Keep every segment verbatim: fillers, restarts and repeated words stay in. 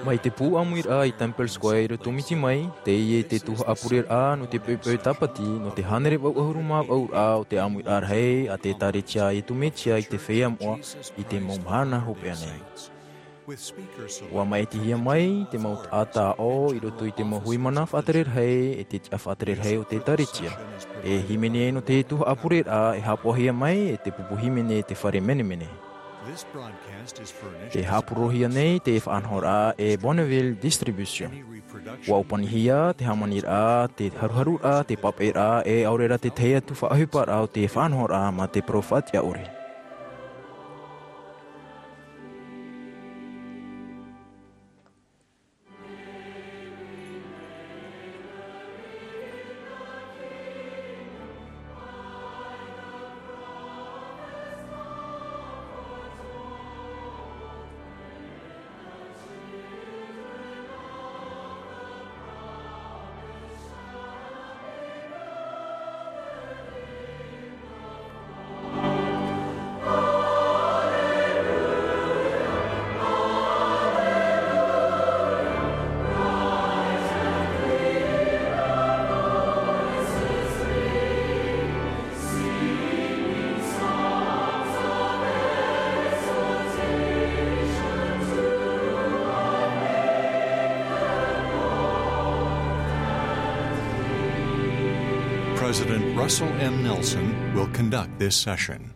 Mai te pū ʻāmuiraʻa i Temple Square i roto Miti mai, teie te tuhaʻa pureraʻa nō te poʻipoʻi tāpati, nō te hānere vaʻu ʻahuru mā vaʻuraʻa o te ʻāmuiraʻa rahi a te ʻĒtārētia a Iesu Mesia i te feiā moʻa i te mau mahana hopeʻa nei. ʻUa maʻitihia mai te mau taʻata aʻo i roto i te mau hui mana faʻatere rahi, e te tiʻa faʻatere rahi o te ʻĒtārētia. E hīmene nō te tuhaʻa pureraʻa e haʻapaʻohia mai e te pupu hīmene te fare menemene. Te haʻapurorohia nei te faʻanahoraʻa e Bonneville Distribution. ʻUa ʻōpanihia te hāmaniraʻa, te haruharuraʻa, te papaʻiraʻa, e ʻaore rā te tahi atu faʻaʻohiparaʻa o te faʻanahoraʻa mā te parau faʻatiʻa ʻore. President Russell M. Nelson will conduct this session.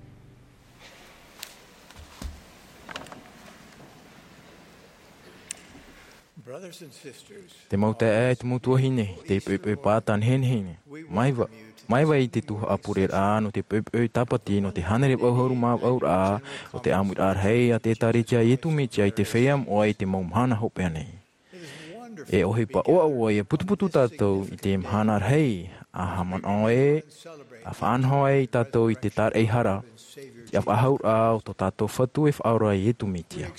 Te mau taeaʻe, te mau tuahine, te poʻipoʻi pāta nehenehe nei. Mai vau, mai vau i te tuhaʻa pureraʻa nō te poʻipoʻi tāpati, nō te hānere vaʻu ʻahuru mā vaʻuraʻa o te ʻāmuiraʻa rahi a te ʻĒtārētia a Iesu Mesia i te feiā moʻa i te mau mahana hopeʻa nei. E ʻohipa ʻoaʻoa ʻia putuputu tātou i te mahana rahi, ʻa haʻamanaʻo ai, ʻa faʻanaho ai tātou i te tāraʻehara, te faʻahauraʻa o tō tātou Fatu e Faʻaora Iesu Mesia.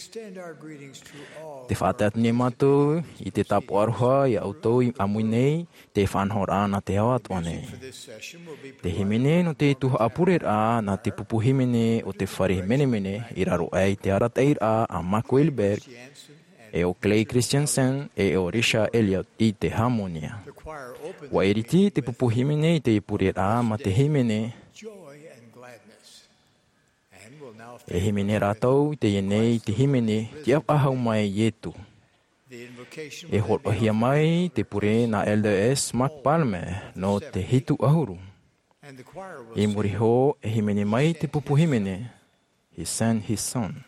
Tē faʻatae atu nei mātou i te tāpaʻo aroha ia ʻoutou i ʻāmui nei, te faʻanahoraʻa nā te ao atoʻa nei. Te hīmene nō te tuhaʻa pureraʻa nā te pupu hīmene o te fare menemene i raro aʻe i te arataʻiraʻa a Mark Wilberg, e ʻo Clay Christensen, e ʻo Richard Elliott i te hāmōnia. ʻUa iriti te pupu hīmene i te pureraʻa mā te hīmene. E hīmene rātou i teie nei i te hīmene Tiʻa Faʻahou Mai Iesu. E hōroʻahia mai te pure nā Elder S. Mark Palmer nō te hitu ʻahuru. I muri iho, e hīmene mai te pupu hīmene, He Sent His Son.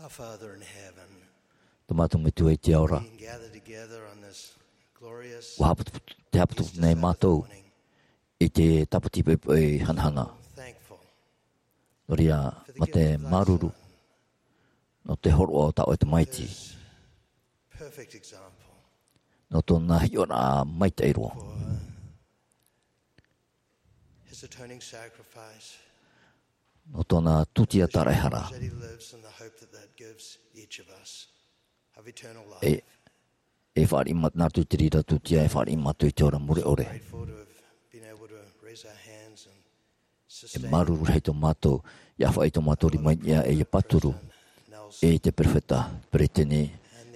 Our Father in heaven, Tō mātou Metua i te ao ra, we gather together on this glorious ʻua haʻaputuputu, tē haʻaputuputu nei mātou i te tāpati poʻipoʻi hanahana. Thankful Nō reira, mā te māuruuru nō te hōroʻa o tā ʻoe Tamaiti, this perfect example nō tōna hiʻoraʻa maitaʻi roa, for his atoning sacrifice, nō tōna tūtia tāraʻehara. That he lives and the hope that that gives each of us of eternal life. E, e fāriʻi mā-, nā roto i te reira tūtia e fāriʻi mātou i te ora mure ʻore. Grateful to have been able to raise our hands and E sustain māuruuru rahi tō mātou, ʻia faʻaʻī tō mātou rima i niʻa e ʻia pāturu i te perofeta Peretiteni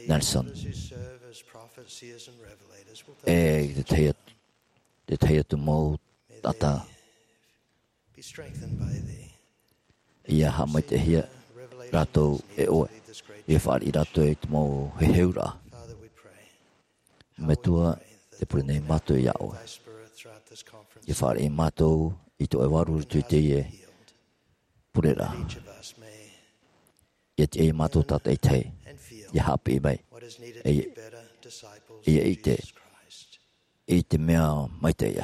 Nelson. And the elders who serve as prophets, seers, and revelators will take this. E te tahi atu, te tahi atu mau taʻata. Be strengthened by thee. ʻIa haʻamaitaʻihia rātou e ʻoe. ʻIa fāriʻi rātou i te mau heheuraʻa. Father, we pray. Metua, tē pure nei mātou iā ʻoe. ʻIa fāriʻi mātou i tō ʻoe vārua i roto i teie pureraʻa. ʻIa tiʻa iā mātou tātaʻitahi ʻia haʻapiʻi mai, ʻia, ʻia ʻite i te mea maitaʻi.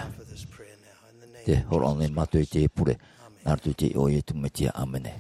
Tē hōroʻa nei mātou i teie pure nā roto i te iʻoa o Iesu Mesia. ʻĀmene.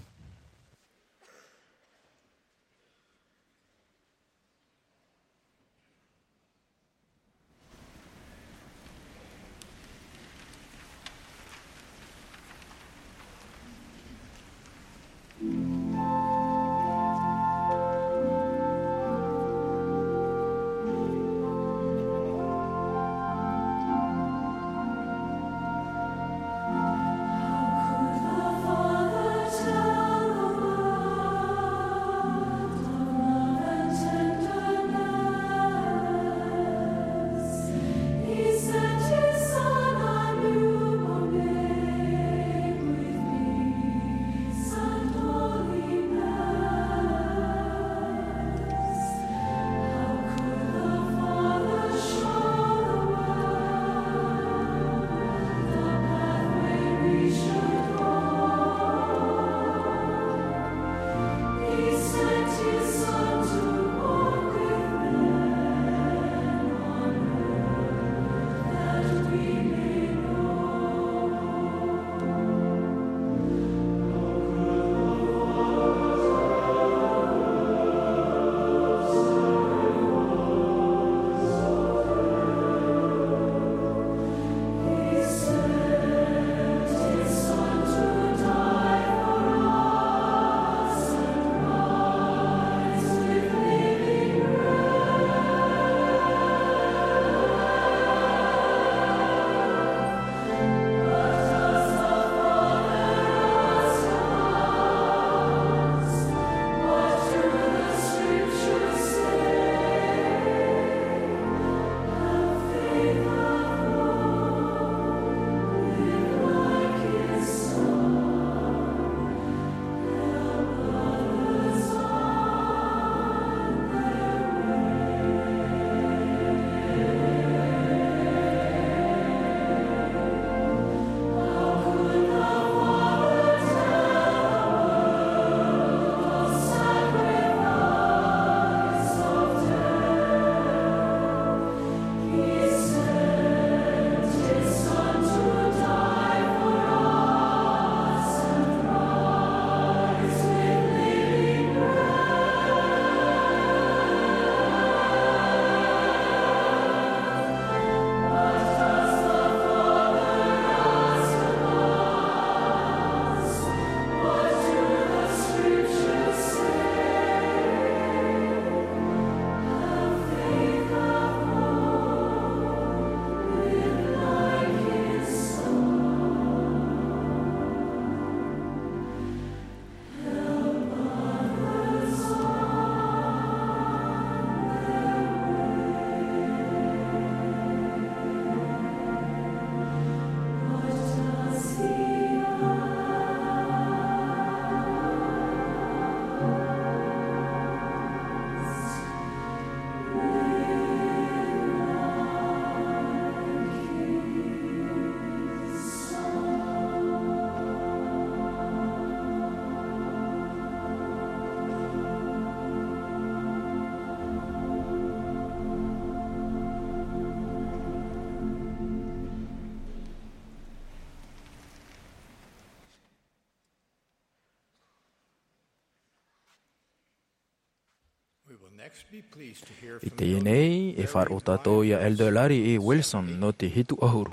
I teie nei, e faʻaroʻo tātou ia Elder Larry E. Wilson nō te hitu ʻahuru.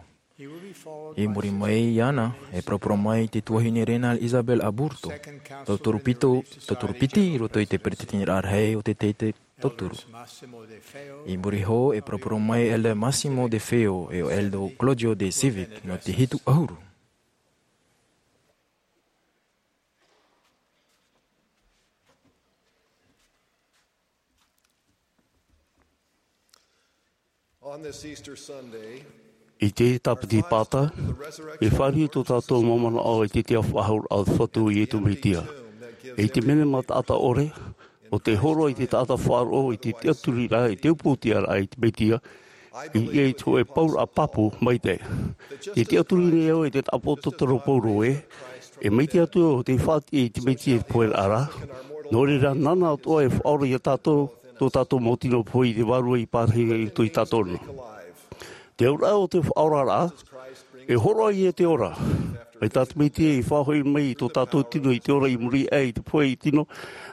I muri mai iāna, e poroporo mai te tuahine Renal Isabel Aburto, tauturu piti, tauturu piti i roto i te peretiteniraʻa rahi o te teitei tauturu. I muri iho, e poroporo mai Elder Massimo De Feo e ʻo Elder Claudio De Civic nō te hitu ʻahuru. On this Easter Sunday, i te tāpiti pāta, e fāriu tō tātou mau manaʻo i te tiʻa faʻahou o te Fatu o Iesu Mesia. I te menema taʻata ʻore, ʻo te hōroʻa i te taʻata faʻaroʻo i te tiʻaturiraʻa, i te upoʻotiʻaraʻa i te Mesia, i ʻia i te hōʻē pauraʻa pāpū maitaʻi. Te tiʻaturi nei au e te tāpaʻo tōtoro Paulo ē, e mai te Atua ʻo tei faʻatiʻa i te Mesia i te poheraʻa ra, nō reira nāna atoʻa e faʻaora ia tātou, tō tātou mau tino pohe i te Vārua i pārahi i roto ia tātou ra. Te auraʻa o te faʻaoraraʻa, e hōroʻa ia te ora. Mai tā te Mesia i faʻahoʻi mai i tō tātou tino i te ora i muri aʻe i te pohe tino,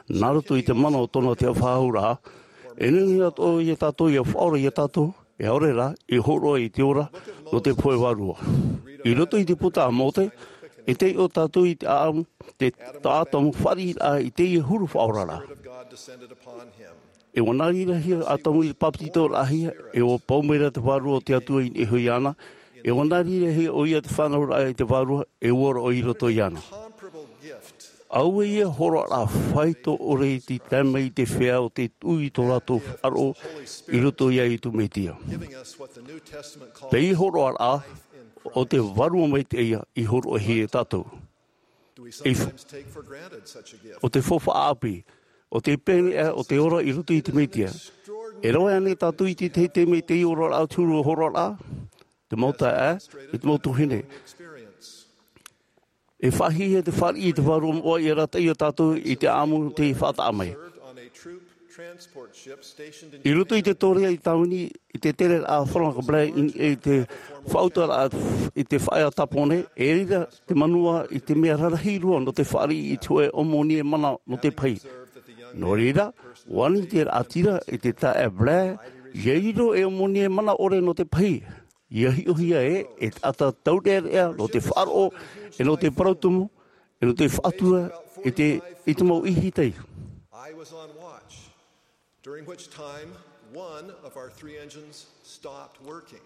nā roto i te mana o tōna tiʻa faʻahouraʻa, e nehenehe atoʻa ia tātou ʻia faʻaora ia tātou, e ʻaore rā, e hōroʻa i te ora nō te pohe vārua. I roto i te puta a Mōse, e taiʻo tātou i te ʻāʻamu, te taʻata mau fāriʻiraʻa i teie huru faʻaoraraʻa. E ʻua nā reira hia Atamu i te pāpetitoraʻahia, e ʻua pau mai ra te Vārua o te Atua i niʻa iho iāna, e ʻua nā reira hia ʻoia te fānauraʻa i te Vārua, e ʻua roaʻa i roto iāna. Auē ia hōroʻaraʻa faito ʻore i te tae mai i te feiā o te tuʻu i tō rātou faʻaroʻo i roto ia Iesu Mesia. Teie hōroʻaraʻa, ʻo te Vārua Maitaʻi ia i hōroʻahia e tātou. I f-, ʻo te faufaʻa ʻāpī, ʻo te pēneiʻa, ʻo te ora i roto i te Mesia. E rave ānei tātou i te teitei mai i teie oraraʻa o te huru hōroʻaraʻa, te mau taeaʻe, e te mau tuahine. E faʻahiahia te fāriʻi i te Vārua Moʻa ʻia arataʻi ia tātou i te ʻāʻamu tei faʻataʻa mai. I roto i te tōrea i Tāvini, i te tereraʻa Frank Blair i, i te faʻauturaʻa i te faʻaea Tāpōnē, e riro te manuā i te mea rarahi roa nō te fāriʻi i te hōʻē ʻōmoni e mana nō te pahī. Nō reira, ʻua ani te raʻatira i te taeaʻe Blair, ʻia riro e ʻōmoni e mana ʻore nō te pahī. ʻIa hiʻohia ē, e taʻata taureʻareʻa nō te faʻaroʻo, e nō te parau tumu, e nō te faʻatura, i te, i te mau ʻihitai. I was on watch, during which time one of our three engines stopped working,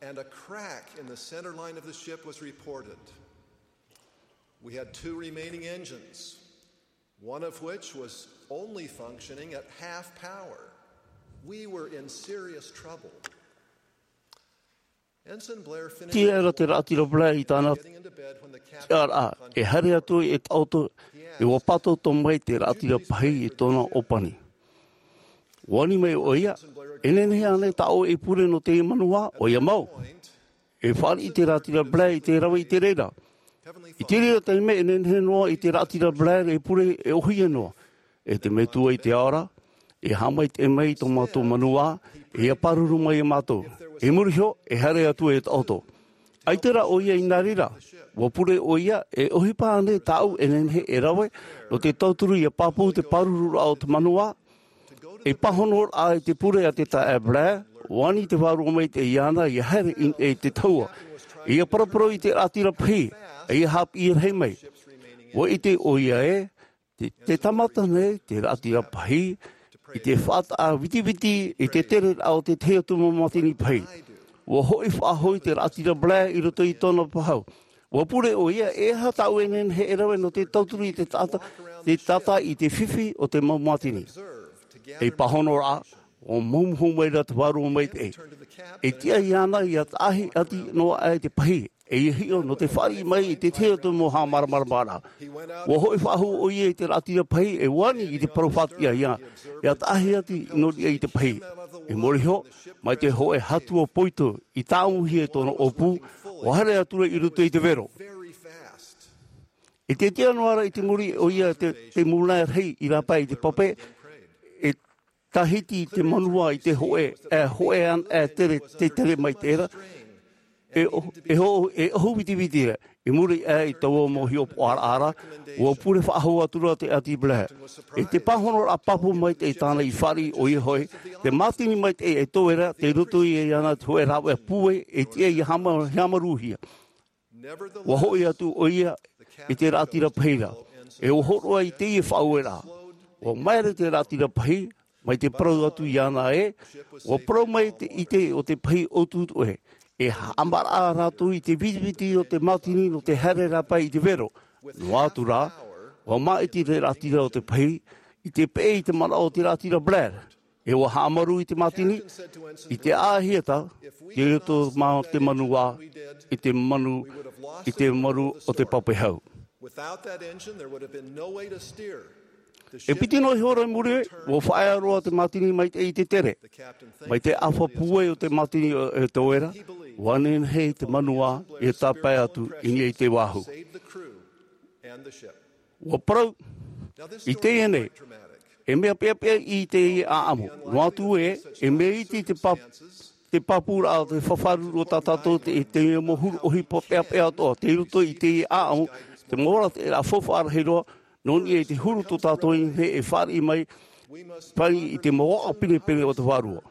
and a crack in the center line of the ship was reported. We had two remaining engines, one of which was only functioning at half power. We were in serious trouble. Ensign Blair finished. Tiʻa ra te raʻatira Blair i tāna tiʻaraʻa, e haere atu e taʻoto, e ʻua pātōtō mai te raʻatira pahī i tōna ʻōpani. ʻUa ani mai ʻoia, e nehenehe ānei tā ʻoe e pure nō te manuā? ʻOia mau. E fāriʻi te raʻatira Blair i te rave i te reira. I te reira taime e nehenehe noa i te raʻatira Blair e pure e ʻōhie noa. E te Metua i te ao ra, e haʻamaitaʻi mai i tō mātou manuā, e ʻia pāruru mai ia mātou. I muri iho, e haere atu e taʻoto. ʻAita rā ʻoia i nā reira, ʻua pure ʻoia, e ʻohipa ānei tāʻu e nehenehe e rave, nō te tauturu ʻia pāpū te pārururaʻa o te manuā, e pāhonoraʻa i te pure a te taeaʻe Blair, ʻua ani te Vārua Maitaʻi iāna ʻia haere i, i te tahua, ʻia paraparau i te raʻatira pahī, ʻia haʻapiʻi rahi mai. ʻUa ʻite ʻoia ē, te, te tāmata nei te raʻatira pahī, i te faʻataʻa vitiviti, i te tereraʻa o te tahi atu mau mātini pahī. ʻUa hoʻi faʻahou te raʻatira Blair i roto i tōna pahau. ʻUa pure ʻoia, e aha tāʻu e nehenehe e rave nō te tauturu i te taʻata, te taʻata i te fifi o te mau mātini. E pāhonoraʻa, ʻua maumohu mai ra te Vārua Maitaʻi. E tiʻa iāna ʻia taʻahi ati noa aʻe te pahī, e ʻia hiʻo nō te fāriʻi mai i te tahi atu mau haʻamāramaramaraʻa. ʻUa hoʻi faʻahou ʻoia i te raʻatira pahī, e ʻua ani i te parau faʻatiʻa ia, ʻia taʻahi ati nō niʻa i te pahī. I muri iho, mai te hōʻē hatua poito i tāʻamuhia e tōna ʻōpū, ʻua haere atu ra i roto i te vero. E te tiʻa noa ra i te muri ʻoia te, te mūnaʻa rahi i rāpae i te pape, e tāhiti te manuā i te hōʻē, e hōʻē ana, e tere, te tere mai te reira. E ʻo-, e ʻo-, e ʻohu vitiviti ra, i muri aʻe i taua mau hiʻopoʻaraʻa ra, ʻua pure faʻahou atu ra te ʻāti Blair. E te pāhonoraʻa pāpū maitaʻi tāna i fāriʻi ʻoia hoʻi, te mātini maitaʻi e toe ra, tei roto iāna te hōʻē rāveʻa pūai, e tiʻa ia hāma-, hāmarūhia. ʻUa hoʻi atu ʻoia i te raʻatira pahi ra. E ʻua hōroʻa i teie faʻaueraʻa. ʻUa maere te raʻatira pahi, mai te parau atu iāna ē, ʻua parau mai te ʻite o te pahi ʻutuʻutu ē. E haʻamaraʻa rātou i te vitiviti o te mātini nō te haere rāpae i te vero. Noa atu rā, ʻua māʻiti te raʻatira o te pahi, i te peʻe i te manaʻo o te raʻatira Blair. E ʻua haʻamaru i te mātini, i te ʻāhiata, i roto mā te manu ā, i te manu, i te maru o te pape hau. Without that engine, there would have been no way to steer the E ship piti noa iho ra i muri, ʻua faʻaea roa te mātini maitaʻi i te tere. Mai te ʻāfa pūai o te mātini e toe ra, ʻua nehenehe te manu ā, ia tāpae atu i niʻa i te vāhu. Saved the crew and the ship. ʻUa parau, i teie nei, e mea peʻapeʻa i teie ʻāʻamu. Noa atu ē, e mea iti te pā-, te pāpūraʻa o te faʻafaʻaruru o tā tātou te, te mea mau huru ʻohipa peʻapeʻa atoʻa, tei roto i teie ʻāʻamu, te mau arataʻiraʻa faufaʻa rahi roa, nō niʻa i te huru tō tātou i nehenehe e fāriʻi mai, fāriʻi i te mau aʻo pinepine o te vārua.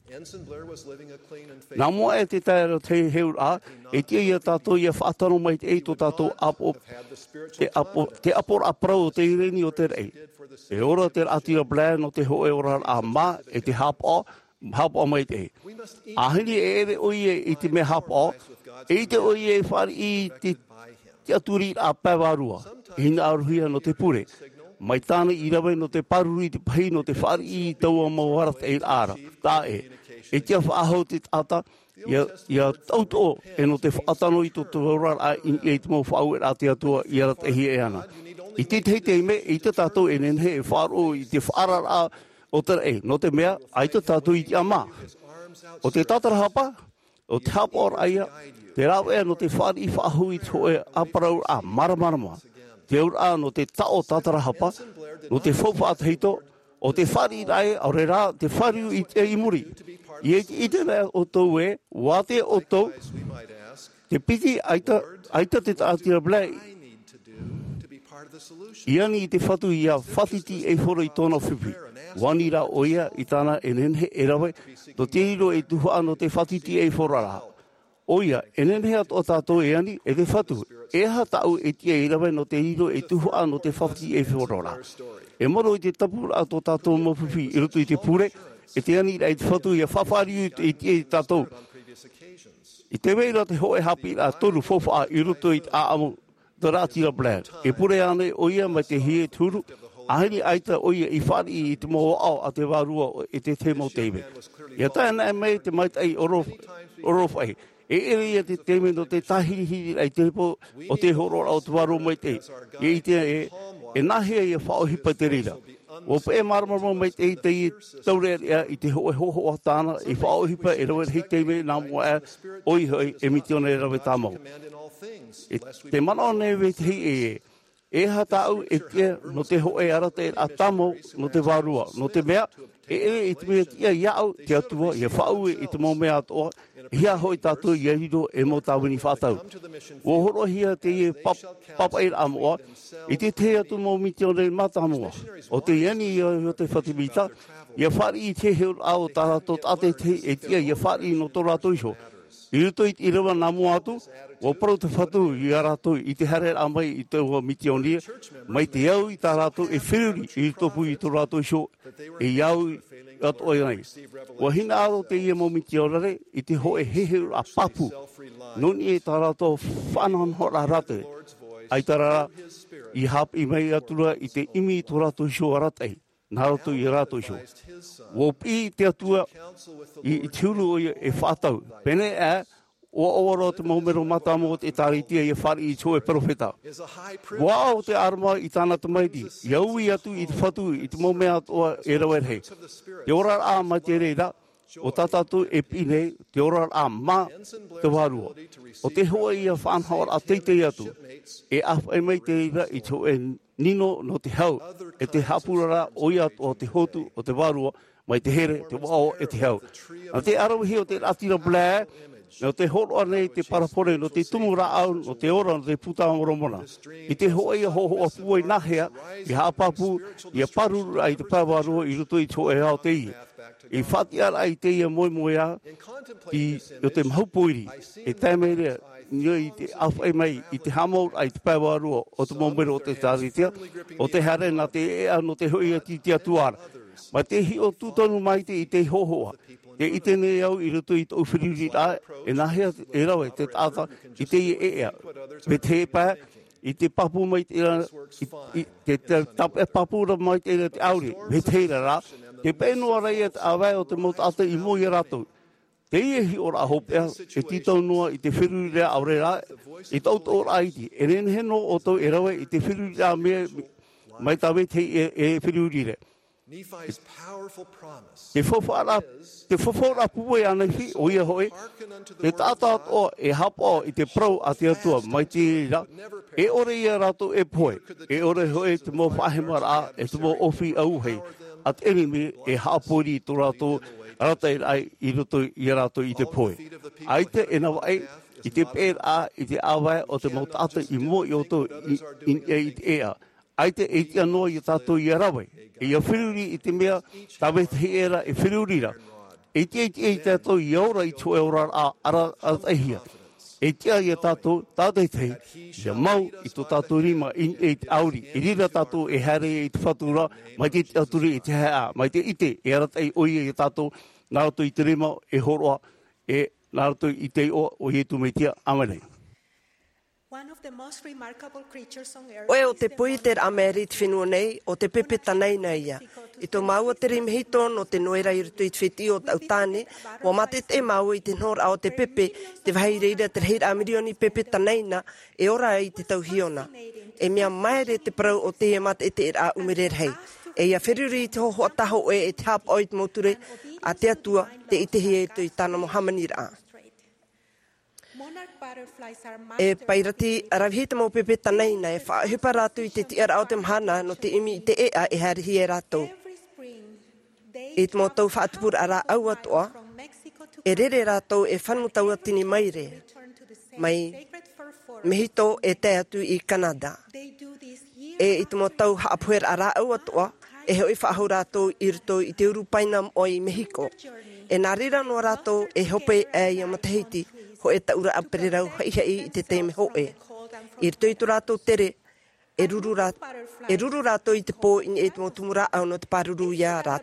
Ensign Blair was living a clean and faithful Nā mua e te tae ra te heheuraʻa, e tiʻa ia tātou ia faʻatano maitaʻi tō tātou ʻāpoʻo, te ʻāpoʻo, te ʻāpoʻoraʻa parau o te ireni o te raʻi. E ora te raʻatira Blair nō te hōʻē oraraʻa mā, e te haʻapaʻo, haʻapaʻo maitaʻi. ʻAhani e ʻere ʻoia i te mea haʻapaʻo, e ʻite ʻoia e fāriʻi i te tiʻaturiraʻa pae vārua, e hinaʻarohia nō te pure. Mai tāna i rave nō te pāruru i te pahi nō te fāriʻi i taua mau arataʻiraʻa ra. Taʻa ʻē, e tiʻa faʻahou te taʻata, ia, ia tautoʻo, e nō te faʻatano i tō te oraraʻa i, i te mau faʻaueraʻa a te Atua i arataʻihia e ana. I tētahi taime, e ʻite tātou e nehenehe e faʻaroʻo i te faʻaararaʻa o te raʻi, nō te mea, ʻaita tātou i tiʻa mā. ʻO te tātarahapa, ʻo te haʻapaʻoraʻa ia, te rāveʻa nō te fāriʻi faʻahou i te hōʻē ʻāparauraʻa māramarama. Te auraʻa nō te taʻo tātarahapa, nō te faufaʻa tahito, ʻo te fāriʻiraʻa ē, ʻaore rā, te fāriu i te, i muri. ʻIa ʻite, ʻite ra ʻoutou ē, ʻua ʻite ʻoutou, te piti, ʻaita, ʻaita te taʻatira Blair i ani i te Fatu ʻia fātiti ei hora i tōna fifi. ʻUa ani rā ʻoia i tāna e nehenehe e rave, nō te riro ei tuhaʻa nō te fātiti ei hora ra. ʻOia, e nehenehe atoʻa tātou e ani, e te Fatu, e aha tāʻu e tiʻa i rave nō te riro ei tuhaʻa nō te fātiti ei hora ra. E maro i te tapuraʻa tō tātou mau fifi i roto i te pure, e te aniraʻa i te Fatu ʻia faʻafāriu i te, i te, i tātou. I te vai ra te hōʻē haʻapiʻiraʻa toru faufaʻa i roto i te ʻāʻamu, te raʻatira Blair. E pure ānei ʻoia mai te hia i te huru, ʻaore ʻaita ʻoia i fāriʻi i te mau aʻo a te Vārua e te tahi mau taime. ʻIa tae anaʻe mai te maitaʻi ʻorof-, ʻorofaʻi. E ʻere ia te taime nō te tāhirihiri i te repo o te hōroʻaraʻa o te Vārua Maitaʻi. ʻIa ʻite ē, e nāhea ʻia faʻaʻohipa i te reira. ʻUa peʻe māramarama maitaʻi teie taureʻareʻa i te hōʻē hōhoʻa tāna i faʻaʻohipa e rave rahi taime nā mua aʻe, ʻoia hoʻi e mitiōnia rave tāmau. E te manaʻo nei vetahi ē, e aha tāʻu e tiʻa nō te hōʻē arataʻiraʻa tāmau nō te Vārua, nō te mea, e ʻere i te mea tiʻa iāʻu te Atua, ʻia faʻaue i te mau mea atoʻa, e hia hoʻi tātou ʻia riro ei mau tāvini faʻatau. ʻUa hōroʻahia teie pāp-, pāpaʻiraʻa moʻa, i te tahi atu mau mitiōnia mātāmua. ʻO tē ani ia Iosepha Semita, ʻia fāriʻi i te heheuraʻa o tā rātou tātaʻitahi e tiʻa ʻia fāriʻi nō tō rātou iho. I roto i te ʻīrava nā mua atu, ʻua parau te Fatu ia rātou i te haereraʻa mai i taua mitiōnia, mai te au i tā rātou e feruri i roto pū i tō rātou iho, e au atoʻa nei. ʻUa hinaʻaro teie mau mitiōnia i te hōʻē heheuraʻa pāpū. Nō niʻa i tā rātou faʻanahonahoraʻa arataʻi. ʻAita rā, i haʻapiʻi mai atu ra i te ʻimi i tō rātou iho arataʻi. Nā roto ia rātou iho. ʻUa piʻi te Atua i, i te huru ʻoia e faʻatau. Pēnei aʻe, ʻua ʻoaʻoa roa te mau mero mātāmua o te ʻĒkālesia ʻia fāriʻi i te hōʻē peropheta. ʻUa aʻo te ʻĀrama i tāna tamaiti, ʻia ui atu i te Fatu i te mau mea atoʻa e rave rahi. Te oraraʻa mai te reira, ʻo tā tātou e piʻi nei, te oraraʻa mā te Vārua. ʻO te hōʻē ia faʻanahoraʻa teitei atu, e ʻāfaʻi mai te reira i te hōʻē nino nō te hau, e te haʻapuraraʻa ʻoia atoʻa o te hotu o te Vārua, mai te here, te vaʻo, e te hau. Nā te ʻaravihi o te rātira Blair, nō te hōroʻa nei te parabole, nō te tumu rāʻau, nō te ora, nō te puta a Moromona. I te hōʻē ia hōhoʻa pūai nāhea, i haʻapāpū, ia pāruru ai te pae vārua i roto i te hōʻē ao teie. I faʻatiʻa ai teie moemoeā, i, o te mahu pōiri. E tae mai rā, nō i te ʻāfaʻi mai, i te haʻamau ai te pae vārua, o te mau mero o te ʻĒkālesia, o te haere nā te ʻēʻa nō te hoʻi atu i te Atua ra. Mai te hiʻo tūtonu mai te, i te hōhoʻa. Te ʻite nei au i roto i tōʻu feruriraʻa, e nāhea e rave te taʻata i teie ʻēʻa. Vetahi pae, i te pāpū mai te ra, i, i, te, te, tāpeʻa pāpū ra mai te ra te ʻauri. Vetahi ra rā, te peʻe noa ra ia te ʻāvae o te mau taʻata i mua ia rātou. Teie hiʻoraʻa hopeʻa, e tītau noa i te feruriraʻa ʻaore rā, i taʻu toʻoraʻa iti. E nehenehe noa ʻoutou e rave i te feruriraʻa mea, mai tā vetahi e, e feruri ra. Nephi's powerful promise Te faufaʻa, te faufaʻa pūai a Nephi, ʻoia hoʻi, te taʻata atoʻa e haʻapaʻo i te parau a te Atua, mai te reira, e ʻore ia rātou e pohe, e ʻore hoʻi te mau faʻahemaraʻa, e te mau ʻōpī auahi, a te ʻenemi e haʻapōiri i tō rātou arataʻiraʻa i roto ia rātou i te pohe. ʻAita e navaʻi, i te peʻeraʻa, i te ʻāvae o te mau taʻata i mua ia ʻoutou i, i, i te ʻēʻa. ʻAita e tiʻa noa ia tātou ia rave, e ia feruri i te mea, tā vetahi ʻē ra e feruri ra. E tiʻa, e tiʻa ia tātou ia ora i te hōʻē oraraʻa ara, arataʻihia. E tiʻa ia tātou, tā vetahi, ia mau i tō tātou rima i, i te ʻauri, i reira tātou e haere i te Fatu ra, mai te tiʻaturi i te haeʻa, mai te ʻite, e arataʻi ʻoia ia tātou, nā roto i te rima, e hōroʻa, e nā roto i te iʻoa o Ietu Metia. ʻĀmene. One of the most remarkable creatures on earth ʻOe ʻo te poiteraʻa maere i te fenua nei, ʻo te pepe tanaina ia. I tō māua tere mehito nō te noera i roto i te fētiʻi o taʻu tāne, ʻua mātete māua i te nohoraʻa o te pepe, te vāhi i reira te rahiraʻa mirioni pepe tanaina, e ora ai i te tau hiona. E mea maere te parau o teie māteteteraʻa ʻumere rahi. E ia feruri i te hōhoʻa tāhōʻē e te haʻapaʻo i te mau ture, a te Atua, tē ʻitehia i roto i tāna mau hāmaniraʻa. E pairati ʻaravihi te mau pepe tanaina, e faʻaʻohipa rātou i te tiʻaraʻa o te mahana nō te ʻimi i te ʻēʻa e haerehia e rātou. I te mau tau faʻatupuraʻa rāʻau atoʻa, e rere rātou e fanu tauatini maere, mai Mehiko e tae atu i Kanata. E i te mau tau haʻapoheraʻa rāʻau atoʻa, e hoʻi faʻahou rātou i roto i te uru paina moʻa i Mehiko. E nā reira noa rātou e hope aʻe ia matahiti, hōʻē taʻuraʻa pererau haʻihaʻi i te taime hōʻē. I roto i tō rātou tere, e ruru rā-, e ruru rātou i te pō i niʻa i te mau tumu rāʻau nō te pāruru ia rā-,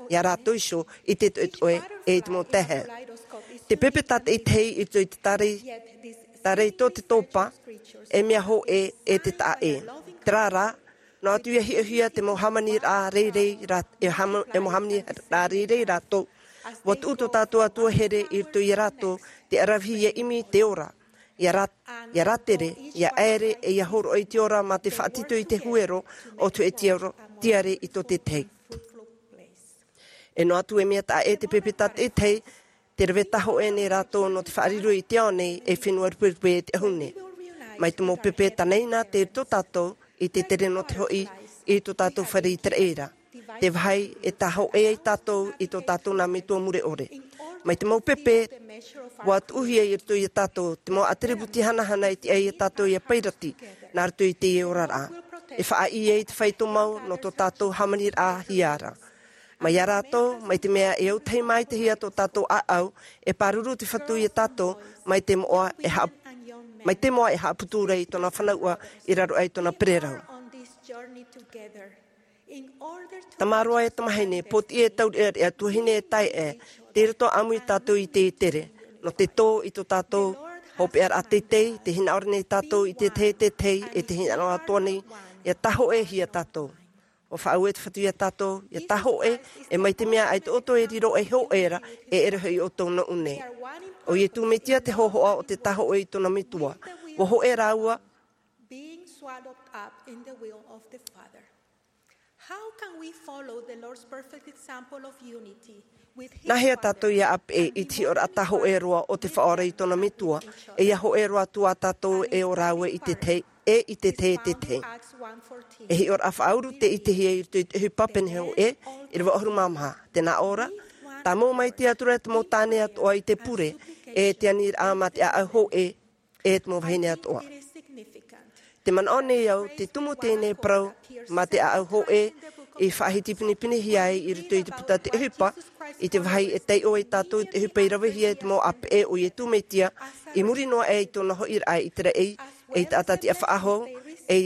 ia rātou iho i te toʻetoʻe e i te mau taehae. Te pepe tātaʻitahi i roto i te tārei, tārei tō te tōpā, e mea hōʻē e te taʻa ʻē. Terā rā, noa atu ia hiʻohia te mau hāmaniraʻa rairai rā-, e hāma-, e mau hāmaniraʻa rairai rātou. ʻUa tuʻu tō tātou Atua here i roto ia rātou, te ʻaravihi ia ʻimi te ora. Ia rā-, ia rātere, ia ʻaere, e ia hōroʻa i te ora mā te faʻatito i te huero o te hōʻē tiaro-, tiare i tō te tahi. E noa atu e mea taʻa ʻē te pepe tātaʻitahi, te rave tāhōʻē nei rātou nō te faʻariro i te ao nei e fenua ruperupe e te ʻahu nei. Mai te mau pepe tanaina tei roto tātou i te tere nō te hoʻi i tō tātou fare ʻĪteraʻera. Te vāhi e tāhōʻē ai tātou i tō tātou nā metua mure ʻore. Mai te mau pepe, ʻua tuʻuhia i roto ia tātou, te mau ʻātiributi hanahana e tiʻa ia tātou ia pairati, nā roto i teie oraraʻa. E faʻaʻī ai te fāito mau nō tō tātou hāmaniraʻahia ra. Mai ia rātou, mai te mea e autahi maitaʻi ia tō tātou ʻāʻau, e pāruru te Fatu ia tātou, mai te moʻa e haʻa-, mai te moʻa e haʻaputu ra i tōna fanauʻa i raro aʻe i tōna pererau. Tamaroa e tamahine, pōtiʻi e taureʻareʻa, tuahine e taeaʻe, tei roto ʻāmui tātou i te tere. Nō te tō i tō tātou hopeʻaraʻa teitei, tē hinaʻaro nei tātou i te tahi e te tahi, e tē hinaʻaro atoʻa nei, ia tāhōʻēhia tātou. ʻUa faʻaue te Fatu ia tātou, ia tāhōʻē, e mai te mea ʻaita ʻoutou e riro ei hōʻē ra, e ʻere hoʻi ʻoutou nōʻu nei. ʻO Ietu Metia te hōhoʻa o te tāhōʻē i tōna metua. ʻUa hōʻē rāua, being swallowed up in the will of the Father. How can we follow the Lord's perfect example of unity with his Nāhea tātou ia ʻāpeʻe i te hiʻoraʻa tāhōʻē roa o te Faʻaora i tōna metua, e ia hōʻē roa atu ā tātou e ora aʻe i te tahi? e i te tahi e te tahi. E hiʻoraʻa faʻauru te ʻitehia i roto i te ʻohipa pene hōʻē, ʻīrava ʻahuru mā maha. Tē nā ʻō ra, tāmau mai te Atua i te mau tāne atoʻa i te pure, e te aniraʻa mā te ʻāʻau hōʻē, e te mau vahine atoʻa. Tē manaʻo nei au, te tumu teie nei parau mā te ʻāʻau hōʻē, i faʻahiti pinepinehia ai i roto i te puta te ʻohipa, i te vāhi e taiʻo ai tātou i te ʻohipa i ravehia e te mau ʻāpeʻe o Iesu Mesia, i muri noa aʻe i tōna hoʻiraʻa i te raʻi, e i te taʻata tiʻa faʻahou, e,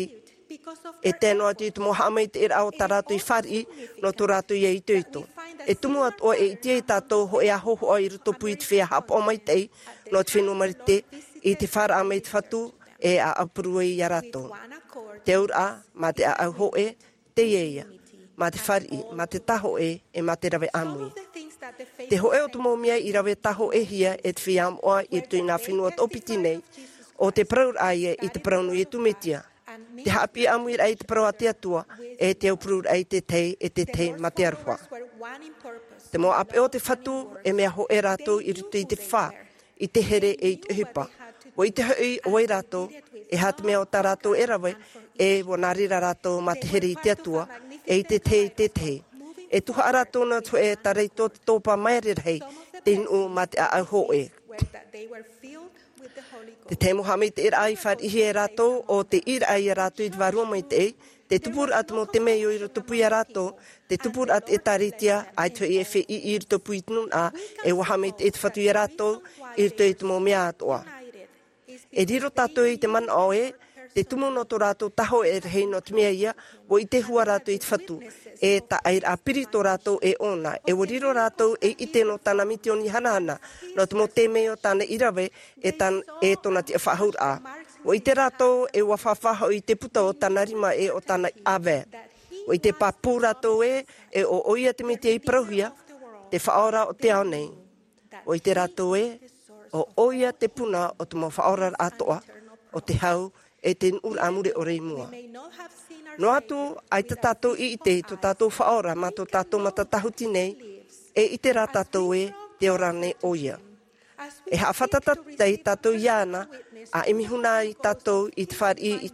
e tae noa atu i te mau haʻamaitaʻiraʻa o tā rātou i fāriʻi, nō tō rātou ia itoito. E tumu atoʻa e ʻite ai tātou hōʻē ā hōhoʻa i rotopū i te feiā haʻapaʻo maitaʻi, nō te fenua Marite, i te fāraʻa mai te Fatu, e ʻāʻapuru ai ia rātou. Te auraʻa, mā te ʻāʻau hōʻē, teie ïa, mā te fāriʻi, mā te tāhōʻē, e mā te rave ʻāmui. Te hōʻē o te mau mea i rave tāhōʻēhia e te feiā moʻa i roto i nā fenua toʻopiti nei, ʻo te parauraʻa ïa i te parau nō Iesu Mesia. Te haʻapiʻi ʻāmuiraʻa i te parau a te Atua, e te aupururaʻa i te tahi e te tahi mā te aroha. Te mau ʻāpeʻe o te Fatu, e mea hōʻē rātou i roto i te fā, i te here e i te ʻohipa. ʻUa ʻite hoʻi ʻo vai rātou, e aha te mea o tā rātou e rave, e ʻua nā reira rātou mā te here i te Atua, e i te tahi e te tahi. E tuhaʻa rātou nā te hōʻē taraito te topa maere rahi, te nuʻu mā te ʻāʻau hōʻē. Te tahi mau haʻamaitaʻiraʻa i fāriʻihia e rātou, ʻo te ʻīraʻa ia rātou i te Vārua Maitaʻi, te tupuraʻa te mau temeio i rotopū ia rātou, te tupuraʻa te ʻĒtārētia, ʻaita hoʻi e feiʻi i rotopū i te nūnaʻa, e ʻua haʻamaitaʻi te Fatu ia rātou, i roto i te mau mea atoʻa. E riro tātou i te manaʻo ē, te tumu nō tō rātou tāhōʻēraʻa nō te mea ïa, ʻua ʻite hua rātou i te Fatu, e taʻa ʻairaʻa piri tō rātou e ʻōna, e ʻua riro rātou ei ʻite nō tāna misioni hanahana, nō te mau temeio tāna i rave, e tān-, e tōna tiʻa faʻahou ra. ʻUa ʻite rātou, e ʻua fāfā hoʻi i te puta o tāna rima e o tāna ʻāvae. ʻUa ʻite pāpū rātou ē, e ʻo ʻoia te Mesia i parauhia, te Faʻaora o te ao nei. ʻUa ʻite rātou ē, ʻo ʻoia te puna o te mau faʻaoraraʻa atoʻa, ʻo te hau, e te nuʻuraʻa mure ʻore i mua. Noa atu, ʻaita tātou i ʻite i tō tātou Faʻaora mā tō tātou mata tāhuti nei, e ʻite rā tātou ē, tē ora nei ʻoia. E haʻafātata tātou iāna, ʻa ʻimi huna ai tātou i te fāriʻi,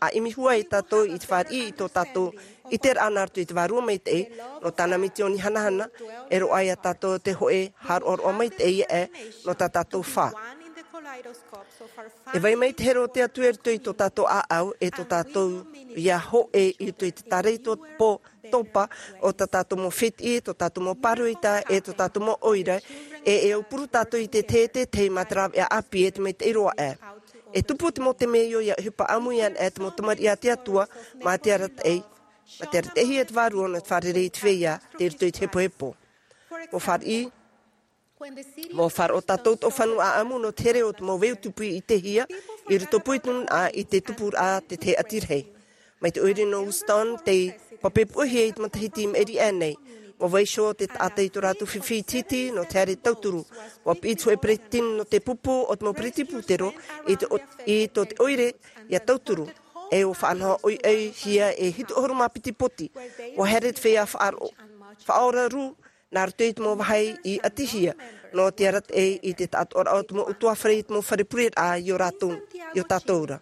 ʻa ʻimi hua ai tātou i te fāriʻi i tō tātou ʻiteraʻa nā roto i te Vārua Maitaʻi, nō tāna misioni hanahana, e roaʻa ia tātou te hōʻē haʻaroʻaroʻa maitaʻi aʻe, nō tā tātou fā. E vai mai te here o te Atua i roto i tō tātou ʻāʻau, e tō tātou ia hōʻē i roto i te taraito pō topa, ʻo tā tātou mau fētiʻi, tō tātou mau pāroita, e tō tātou mau ʻoire, e, e aupuru tātou i te tahi e te tahi mā te rāveʻa ʻāpī e te maitaʻi roa aʻe. E tupu te mau temeio ia ʻohipa ʻāmui ana e te mau tamariʻi a te Atua, mā te arataʻi, mā te arataʻihia te Vārua nō te fārerei i te feiā, tei roto i te hepohepo. ʻUa fāriʻi, ʻUa faʻaroʻo tātou tō fānau ʻāʻamu nō te here o te mau veu tupu i ʻitehia, i rotopū i te nūnaʻa i te tupuraʻa te tahi ʻati rahi. Mai te ʻoire nō Houston, tei pape puʻehia i te matahiti i maʻiri aʻe nei. ʻUa vaiiho te taʻata i tō rātou fifi iti nō te haere tauturu. ʻUa piʻi te hōʻē peretiteni nō te pupu o te mau peretiteni pūtero i te ʻo-, i tō te ʻoire ia tauturu. E ʻua faʻanaho ʻoiʻoihia e hitu ʻahuru mā piti poti. ʻUa haere te feiā faʻaro-, faʻaora rū, nā roto i te mau vāhi i ʻatihia, nō te arataʻi i te taʻatoʻaraʻa o te mau ʻutuāfare i te mau fare pureraʻa i ō rātou, i ō tātou ra.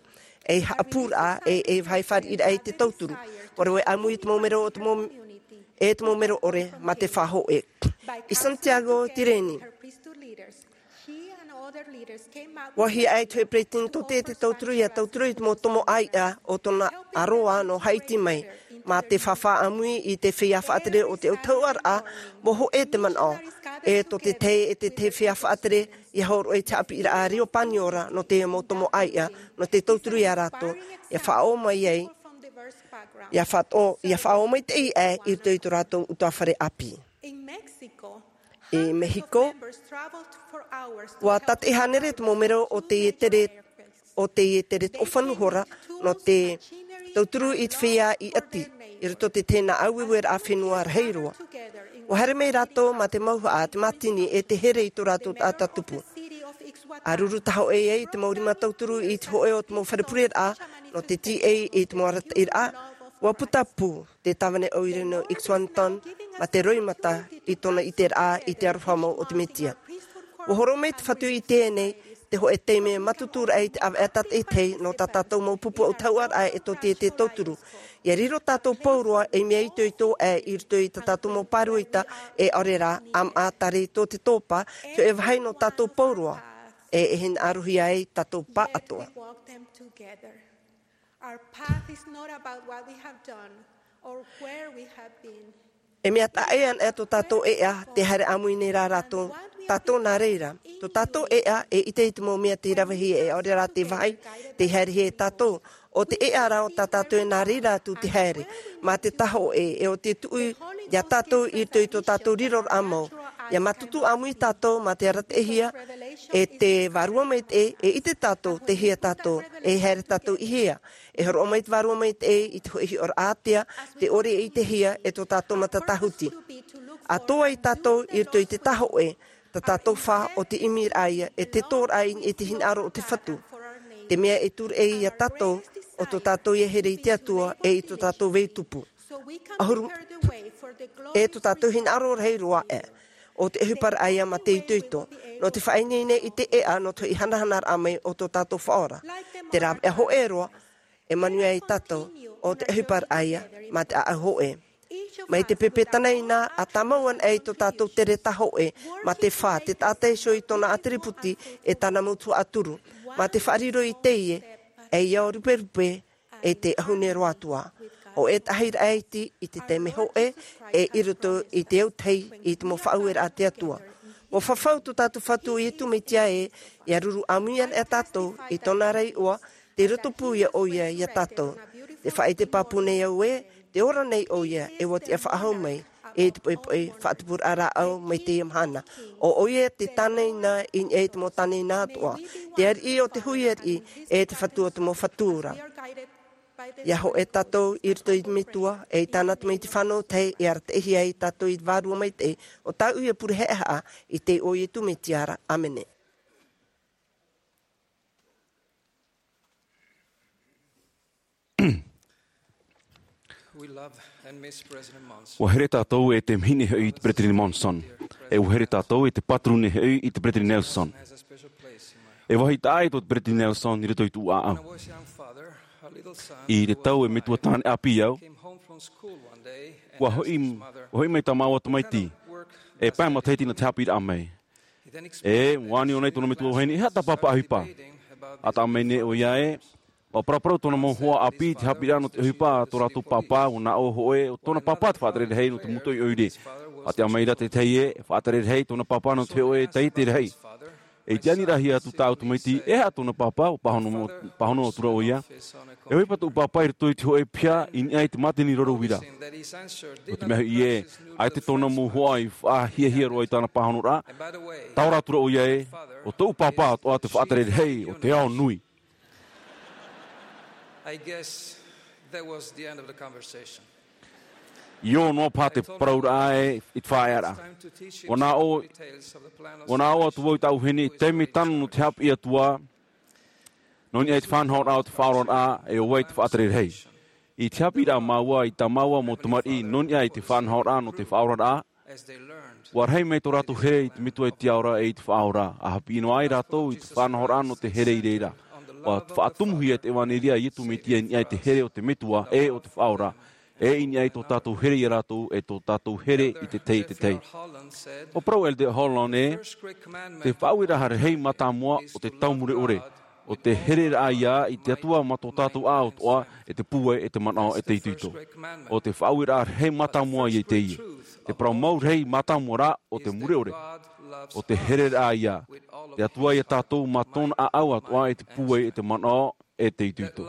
Ei haʻapūraʻa, e, ei vāhi fāriʻiraʻa i te tauturu. ʻUa rave ʻāmui i te mau mero o te mau, e te mau mero ʻore, mā te fā hōʻē. I Santiago, Tireni. ʻUa hiaʻai te hōʻē peretiteni tō te, te tauturu ia tauturu i te mau tomo ʻāiʻa o tōna ʻāroa nō Haiti mai, mā te fāfā ʻāmui i te feiā faʻatere o te autahuʻaraʻa, ʻua hōʻē te manaʻo, e tō te tahi e te tahi feiā faʻatere, ia hōroʻa i te haʻapiʻiraʻa reo paniora nō te mau tomo ʻāiʻa, nō te tauturu ia rātou, ia faʻaō mai ai, ia faʻaō, ia faʻaō maitaʻi aʻe i roto i tō rātou ʻutuāfare ʻāpī. I Mehiko, ʻua tātaʻi hānere te mau mero o teie tere, o teie tere toʻofanu hora, nō te tauturu i te feiā i ʻati, i roto i te tahi nā ʻāueueraʻa fenua rahi roa. ʻUa haere mai rātou mā te mauhaʻa, te mātini, e te here i tō rātou taʻata tupu. ʻA ruru tahoʻē ai te mau rima tauturu i te hōʻē o te mau fare pureraʻa, nō te tīaʻi i te mau arataʻiraʻa, ʻua puta pū te tāvana ʻoire nō Ixwanton, mā te roimata i tōna ʻiteraʻa i te aroha mau o te Mesia. ʻUa hōroʻa mai te Fatu i teie nei, te hōʻē taime mātutu raʻa i te ʻāvaʻe tātaʻitahi nō tā tātou mau pupu ʻautahuʻaraʻa e tō te tauturu. ʻIa riro tātou pauroa ei mea itoito aʻe i roto i tā tātou mau pāroita, e ʻaore rā, ʻāmaʻa tare i tō te tōpā, te hōʻē vāhi nō tātou pauroa, e, e hinaʻarohia ai tātou pāʻatoʻa. Our path is not about what we have done or where we have been. E mea taʻa ʻē ana tō tātou ʻēʻa, tē haere ʻāmui nei rā rātou, tātou nā reira. Tō tātou ʻēʻa, e ʻite i te mau mea tei ravehia, e ʻaore rā te vāhi tei haerehia e tātou. ʻO te ʻēʻa rā o tā tātou e nā reira atu tei haere. Mā te tahoʻe, e ʻo te tuʻu iā tātou i roto i tō tātou riroraʻa mau. ʻIa mātutu ʻāmui tātou mā te arataʻihia e te Vārua Maitaʻi, e ʻite tātou tei hea tātou, e haere tātou i hea. E hōroʻa mai te Vārua Maitaʻi i te hōʻē hiʻoraʻa ātea, tē ʻore e ʻitehia e tō tātou mata tāhuti. ʻAtoʻa ia tātou i roto i te tahoʻe, tā tātou fā ʻo te ʻimiraʻa ia, e te tōraʻa i niʻa i te hinaʻaro o te Fatu. Te mea e tūraʻi iā tātou, ʻo tō tātou ʻia here i te Atua, e i tō tātou vai tupu. ʻAhuru, e tō tātou hinaʻaro rahi roa aʻe. ʻO te ʻohiparaʻa ia mā te itoito. Nō te faʻaineine i te ʻēʻa nō te hoʻi hanahanaraʻa mai o tō tātou Faʻaora. Te rāveʻa hōʻē roa, e manuia ai tātou, ʻo te ʻohiparaʻa ia, mā te ʻāʻau hōʻē. Mai te pepe tanaina, ʻa tāmau ana ai tō tātou tere tahoʻe, mā te fā, te taʻata iho i tōna ʻātiriputi, e tāna mau tuhaʻa turu. Mā te faʻariro i teie, e ʻia ruperupe, e te ʻahune roa atu ā. ʻO e tahi raʻa iti i te taime hōʻē, e i roto i te autahi i te mau faʻaueraʻa a te Atua. ʻUa fafau tō tātou Fatu ʻo Ietu Metia ē, ʻia ruru ʻāmui ana e tātou, i tōna ra iʻoa, tei roto pū ia ʻoia iā tātou. Tē faʻaʻite pāpū nei au ē, tē ora nei ʻoia, e ʻua tiʻa faʻahou mai, e te poʻipoʻi faʻatupuraʻa rāʻau mai teie mahana. ʻO ʻoia te tāneina i niʻa i te mau tāneina atoʻa. Te ariʻi o te hui ariʻi, e te Fatu o te mau fatu ra. ʻIa hōʻē tātou i roto i te Metua, e i tāna tamaiti fānau tahi, e arataʻihia ai tātou i te Vārua Maitaʻi, ʻo tāʻu ia pure haʻehaʻa, i te iʻoa o Ietu Metia ra. ʻĀmene. We love and miss President Monson. ʻUa here tātou e te mahine hoʻi i te Peresideni Monson. E ʻua here tātou e te pāturu nei hoʻi i te Peresideni Nelson. E vāhi taʻa ʻē tō te Peresideni Nelson i roto i tōʻu ʻāʻau. I te tau e metua tāne ʻāpī au, ʻua hoʻi, ʻua hoʻi mai tā māua tamaiti. E pae matahiti nā te haʻapiʻiraʻa mai. E, ʻua ani ʻōna i tōna metua vahine, e aha tā pāpā ʻohipa? ʻA taʻa mai nei ʻoia ē, ʻua paraparau tōna mau hoa ʻāpī i te haʻapiʻiraʻa nō te ʻohipa a tō rātou pāpā, ʻua nā ʻō hoʻi, ʻo tōna pāpā te faʻatere rahi nō te mūtoʻi ʻoire. ʻA taʻa mai ra te tahi ē, e faʻatere rahi tōna pāpā nō te hōʻē taiete rahi. E i te aniraʻa atu tāʻu tamaiti, e aha tōna pāpā, ʻua pāhono, pāhono atu ra ʻoia. E ʻohipa tōʻu pāpā i roto i te hōʻē piha i niʻa i te mātini roro uira. ʻO te mea hoʻi ē, ʻaita tōna mau hoa i faʻahiahia roa i tāna pāhonoraʻa. Taora atu ra ʻoia ē, ʻo tōʻu pāpā atoʻa te faʻatere rahi o te ao nui. I guess that was the end of the conversation. ʻIo, noa paha te parauraʻa ē i te faʻaearaʻa. ʻUa nā ʻō, ʻua nā ʻō atu vau i tāʻu vahine, taime tāna nō te haʻapiʻi atu ā, nō niʻa i te faʻanahoraʻa o te faʻaoraraʻa, e ʻo vai te faʻatere rahi. I te haʻapiʻiraʻa māua, i tā māua mau tamariʻi, nō niʻa i te faʻanahoraʻa nō te faʻaoraraʻa, ʻua rahi mai tō rātou here i te Metua i te Ao ra e i te Faʻaora, ʻa haʻapiʻi noa ai rātou i te faʻanahoraʻa nō te here i reira. ʻUa faʻatumuhia te ʻevanelia a Ietu Metia i niʻa i te here o te Metua, e o te Faʻaora, e i niʻa i tō tātou here ia rātou, e tō tātou here i te tahi, te tahi. ʻUa parau Elder Holland ē, te faʻaueraʻa rahi mātāmua o te tau mure ʻore, ʻo te hereraʻa ia i te Atua mā tō tātou ʻāʻau atoʻa, e te pūai, e te manaʻo, e te itoito. ʻO te faʻaueraʻa rahi mātāmua ia i teie. Te parau mau rahi mātāmua rā, ʻo te mure ʻore. ʻO te hereraʻa ia. Te Atua ia tātou mā tōna ʻāʻau atoʻa, e te pūai, e te manaʻo, e te itoito.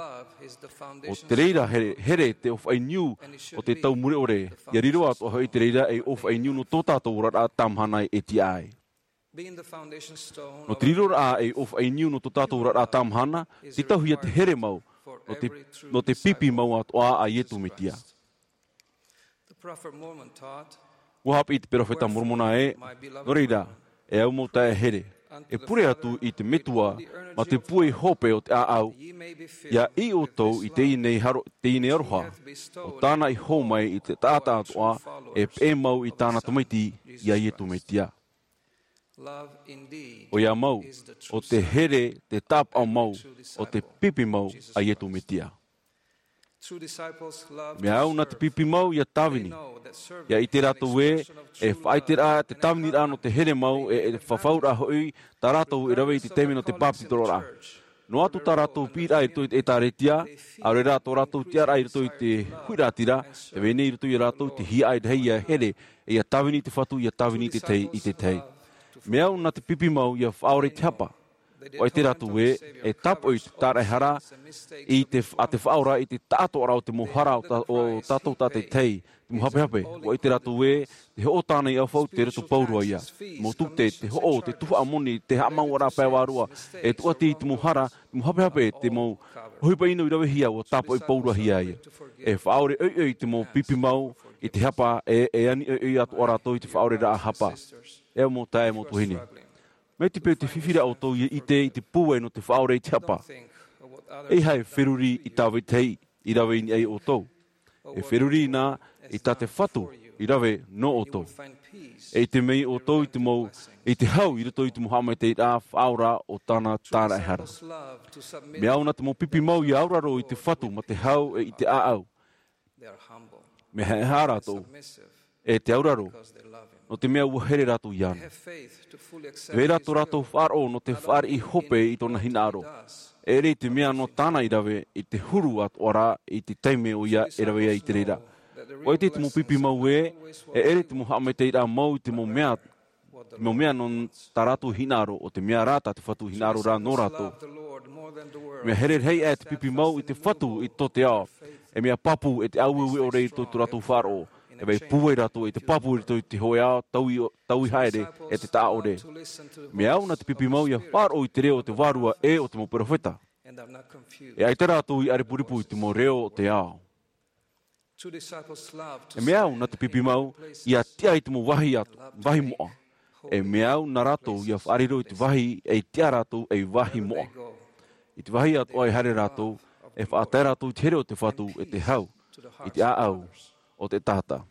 ʻO te reira here, here te ʻōfaʻi niu o te tau mure ʻore, ʻia riro atoʻa hoʻi te reira ei ʻōfaʻi niu nō tō tātou oraraʻa tāmahana e tiʻa ai. Nō te riroraʻa ei ʻōfaʻi niu nō tō tātou oraraʻa tāmahana, te tauhia te here mau, nō te, nō te pipi mau atoʻa a Ietu Metia. ʻUa haʻapiʻi te peropheta Moromona ē, nō reira, e au mau taeaʻe here, e pure atu i te Metua, mā te pūai hope o te ʻāʻau, ʻia ʻī ʻoutou i teie nei haro-, teie nei aroha, ʻo tāna i hō mai i te taʻata atoʻa, e peʻe mau i tāna tamaiti, ia Ietu Metia. ʻOia mau, ʻo te here, te tāpaʻo mau, ʻo te pipi mau a Iesu Mesia. Mea au nā te pipi mau ia Tāvini. ʻIa ʻite rātou ē, e faʻaʻiteraʻa te tāviniraʻa nō te here mau, e, e fafauraʻa hoʻi tā rātou e rave i te taime nō te bāpetizoraʻa. Noa atu tā rātou piʻiraʻa i roto i te ʻĒtārētia, ʻaore rā tō rātou tiʻaraʻa i roto i te huiraʻatira, e vai nei i roto ia rātou te hiaʻai rahi ia here, e ia tāvini i te Fatu, ia tāvini i te tahi, i te tahi. Mea au nā te pipi mau ia faʻaora i te hapa. ʻUa ʻite rātou ē, e tāpaʻo i te tāraʻehara, i te, a te Faʻaora i te taʻatoʻaraʻa o te mau hara o tā, o tātou tātaʻitahi, te mau hapehape. ʻUa ʻite rātou ē, te hoʻo tāna i ʻaufau, te roto pauroa ia. Mau tute, te hoʻo, te tuhaʻa moni, te haʻamauʻaraʻa pae vārua, e tūʻati i te mau hara, te mau hapehape, te mau ʻohipa ʻino i ravehia, ʻua tāpaʻo pauroahia ia. E faʻaʻore ʻoiʻoi te mau pipi mau i te hapa, e, e ani ʻoiʻoi atoʻa rātou i te faʻaʻoreraʻa hapa. E mau taeaʻe, mau tuahine. Mai te peu te fifi ra ʻoutou ia ʻite i te pūai nō te faʻaʻore i te hapa. ʻEiaha e feruri i tā vetahi i rave i niʻa ia ʻoutou. E feruri na i tā te Fatu i rave nō ʻoutou. E ʻite mai ʻoutou i te mau, i te hau i roto i te mau haʻamaitaʻiraʻa faʻaora o tāna tāraʻehara. Mea au nā te mau pipi mau ia auraro i te Fatu ma te hau e i te ʻāʻau. Mea haʻehaʻa rātou, e te auraro, nō te mea ʻua here rātou iāna. Te vai ra tō rātou faʻaroʻo nō te fāriʻi hope i tōna hinaʻaro. E ʻere i te mea nō tāna i rave i te huru atoʻa ra i te taime ʻoia e rave ai i te reira. ʻUa ʻite te mau pipi mau ē, e ʻere te mau haʻamaitaʻiraʻa mau i te mau mea, te mau mea nō tā rātou hinaʻaro, ʻo te mea rā tā te Fatu hinaʻaro ra nō rātou. Mea here rahi aʻe te pipi mau i te Fatu i tō te ao. E mea pāpū e te ʻāueue ʻore i tō, tō rātou faʻaroʻo. E vai pūai rātou i te pāpū i roto i te hōʻē ao, taui, taui haere, e te taʻa ʻore. Mea au nā te pipi mau ia faʻaroʻo i te reo o te Vārua e o te mau perofeta. E ʻaita rātou i ʻarepurepū i te mau reo o te ao. E mea au nā te pipi mau ia tiʻa i te mau vāhi atu, vāhi moʻa. E mea au nā rātou ia faʻariro i te vāhi e tiʻa rātou ei vāhi moʻa. I te vāhi atoʻa e haere rātou, e faʻatae rātou i te here o te Fatu, e te hau, i te ʻāʻau o te taʻata.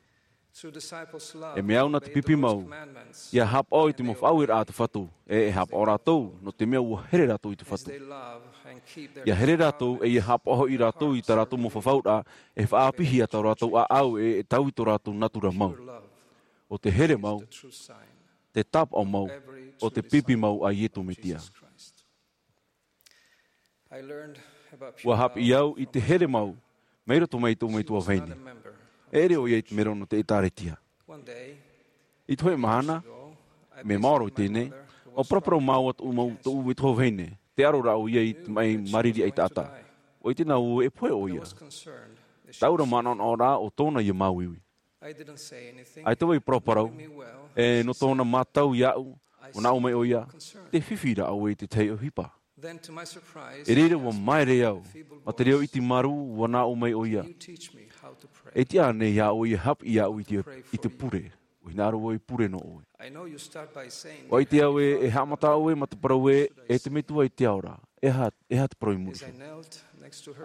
E mea au nā te pipi mau ia haʻapaʻo i te mau faʻaueraʻa a te Fatu, e, e haʻapaʻo rātou, nō te mea ʻua here rātou i te Fatu. Ia here rātou, e ia haʻapaʻo hoʻi rātou i tā rātou mau fafauraʻa, e faʻaʻāpīhia tā rātou ʻāʻau, e, e taui tō rātou natura mau. ʻO te here mau, te tāpaʻo mau, ʻo te pipi mau a Iesu Mesia. ʻUa haʻapiʻi au i te here mau, mai roto mai i tōʻu metua vahine. E ʻere ʻoia i te mero nō te ʻĒtārētia. I te hōʻē mahana, mea maoro i teie nei, ʻua paraparau māua tōʻu mau, tōʻu metua vahine, tē aro ra ʻoia i te maʻi mariri ʻaitaʻata. ʻUa ʻite na vau e pohe ʻoia. Taʻu ra manaʻonaʻo ra ʻo tōna ia māuiui. ʻAita vau i paraparau, e nō tōna mātau iāʻu, ʻua nā ʻō mai ʻoia, tē fifi ra ʻoe i te tahi ʻohipa. I reira ʻua māere au, ma te reo iti marū ʻua nā ʻō mai ʻoia. E tiʻa ānei iā ʻoe ia haʻapiʻi iāʻu i te, i te pure, ʻua hinaʻaro vau e pure nō ʻoe. ʻUa ʻite au ē, e haʻamata ʻoe ma te parau ē, e te Metua i te ao ra, e aha, e aha te parau i muri iho.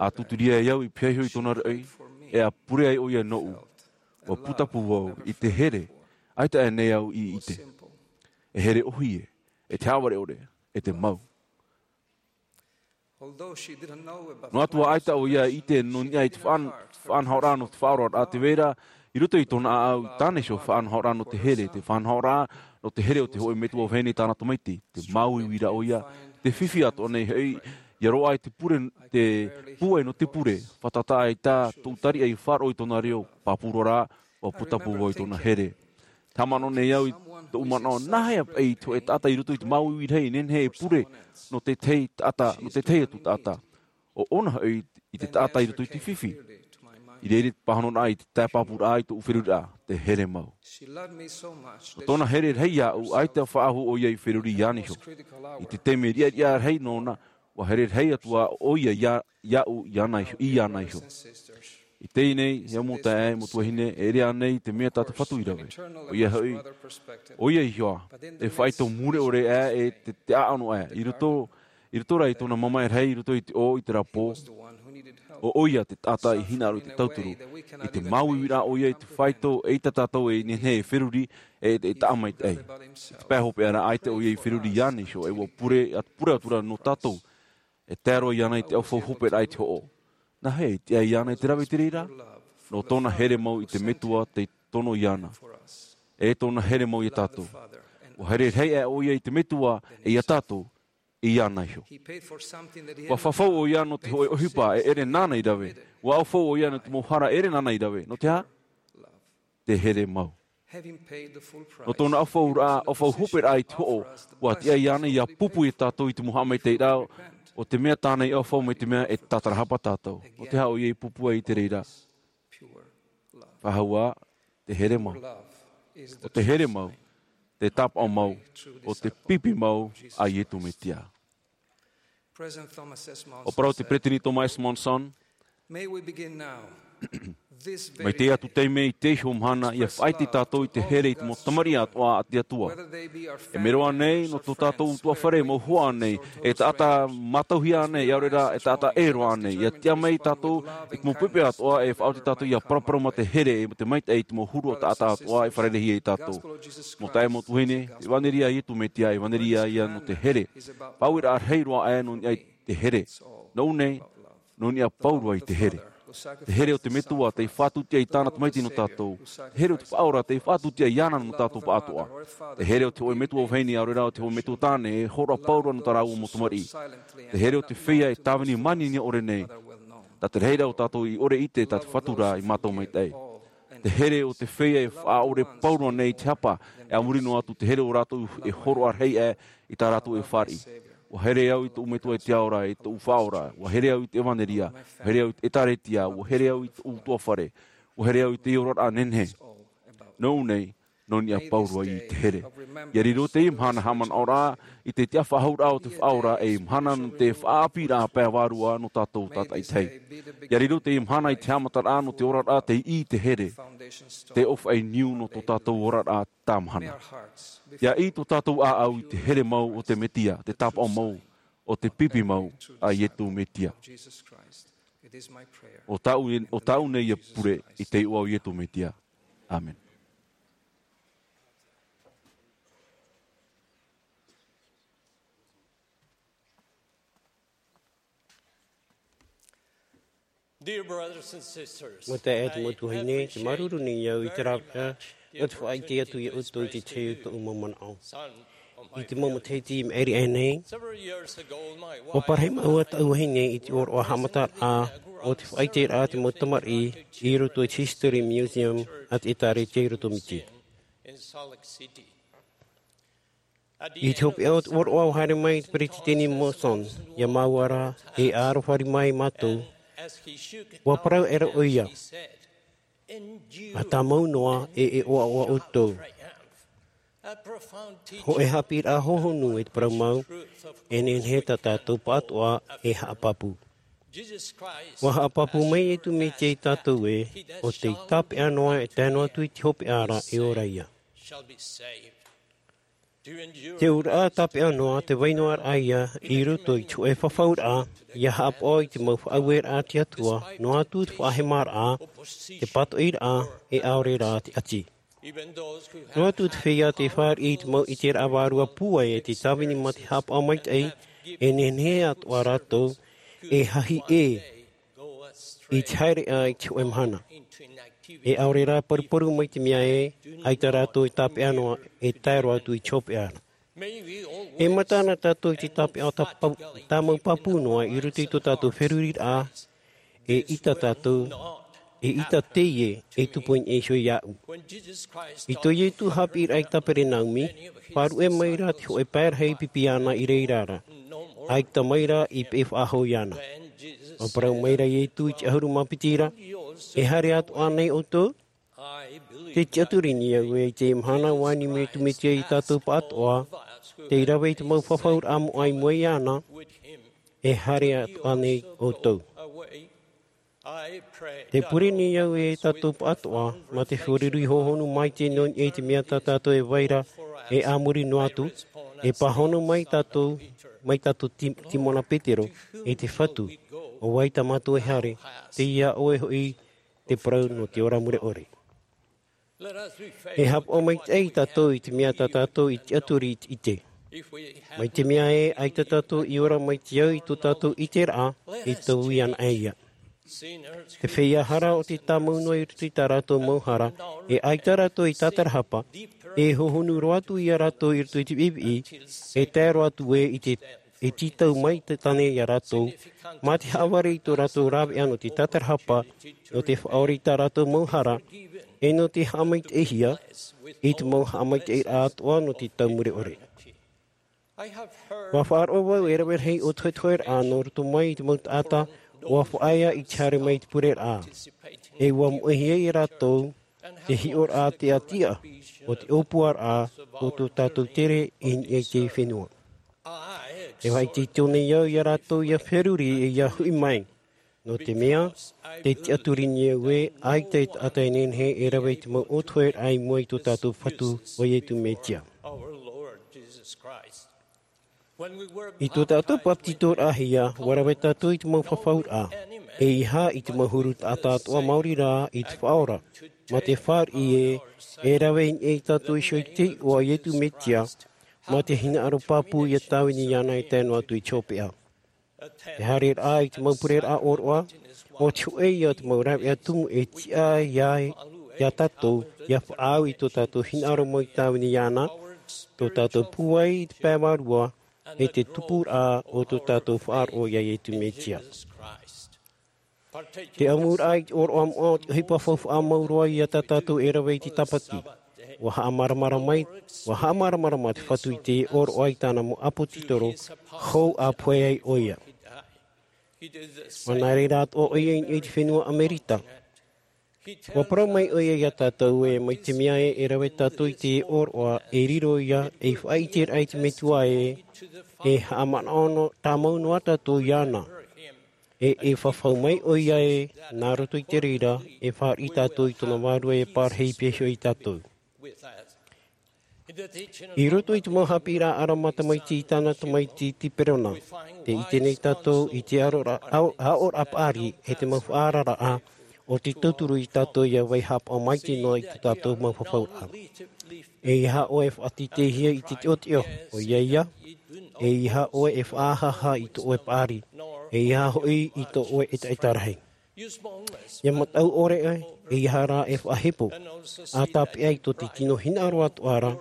ʻA tūturia ai au i pihaʻi iho i tōna raʻi, e ʻa pure ai ʻoia nōʻu. ʻUa putapū vau i te here, ʻaita ānei au i ʻite. E here ʻōhie, e te haʻavare ʻore, e te mau. Noa atu ā ʻaita ʻoia i ʻite nō niʻa i te faʻan-, faʻanahoraʻa nō te faʻaoraraʻa, tē vai ra, i roto i tōna ʻāʻau, tāna iho faʻanahoraʻa nō te here, te faʻanahoraʻa nō te here o te hōʻē metua vahine tāna tamaiti, te māuiui ra ʻoia, tē fifi atoʻa nei hoʻi, ʻia roaʻa i te pure, te pūai nō te pure, fātata ʻaita tōʻu tariʻa i faʻaroʻo i tōna reo, pāpū roa ra, ʻua putapū vau i tōna here. Haʻamanaʻo nei au i tōʻu manaʻo, nā hea paʻi te hōʻē taʻata i roto i te māuiui rahi, e nehenehe e pure nō te tahi taʻata, nō te tahi atu taʻata. ʻO ʻōna hoʻi i te taʻata i roto i te fifi. I reira te pāhonoraʻa i te tae pāpūraʻa i tōʻu feruriraʻa, te here mau. ʻO tōna here rahi iāʻu, ʻaita faʻahou ʻoia i feruri iāna iho. I te taime riʻariʻa rahi nōna, ʻua here rahi atu ā ʻoia iā, iāʻu, iāna iho, iāna iho. I teie nei, e mau taeaʻe, mau tuahine, e ʻere ānei te mea tā te Fatu i rave. ʻOia hoʻi, ʻoia iho ā, e faʻaitoito mure ʻore ā, e te, te ʻāʻano ā, i roto, i roto rā i tōna mamae rahi, i roto i te ʻō, i terā pō. ʻO ʻoia te taʻata i hinaʻaro i te tauturu, i te māuiuiraʻa ʻoia i te faito, eʻita tātou e nehenehe e feruri, e, e taʻa maitaʻi. Te pae hopeʻa ra, ʻaita ʻoia i feruri iāna iho, e ʻua pure, atu, pure atu ra nō tātou. E tae roa iāna i te ʻaufau hoperaʻa i te hoʻo. Nā hea i tiʻa iāna i te rave i te reira? Nō tōna here mau i te Metua tei tono iāna. E tōna here mau iā tātou. ʻUa here rahi aʻe ʻoia i te Metua, e iā tātou, iāna iho. ʻUa fafau ʻoia nō te hōʻē ʻohipa e ʻere nāna i rave. ʻUa ʻaufau ʻoia nō te mau hara e ʻere nāna i rave. Nō te aha? Te here mau. Nō tōna ʻaufauraʻa, ʻaufau hoperaʻa i te hoʻo, ʻua tiʻa iāna ʻia pupu iā tātou i te mau haʻamaitaʻiraʻa, ʻo te mea tāna i ʻaufau mai te mea e tātarahapa tātou. Nō te aha ʻoia i pupu ai i te reira? Faʻahou ā, te here mau. ʻO te here mau, te tāpaʻo mau, ʻo te pipi mau a Iesu Mesia. ʻUa parau te Peresideni Thomas S. Monson, mai teie atu taime i teie mahana, ʻia faʻaʻite tātou i te here i te mau tamariʻi atoʻa a te Atua. E mea roa ānei, nō tō tātou ʻutuāfare mau hoa ānei, e taʻata mātauhia ānei, ʻaore rā, e taʻata ʻē roa ānei. ʻIa tiʻa mai tātou i te mau poʻipoʻi atoʻa, e faʻaoti tātou ʻia paraparau mā te here, e te maitaʻi i te mau huru o taʻata atoʻa, e fārereihia iā tātou. Mau taeaʻe, mau tuahine, te ʻevanelia a Iesu Mesia, ʻevanelia ïa nō te here. Faʻaueraʻa rahi roa aʻe nō niʻa i te here. Nō ʻō nei, nō niʻa paʻi roa i te here. Te here o te Metua tei faʻatūtia i tāna tamaiti nō tātou. Te here o te Faʻaora tei faʻatūtia iāna nō tātou pāʻatoʻa. Te here o te hōʻē metua vahine, ʻaore rā ʻo te hōʻē metua tāne, e hōroʻa paʻi roa nō tā rāua mau tamariʻi. Te here o te feiā e tāvini manihini ʻore nei. Tā te rahiraʻa o tātou i ʻore ʻite, tā te Fatu rā i mātau maitaʻi. Te here o te feiā e faʻaʻore paʻi roa nei i te hapa, e a muri noa atu te here o rātou e hōroʻa rahi aʻe i tā rātou e fāriʻi. ʻUa here au i tōʻu Metua i te ao ra, i tōʻu Faʻaora, ʻua here au i te ʻevanelia, ʻua here au i te ʻĒtārētia, ʻua here au i tōʻu ʻutuāfare, ʻua here au i te oraraʻa nehenehe. Nō ʻō nei, nō niʻa paʻi roa i te here. ʻIa riro teie mahana haʻamanaʻoraʻa i te tiʻafaʻahouraʻa o te Faʻaora ei mahana nō te faʻaʻāpīraʻa pae vārua nō tātou tātaʻitahi. ʻIa riro teie mahana i te haʻamataraʻa nō te oraraʻa tei ʻī i te here. Te ʻōfaʻi niu nō tō tātou oraraʻa tāmahana. ʻIa ʻī tō tātou ʻāʻau i te here mau o te Mesia, te tāpaʻo mau, ʻo te pipi mau a Iesu Mesia. ʻO tāʻu, ʻo tāʻu nei ia pure i te iʻoa o Iesu Mesia. ʻĀmene. Dear brothers and sisters, Mau taeaʻe, mau tuahine, te māuruuru nei au i te rāveʻa nō te faʻaʻite atu iā ʻoutou i te tahi o tōʻu mau manaʻo. I te mau matahiti i maʻiri aʻe nei, ʻua parahi māua taʻu vahine i te ʻōroʻa haʻamataraʻa o te faʻaʻiteraʻa a te mau tamariʻi i roto i te History Museum a te ʻĒtārētia i roto Miti. I te hopeʻa o te ʻōroʻa ʻua haere mai te Peresideni Monson iā māua ra, e aroha mai mātou, ʻua parau aʻera ʻoia, ʻa tāmau noa, e, e ʻoaʻoa ʻoutou. Hōʻē haʻapiʻiraʻa hohonu e te parau mau, e nehenehe tā tātou pāʻatoʻa e haʻapāpū. ʻUa haʻapāpū mai Iesu Mesia iā tātou ē, ʻo tei tāpeʻa noa e tae noa atu i te hopeʻa ra e ora ïa. Te auraʻa tāpeʻa noa, te vai noa raʻa ïa i roto i te hōʻē fafauraʻa, ʻia haʻapaʻo i te mau faʻaueraʻa a te Atua, noa atu te faʻahemaraʻa, te pātoʻiraʻa, e ʻaore rā te ʻati. Noa atu te feiā tei fāriʻi i te mau ʻiteraʻa vārua pūai e te tāvini mā te haʻapaʻo maitaʻi, e nehenehe atoʻa rātou e hahi ʻē i te haereʻa i te hōʻē mahana. E ʻaore rā paruparu mai te mea ē, ʻaita rātou e tāpeʻa noa, e tae roa atu i te hopeʻa ra. E mata na tātou i te tāpeʻa tā pau-, tāmau pāpū noa i roto i tō tātou feruriraʻa, eʻita tātou, eʻita teie e tupu i niʻa iho iāʻu. I tō Iesu haʻapiʻiraʻa i Kaperenaumi, faʻaruʻe mai ra te hōʻē pae rahi pipi iāna i reira ra. ʻAita mai ra i peʻe faʻahou iāna. ʻUa parau mai ra Iesu i te ʻahuru mā piti ra, e haere atoʻa nei ʻoutou? Tē tiʻaturi nei au ē, i teie mahana ʻua ani mai Iesu Mesia iā tātou pāʻatoʻa, tei rave i te mau fafauraʻa moʻa i mua iāna, e haere atoʻa nei ʻoutou. Tē pure nei au ē, tātou pāʻatoʻa, mā te fāriʻi hohonu maitaʻi nō niʻa i te mea tā tātou e vai ra, e a muri noa atu, e pāhono mai tātou, mai tātou Ti-, Timona Petero, e te Fatu, ʻO vai tā mātou e haere, tei iā ʻoe hoʻi te parau nō te ora mure ʻore. E haʻapaʻo maitaʻi tātou i te mea tā tātou i tiʻaturi i te ʻite. Mai te mea ē, ʻaita tātou i ora mai te au i tō tātou ʻiteraʻa, e tau ia anaʻe ia. Te feiā hara ʻo tē tāmau noa i roto i tā rātou mau hara, e ʻaita rātou i tātarahapa, e hohonu roa atu ia rātou i roto i te ʻiʻiʻi, e tae roa atu ē i te, e tītau mai te tāne ia rātou, mā te haʻavare i tō rātou rāveʻa nō te tātarahapa, nō te faʻaora i tā rātou mau hara, e nō te haʻamaitaʻihia, i te mau haʻamaitaʻiraʻa atoʻa nō te tau mure ʻore. ʻUa faʻaroʻo vau e rave rahi ʻōtohetoheraʻa nō roto mai i te mau taʻata, ʻua faʻaea i te haere mai i te pureraʻa. E ʻua moʻehia ia rātou, te hiʻoraʻa tiʻatiʻa, ʻo te ʻōpuaraʻa, ʻo tō tātou tere i niʻa i te fenua. E faʻaitoito nei au ia rātou ia feruri e ia hoʻi mai. Nō te mea, tē tiʻaturi nei au ē, ʻaita e taʻata e nehenehe e rave i te mau ʻōtoheraʻa i mua i tō tātou Fatu ʻo Iesu Mesia. I tō tātou papetitoraʻahia, ʻua rave tātou i te mau fafauraʻa, ʻeiaha i te mau huru taʻata atoʻa maori rā i te Faʻaora, mā te fāriʻi ē, e rave i niʻa ia tātou iho i te iʻoa o Iesu Mesia, mā te hinaʻaro pāpū ia tāvini iāna e tae noa atu i te hopeʻa. Te haereraʻa i te mau pureraʻa ʻōroʻa, ʻo te hōʻē ia o te mau rāveʻa tumu e tiʻa ia, ia tātou, ia faʻaau i tō tātou hinaʻaro mau i tāvini iāna, tō tātou pūai i te pae vārua, e te tupuraʻa o tō tātou faʻaroʻo ia Iesu Mesia. Te ʻamuraʻa i te ʻōroʻa moʻa o te ʻohipa faufaʻa mau roa ia tā tātou e rave i te tāpati. ʻUa haʻamāramarama mai, ʻua haʻamāramarama te Fatu i te ʻōroʻa i tāna mau ʻāpōsetolo, hou ʻa pohe ai ʻoia. ʻUa nā reira atoʻa ʻoia i niʻa i te fenua Amerika. ʻUa parau mai ʻoia ia tātou ē, mai te mea ē, e rave tātou i te ʻōroʻa, e riro ia ei faʻaʻiteraʻa i te Metua ē, e haʻamanaʻo noa, tāmau noa tātou iāna. E, e fafau mai ʻoia ē, nā roto i te reira, e fāriʻi tātou i tōna vārua e parahi i pēhia ia tātou. I roto i te mau haʻapiʻiraʻa ʻarama tamaiti i tāna tamaiti Tiperona, tē ʻite nei tātou i te aroraʻa, ao-, aʻoraʻa paʻari, e te mau faʻaararaʻa, ʻo te tauturu ia tātou ia vai haʻapaʻo maitaʻi noa i tō tātou mau fafauraʻa. ʻEiaha ʻoe e faʻateiteihia i te teʻoteʻo, ʻoia ia, ʻeiaha ʻoe e faʻahaʻahaʻa i tō ʻoe paʻari, ʻeiaha hoʻi i tō ʻoe ʻetaʻeta rahi. ʻIa mataʻu ʻore ʻoe, ʻeiaha rā e faʻahepo, ʻa tāpeʻa i tō te tino hinaʻaro atoʻa ra,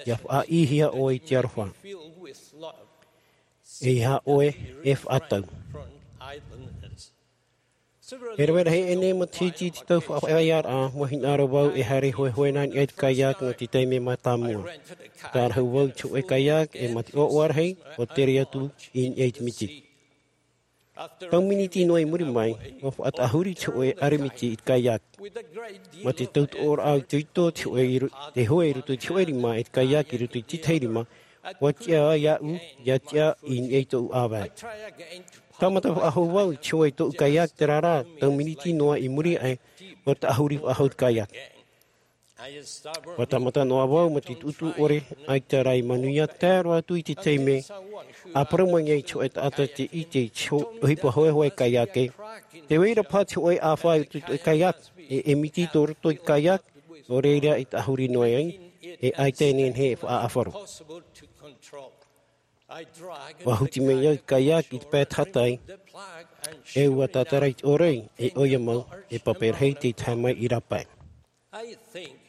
ʻia faʻaʻīhia ʻoe i te aroha. ʻEiaha ʻoe e faʻatau. E rave rahi aʻe nei matahiti i te tau faʻaʻāpīraʻa, ʻua hinaʻaro vau e haere hoʻi nā niʻa i te kayak nō te taime mātāmua. Tārahu vau i te hōʻē kayak, e mā te ʻoaʻoa rahi, ʻua tere atu i niʻa i te miti. Tau miniti noa i muri mai, ʻua faʻataʻahuri te hōʻē ʻaremiti i te kayak. Mā te tautoʻoraʻa itoito te hōʻē i ro-, te hoe i roto i te hōʻē rima, e te kayak i roto i te tahi rima, ʻua tiʻa iāʻu, ʻia tiʻa i niʻa i tōʻu ʻāvae. Tāmata faʻahou vau i te hoe i tōʻu kayak, terā rā, tau miniti noa i muri aʻe, ʻua taʻahuri faʻahou te kayak. ʻUa tāmata noa vau mā te tuʻutuʻu ʻore, ʻaita rā i manuia, tae roa atu i te taime, ʻa parau mai ai te hōʻē taʻata tē ʻite i te ho-, ʻohipa hohehohe kayak ē. Tē vai ra paha te hōʻē ʻāfa i roto i te kayak, e, e miti tō roto i te kayak, nō reira e taʻahuri noa ai, e ʻaita e nehenehe e faʻaʻāfaro. ʻUa huti mai au i te kayak i te pae tahatai, e ʻua tātara i te ʻōroi, e ʻoia mau, e pape rahi tei tae mai i rāpae.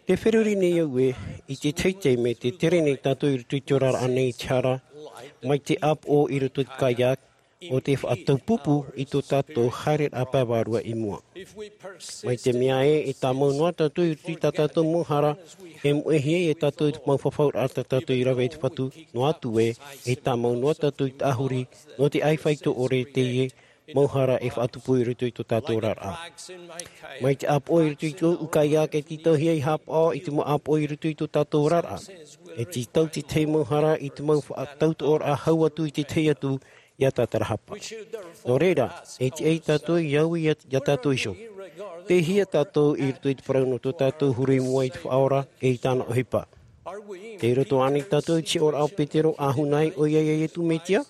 Tē feruri nei au ē, i te tahi taime, tē tere nei tātou i roto i te oraraʻa nei i te hara, mai te ʻāpoʻo i roto i te kayak, ʻo te faʻataupupu i tō tātou haereraʻa pae vārua i mua. Mai te mea ē, e tāmau noa tātou i roto i tā tātou mau hara, e moʻehia ia tātou i te mau fafauraʻa tā tātou i rave i te Fatu, noa atu ē, e tāmau noa tātou i taʻahuri, nō te ʻāifaito ʻore teie, mau hara e faʻatupu i roto i tō tātou oraraʻa. Mai te ʻāpoʻo i roto i tōʻu kayak e tītauhia i haʻapaʻo i te mau ʻāpoʻo i roto i tō tātou oraraʻa. E tītau te tahi mau hara i te mau faʻatautoʻoraʻa hau atu i te tahi atu ʻia tātarahapa. Nō reira, e tiʻa ia tātou i au ia, ia tātou iho. Tei hea tātou i roto i te parau nō tō tātou huru i mua i te Faʻaora e i tāna ʻohipa. Tei roto ānei tātou i te hiʻoraʻa o Petero ʻa huna ai ʻoia ia Iesu Mesia?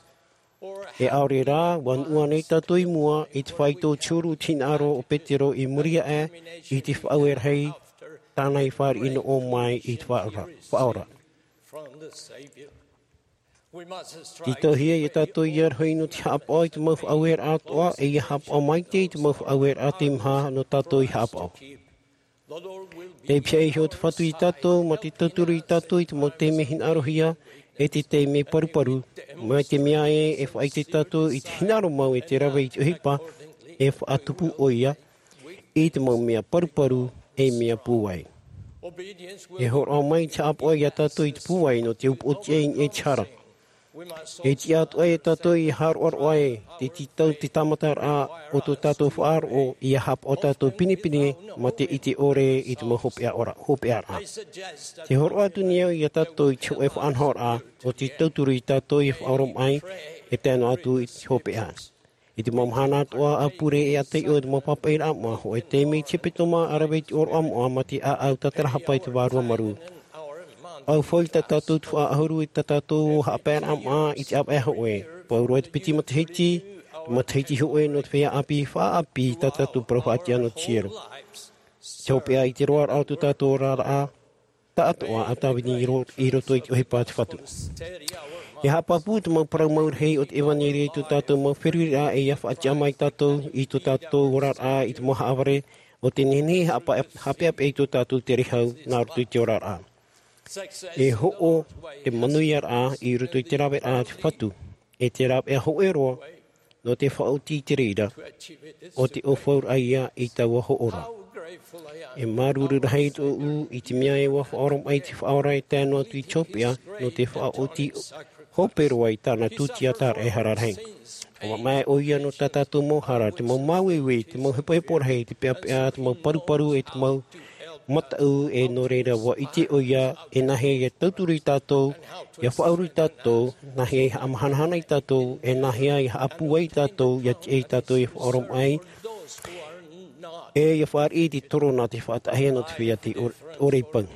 E ʻaore rā, ʻua nuʻu ānei tātou i mua i te faito tiuru te hinaʻaro o Petero i muri aʻe i te faʻaueraʻa tāna i fāriʻi noa mai i te faʻaora, faʻaora. Tītauhia ia tātou ia rohi nō te haʻapaʻo i te mau faʻaueraʻa atoʻa, e ia haʻapaʻo maite i te mau faʻaueraʻa tei maha nō tātou i haʻapaʻo. Tei pihaʻi iho te Fatu ia tātou, mā te tauturu ia tātou i te mau taime hinaʻarohia, e te taime paruparu, mai te mea ē, e faʻaʻite tātou i te hinaʻaro mau e te rave i te ʻohipa, e faʻatupu ʻoia i te mau mea paruparu, e mea pūai. E hōroʻa mai te haʻapaʻo ia tātou i te pūai nō te upoʻotiʻa i niʻa i te hara. E tiʻa atoʻa ia tātou i hāroʻaroʻa e te tītau te tāmataraʻa o tō tātou faʻaroʻo, ia haʻapaʻo tātou pinepine mā te ʻite ʻore i te mau hopeʻa ora, hopeʻaraʻa. Te hōroʻa atu nei au ia tātou i te hōʻē faʻanahoraʻa o te tauturu ia tātou i faʻaoromaʻi, e tae noa atu i te hopeʻa. I te mau mahana atoʻa a pure e a taiʻo i te mau pāpaʻiraʻa moʻa, hōʻē taime i te hepetoma a rave i te ʻōroʻa moʻa mā te ʻāʻau tātarahapa i te vārua marū. Au fau i tā tātou tuhaʻa ʻahuru i tā tātou haʻapaeraʻa moʻa i te ʻāvaʻe hōʻē. Pauroa i te piti matahiti, te matahiti hōʻē nō te feiā ʻāpī faʻaʻāpī i tā tātou parau faʻatiʻa nō te hiero. Te hopeʻa i te roaraʻa o tō tātou oraraʻa, taʻatoʻa a tāvini i ro-, i roto i te ʻohipa a te Fatu. E haʻapāpū te mau parau mau rahi o te ʻevaneria i tō tātou mau feruriraʻa, e ia faʻatiʻa mai tātou i tō tātou oraraʻa i te mau haʻavare o te nehenehe haʻapa-, haʻapeʻapeʻa i tō tātou tere hau nā roto i te oraraʻa. E hoʻo te manuiaraʻa i roto i te raveraʻa a te Fatu, e te rāveʻa hōʻē roa, nō te faʻaoti i te reira, ʻo te ʻōfauraʻa ia i taua hoʻo ra. E māuruuru rahi tōʻu i te mea ē ʻua faʻaoromaʻi te Faʻaora e tae noa atu i te hopeʻa, nō te faʻaoti hope roa i tāna tūtiataraʻa ehara rahi. ʻUa mamae ʻoia nō tā tātou mau hara, te mau māueue, te mau hepohepo rahi, te peʻapeʻa, te mau paruparu, e te mau mataʻu, e nō reira ʻua ʻite ʻoia e nāhea ia tauturu ia tātou, ia faʻauru ia tātou, nāhea ia haʻamahanahana ia tātou, e nāhea ia haʻapūai ia tātou, ia tiʻa ia tātou ia faʻaoromaʻi, e ia fāriʻi i te toro nā te faʻataʻahia nō te feiā tei ʻore, ʻore i pau.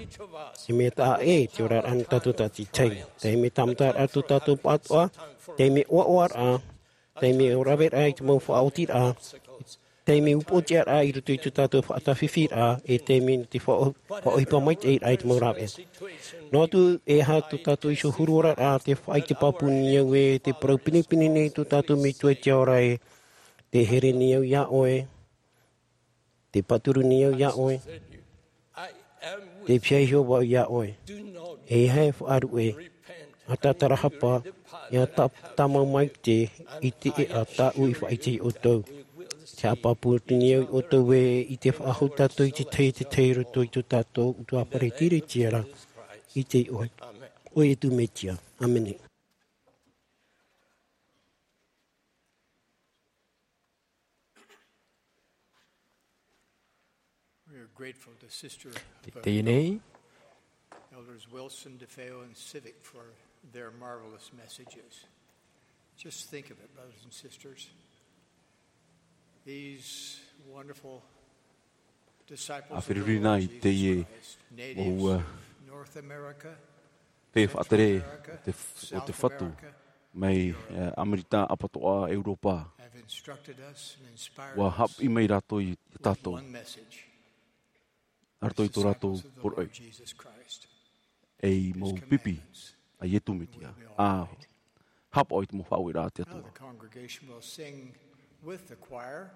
E mea taʻa ʻē te oraraʻa nō tātou tātaʻitahi. Taime tāmataraʻa tō tātou pāʻatoʻa, taime ʻoaʻoaraʻa, taime raveraʻa i te mau faʻaotiraʻa, taime upoʻotiʻaraʻa i roto i tō tātou faʻatāfifiraʻa, e taime nō te faʻa-, faʻaʻohipa maitaʻiraʻa i te mau rāveʻa. Noa atu, e aha tō tātou iho huru oraraʻa, tē faʻaʻite pāpū nei au ē, tē parau pinepine nei tō tātou Metua i te ao ra ē, tē here nei au ia ʻoe, tē pāturu nei au ia ʻoe, tē pihaʻi iho vau ia ʻoe. E aha e faʻaruʻe, ʻa tātarahapa, e ʻa tā-, tāmau maitaʻi i te ʻēʻa tāʻu i faʻaʻite ia ʻoutou. Tē haʻapāpū atu nei au ia ʻoutou ē, ʻia faʻahou tātou i te tahi, te tahi i roto i tō tātou ʻutuāfare Tiriti ra, i te iʻoa o Ietu Metia. ʻĀmene. We are grateful to Sister Tei, tei nei. Elders Wilson, DeFeo, and Civic for their marvelous messages. Just think of it, brothers and sisters. These wonderful disciples of the Lord Jesus Christ, natives of North America, Central America, South America, mai, eh, Amerika ʻapatoʻa, ʻEuropa. Have instructed us and inspired us with one message. ʻUa haʻapiʻi mai rātou ia tātou. Nā roto i tō rātou poroʻi. Ei mau pipi a Ietu Metia. ʻA haʻapaʻo i te mau faʻaueraʻa a te Atua. Now the congregation will sing with the choir.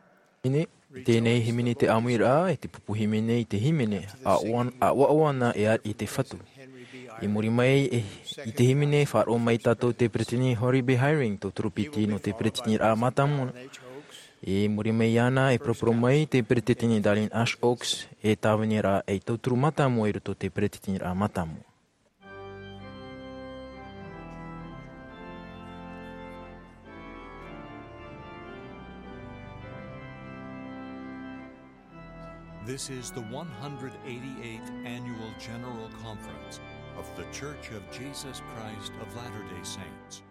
Hīmene, i teie nei hīmene te ʻāmuiraʻa, e te pupu hīmene i te hīmene, ʻa ʻoan-, ʻa ʻoaʻoa na e ʻa-, i te Fatu. I muri mai, e, i te hīmene, faʻaroʻo mai tātou te peretiteni Harry B. Eyring, tauturu piti nō te peretiteniraʻa mātāmua. I muri mai iāna, e poroporo mai te peretiteni Dallin H. Oaks, e tāvini ra ei tauturu mātāmua i roto i te peretiteniraʻa mātāmua. This is the one hundred eighty-eighth Annual General Conference of The Church of Jesus Christ of Latter-day Saints.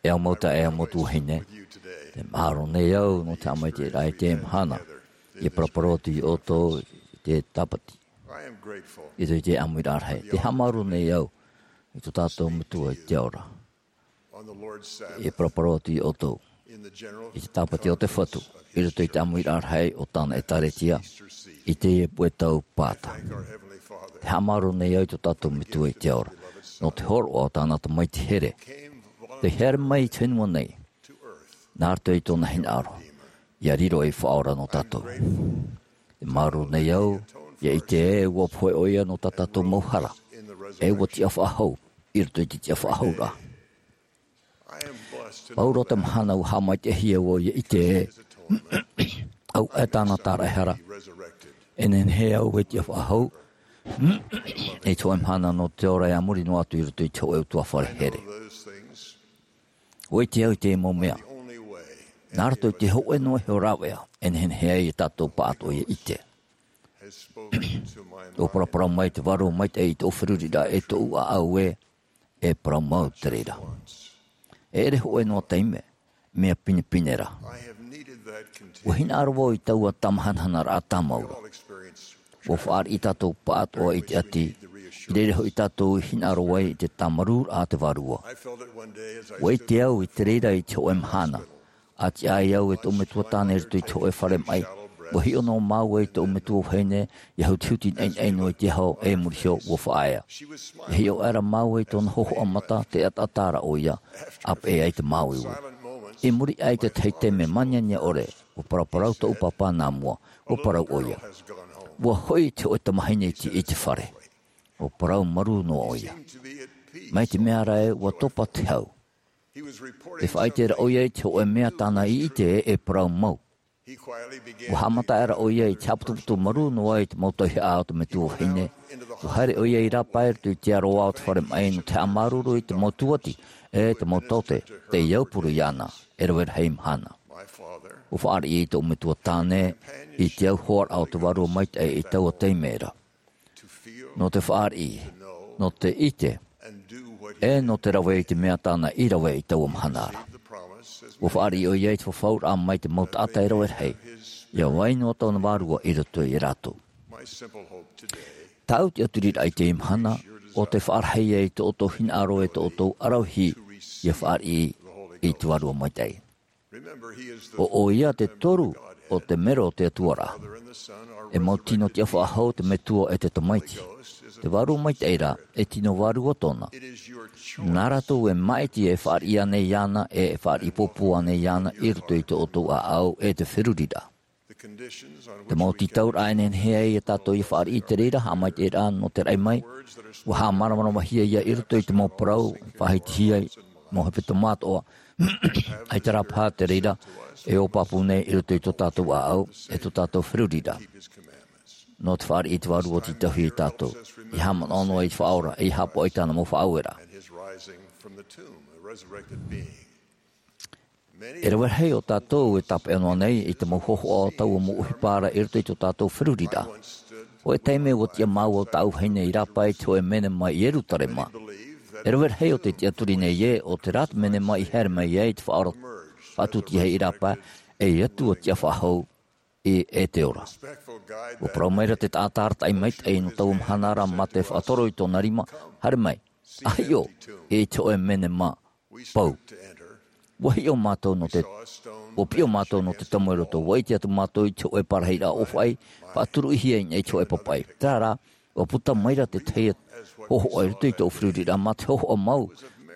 E au mau taeaʻe, e au mau tuahine, te mahalo nei au nō te haʻamaitaʻiraʻa i teie mahana. E paraparau atu iā ʻoutou i te tāpati, i te ʻāmuiraʻa rahi. Te haʻamāuruuru nei au i tō tātou Metua i te ao ra. E paraparau atu iā ʻoutou i te tāpati o te Fatu i roto i te ʻāmuiraʻa rahi o tāna ʻēkālesia i teie puʻe tau Paata. Te haʻamāuruuru nei au i tō tātou Metua i te ao ra nō te hōroʻa o tāna Tamaiti here, tei haere mai i te fenua nei nā roto i tōna hinaʻaro, ʻia riro ei Faʻaora nō tātou. Te māuruuru nei au ʻia ʻite ē ʻua pohe ʻoia nō tā tātou mau hara, ʻe ʻua tiʻa faʻahou i roto i te tiʻa faʻahouraʻa. Pauroa te mahana ʻua haʻamaitaʻihia vau ʻia ʻite ē ʻua ʻae tāna tāraʻehara, e nehenehe au e tiʻa faʻahou i te hōʻē mahana nō te ora, ʻia muri noa atu i roto i te hōʻē ʻutuāfare here. ʻUa ʻite au i teie mau mea nā roto i te hōʻē noa iho rāveʻa e nehenehe ai e tātou pāʻatoʻa ʻia ʻite. ʻUa paraparau mai te Vārua Maitaʻi i tōʻu feruriraʻa ʻe tōʻu ʻāʻau ē, e parau mau te reira. E ʻere hōʻē noa taime mea pinepine ra. ʻUa hinaʻaro vau i taua tāmahanahana rā tāmau ra. ʻUa fāriʻi tātou pāʻatoʻa i te ʻati, i reira hoʻi tātou i hinaʻaro ai i te tāmarūraʻa a te Vārua. ʻUa ʻite au i te reira i te hōʻē mahana, a tiʻa ai au e tōʻu metua tāne i roto i te hōʻē fare maʻi, ʻua hiʻo noa māua i tōʻu metua vahine ʻia hutihuti naʻinaʻi noa i te aho, ʻe i muri iho ʻua faʻaea. ʻIa hiʻo aʻera māua i tōna hōhoʻa mata, tē ʻataʻata ra ʻoia, ʻa peʻe ai te māuiui. I muri aʻe i te tahi taime māniania ʻore, ʻua paraparau tōʻu pāpā nā mua, ʻua parau ʻoia, ʻua hoʻi te hōʻē tamahine iti i te fare. ʻUa parau marū noa ʻoia. Mai te mea ra ē ʻua topa te hau, tē faʻaʻite ra ʻoia i te hōʻē mea tāna i ʻite ē e parau mau. ʻUa haʻamata aʻera ʻoia i te haʻaputuputu marū noa i te mau tauihaʻa o te metua vahine. ʻUa haere ʻoia i rāpae i roto i te aroā o te fare maʻi nō te haʻamāuruuru i te mau tūʻati ʻe te mau taote tei aupuru iāna e rave rahi mahana. ʻUa fāriʻi tōʻu metua tāne i te auhoaraʻa o te Vārua Maitaʻi i taua taime ra, nō te fāriʻi, nō te ʻite, ʻe nō te rave i te mea tāna i rave i taua mahana ra. ʻUa fāriʻi ʻoia i te fafauraʻa mai te mau taʻata e rave rahi, ʻia vai noa tōna Vārua i roto ia rātou. Tāʻu tiʻaturiraʻa i teie mahana, ʻo tē faʻarahi ai tō ʻoutou hinaʻaro ʻe tō ʻoutou ʻaravihi ʻia fāriʻi i te Vārua Maitaʻi. ʻO ʻoia te toru o te mero o te Atua ra. E mau tino tiʻa faʻahou te Metua ʻe te Tamaiti. Te Vārua Maitaʻi ra, e tino vārua tōna. Nā rātou e māʻiti e fāriʻi ānei iāna ʻe e fāriʻi pōpō ānei iāna i roto i tō ʻoutou ʻāʻau ʻe te feruriraʻa. Te mau tītauraʻa e nehenehe ai e tātou ʻia fāriʻi i te reira, haʻamaitaʻiraʻa nō te raʻi mai, ʻua haʻamāramaramahia ia i roto i te mau parau, faʻahitihia i mau hepetoma atoʻa, ʻaita rā paha te reira e ōpāpū nei i roto i tō tātou ʻāʻau ʻe tō tātou feruriraʻa. Nō te fāriʻi i te Vārua tītauhia ia tātou, ʻia haʻamanaʻo noa i te Faʻaora ʻe ʻia haʻapaʻo i tāna mau faʻaueraʻa. E rave rahi o tātou e tāpeʻa noa nei i te mau hōhoʻa o taua mau ʻohipa ra i roto i tō tātou feruriraʻa. Hōʻē taime ʻua tiʻa māua ʻo tāʻu vahine i rāpae i te hōʻē menema i Ierutarema. E rave rahi o tē tiʻaturi nei ē, ʻo terā te menema i haere mai ai te Faʻaora faʻatūtiahi i rāpae, ʻe ʻo te Atua tiʻa faʻahou i ʻEteora. ʻUa parau mai ra te taʻata arataʻi maitaʻi nō taua mahana ra mā te faʻatoro i tōna rima, haere mai, ʻa hiʻo i te hōʻē menema pau. ʻUa hiʻo mātou nō te, ʻua piʻo mātou nō te tomo i roto, ʻua ʻite atu mātou i te hōʻē parahiraʻa ʻōfaʻi, faʻaturuʻihia i niʻa i te hōʻē papaʻi. Terā rā, ʻua puta mai ra te tahi hōhoʻa i roto i tōʻu feruriraʻa mā te hōhoʻa mau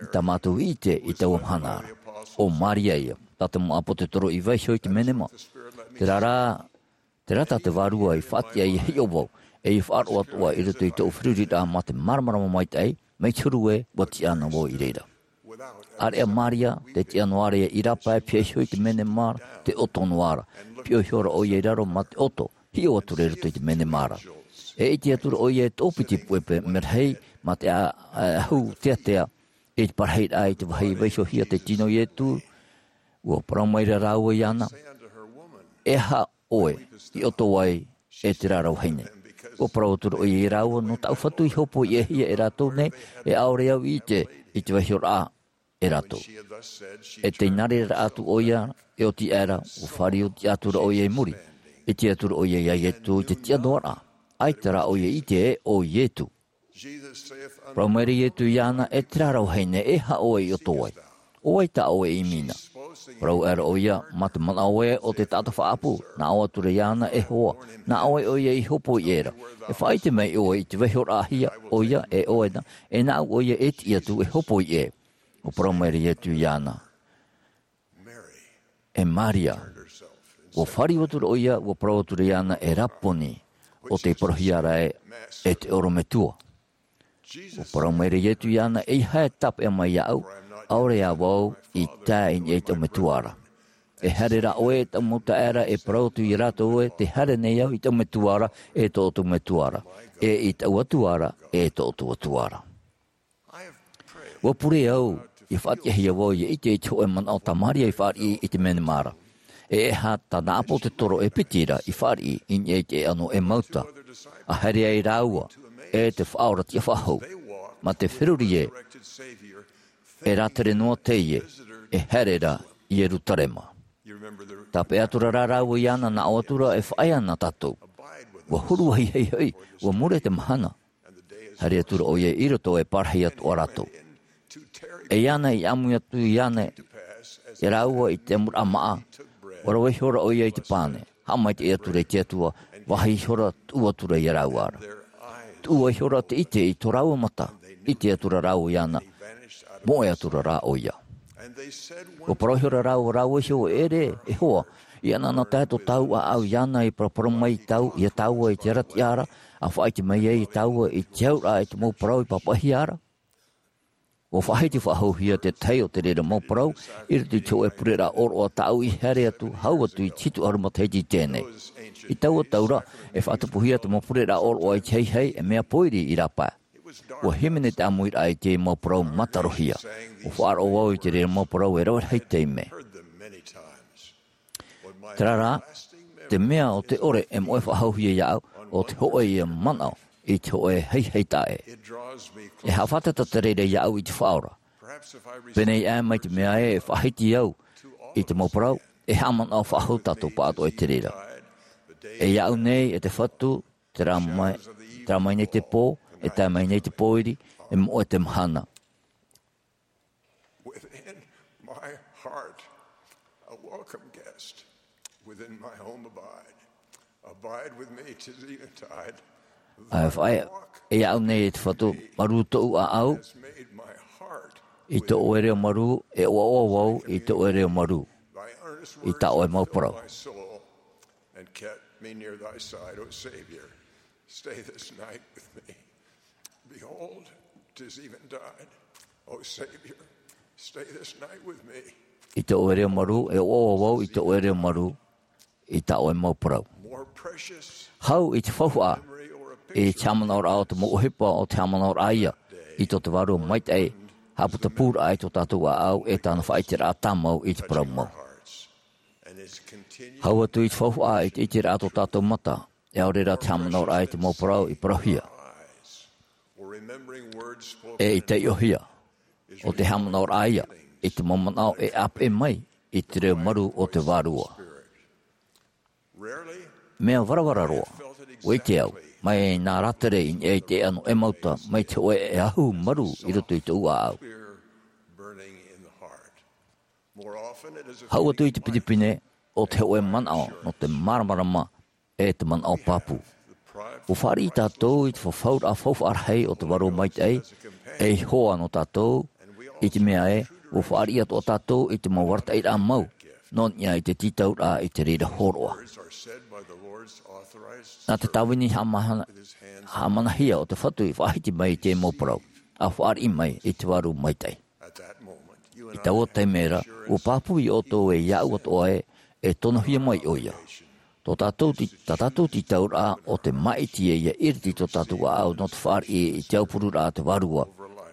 i tā mātou i ʻite i taua mahana ra. ʻO Māria ïa, tā te mau ʻāpōsetolo i vaiiho i te menema. Terā rā, terā tā te Vārua i faʻatiʻa ʻia hiʻo vau, ʻe ʻia faʻaroʻo atoʻa i roto i tōʻu feruriraʻa mā te māramarama maitaʻi, mai te huru ē, ʻua tiʻa na vau i reira. ʻĀreʻa Māria, tē tiʻa noa ra ïa i rāpae, pihaʻi iho i te menema ra, tē ʻoto noa ra. Piʻo iho ra ʻoia i raro mā te ʻoto, hiʻo atu ra i roto i te menema ra. E ʻite atu ra ʻoia e toʻopiti puʻe merahi, mā te ʻa-, ʻa-, ʻahu teatea, i te parahiraʻa i te vāhi i vaiihohia te tino o Ietu, ʻua parau mai ra rāua iāna, E aha ʻoe i ʻoto ai, e terā ra vahine? Ua parau atu ra ʻoia ia rāua, nō tāʻu Fatu i hōpoiʻahia e rātou nei, e ʻaore au i ʻite i te vaihoraʻa e rātou. E tei nā reira atu ʻoia, e oti aʻera, ua fāriʻi atu ra ʻoia i muri, e ʻite atu ra ʻoia ia Ietu i te tiʻa noa ra, ʻaita rā ʻoia i ʻite ē ʻo Ietu. Parau maira Ietu iāna, e terā ra vahine, e aha ʻoe i ʻoto ai? ʻO vai tā ʻoe i ʻimi na? Parau aʻera ʻoia, mā te manaʻo ē ʻo te taʻata faʻaʻapu, nā ʻō atu ra iāna, e hoa, nā ʻoe ʻoia i hōpoiʻa ra. E faʻaʻite mai ʻoe i te vaihoraʻahia ʻoia e ʻoe na, e nāʻu ʻoia e tiʻi atu e hōpoiʻa. Ua parau maira Ietu iāna, e Maria. Ua fāriʻi atu ra ʻoia, ua parau atu ra iāna, e Raponi, ʻo tē parauhia ra ē, e te ʻorometua. Ua parau maira Ietu iāna, eiaha e tāpeʻa mai iāʻu, ʻaore ā vau i tae i niʻa i taʻu metua ra. E haere rā ʻoe e taʻu mau taeaʻe ra, e parau atu ia rātou ē, tē haere nei au i taʻu metua ra, e tō ʻoutou metua ra, e i taʻu Atua ra, e tō ʻoutou Atua ra. Ua pure au, i faʻatiʻahia vau ia ʻite i te hōʻē manaʻo tā Maria i fāriʻi i te menema ra. E aha tāna ʻāpōsetolo e piti ra i fāriʻi i niʻa i te ʻēʻa nō Emauta, a haere ai rāua, e te Faʻaora tiʻa faʻahou, mā te feruri ē, e rātere noa teie, e haere ra i Ierutarema. Tāpeʻa atu ra rāua iāna, nā ʻō atu ra, e faʻaea na tātou. Ua huru vāhi hoʻi, ua mure te mahana. Haere atu ra ʻoia i roto e parahi atoʻa rātou. E iāna i ʻāmui atu iāna, e rāua i te amuraʻa māʻa, ua rave ihora ʻoia i te pane, haʻamaitaʻi atu ra i te Atua, vāhi ihora, tuʻu atu ra ia rāua ra. Tuʻu ihora te ʻite i tō rāua mata, ʻite atu ra rāua iāna, moʻe atu ra rā ʻoia. Ua parau ihora rāua, rāua iho, e ʻere, e hoa, i ʻanaʻanatae tō tāua ʻāʻau iāna i paraparau mai i tāu, ia tāua i te arataʻiraʻa ra, a faʻaʻite mai ai ia tāua i te auraʻa i te mau parau i pāpaʻihia ra. Ua faʻahiti faʻahouhia te tahi o te reira mau parau, i roto i te hōʻē pureraʻa ʻōroʻa tāʻu i haere atu, hau atu i te hitu ʻahuru matahiti i teie nei. I taua tau ra, e faʻatupuhia te mau pureraʻa ʻōroʻa i te haihai, e mea pōiri i rāpae. Ua hīmene te ʻāmuiraʻa i te mau parau mātarohia. Ua faʻaroʻo vau i te reira mau parau e rave rahi taime. Terā rā, te mea o te ʻore e moʻe faʻahouhia iāʻu, ʻo te hōʻē ia manaʻo i te hōʻē haihai taʻa ʻē. E haʻafātata te reira iāʻu i te Faʻaora. Pēnei aʻe mai te mea ē e faʻahiti au i te mau parau, e haʻamanaʻo faʻahou tātou pāʻatoʻa i te reira. E iāʻu nei, e te Fatu, terā mai, terā mai nei te pō, e tae mai nei te pōiri, e moʻe te mahana. Within my heart, a welcome guest. Within my home abide. Abide with me to the eventide. ʻAe, faʻaea, e iāʻu nei e te Fatu, marū tōʻu ʻāʻau, i tō ʻoe reo marū, e ʻoaʻoa vau i tō ʻoe reo marū, i tā ʻoe mau parau. And kept me near thy side, O Savior. Stay this night with me. Behold, 'tis eventide. O Savior, stay this night with me. I tō ʻoe reo marū, e ʻoaʻoa vau i tō ʻoe reo marū, i tā ʻoe mau parau. More precious Hau i te faufaʻa, memory or a i te picture haʻamanaʻoraʻa o te mau ʻohipa, o te haʻamanaʻoraʻa ia i tō te Vārua Maitaʻi, haʻaputapūraʻa i tō tātou ʻāʻau, e tāna faʻaʻiteraʻa tāmau i te parau mau. Hau atu i te faufaʻa i te ʻiteraʻa tō tātou mata, e ʻaore rā te haʻamanaʻoraʻa i te mau parau i parauhia, e i taiʻohia, ʻo te haʻamanaʻoraʻa ia i te mau manaʻo e ʻāpeʻe mai i te reo marū o te Vārua. Mea varavara roa, ʻua ʻite au, mai nā rātere i niʻa i te ʻēʻa nō Emauta, mai te hōʻē ʻahu marū i roto i tōʻu ʻāʻau. Hau atu i te pinepine, ʻo te hōʻē manaʻo nō te māramarama e te manaʻo pāpū. ʻUa fāriʻi tātou i te fafauraʻa faufaʻa rahi o te Vārua Maitaʻi, ei hoa nō tātou, i te mea ē, ʻua fāriʻi atoʻa tātou i te mau arataʻiraʻa mau, nō niʻa i te tītauraʻa i te reira hōroʻa. Nā te tāvini haʻamana-, haʻamanahia o te Fatu i faʻahiti mai i te mau parau, a fāriʻi mai i te Vārua Maitaʻi. I taua taime ra, ʻua pāpū ia ʻoutou e iāʻu atoʻa ē, e tonohia mai ʻoia. Tō tātou tī-, tā tātou tītauraʻa ʻo te māʻiti ē ʻia ʻiriti tō tātou ʻāʻau nō te fāriʻi i te aupururaʻa a te Vārua,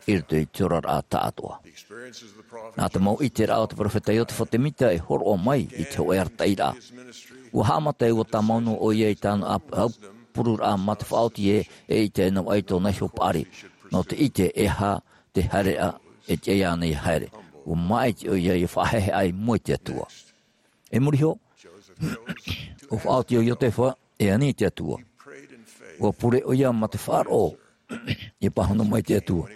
i roto i te oraraʻa taʻatoʻa. Nā te mau ʻiteraʻa o te peropheta Iosepha Semita e hōroʻa mai i te hōʻē arataʻiraʻa. ʻUa haʻamata e ʻua tāmau noa ʻoia i tāna ʻāp-, au-, pururaʻa mā te faʻaoti ē, e ʻite noa ai tōna iho paʻari nō te ʻite e aha te haereʻa e tiʻa iāna ia haere. Ua māʻiti ʻoia ia faʻaheheʻa i mua i te Atua. E muri iho, ua faʻaoti ʻo Iotefa e ani i te Atua. Ua pure ʻoia mā te faʻaroʻo ia pāhono mai i te Atua.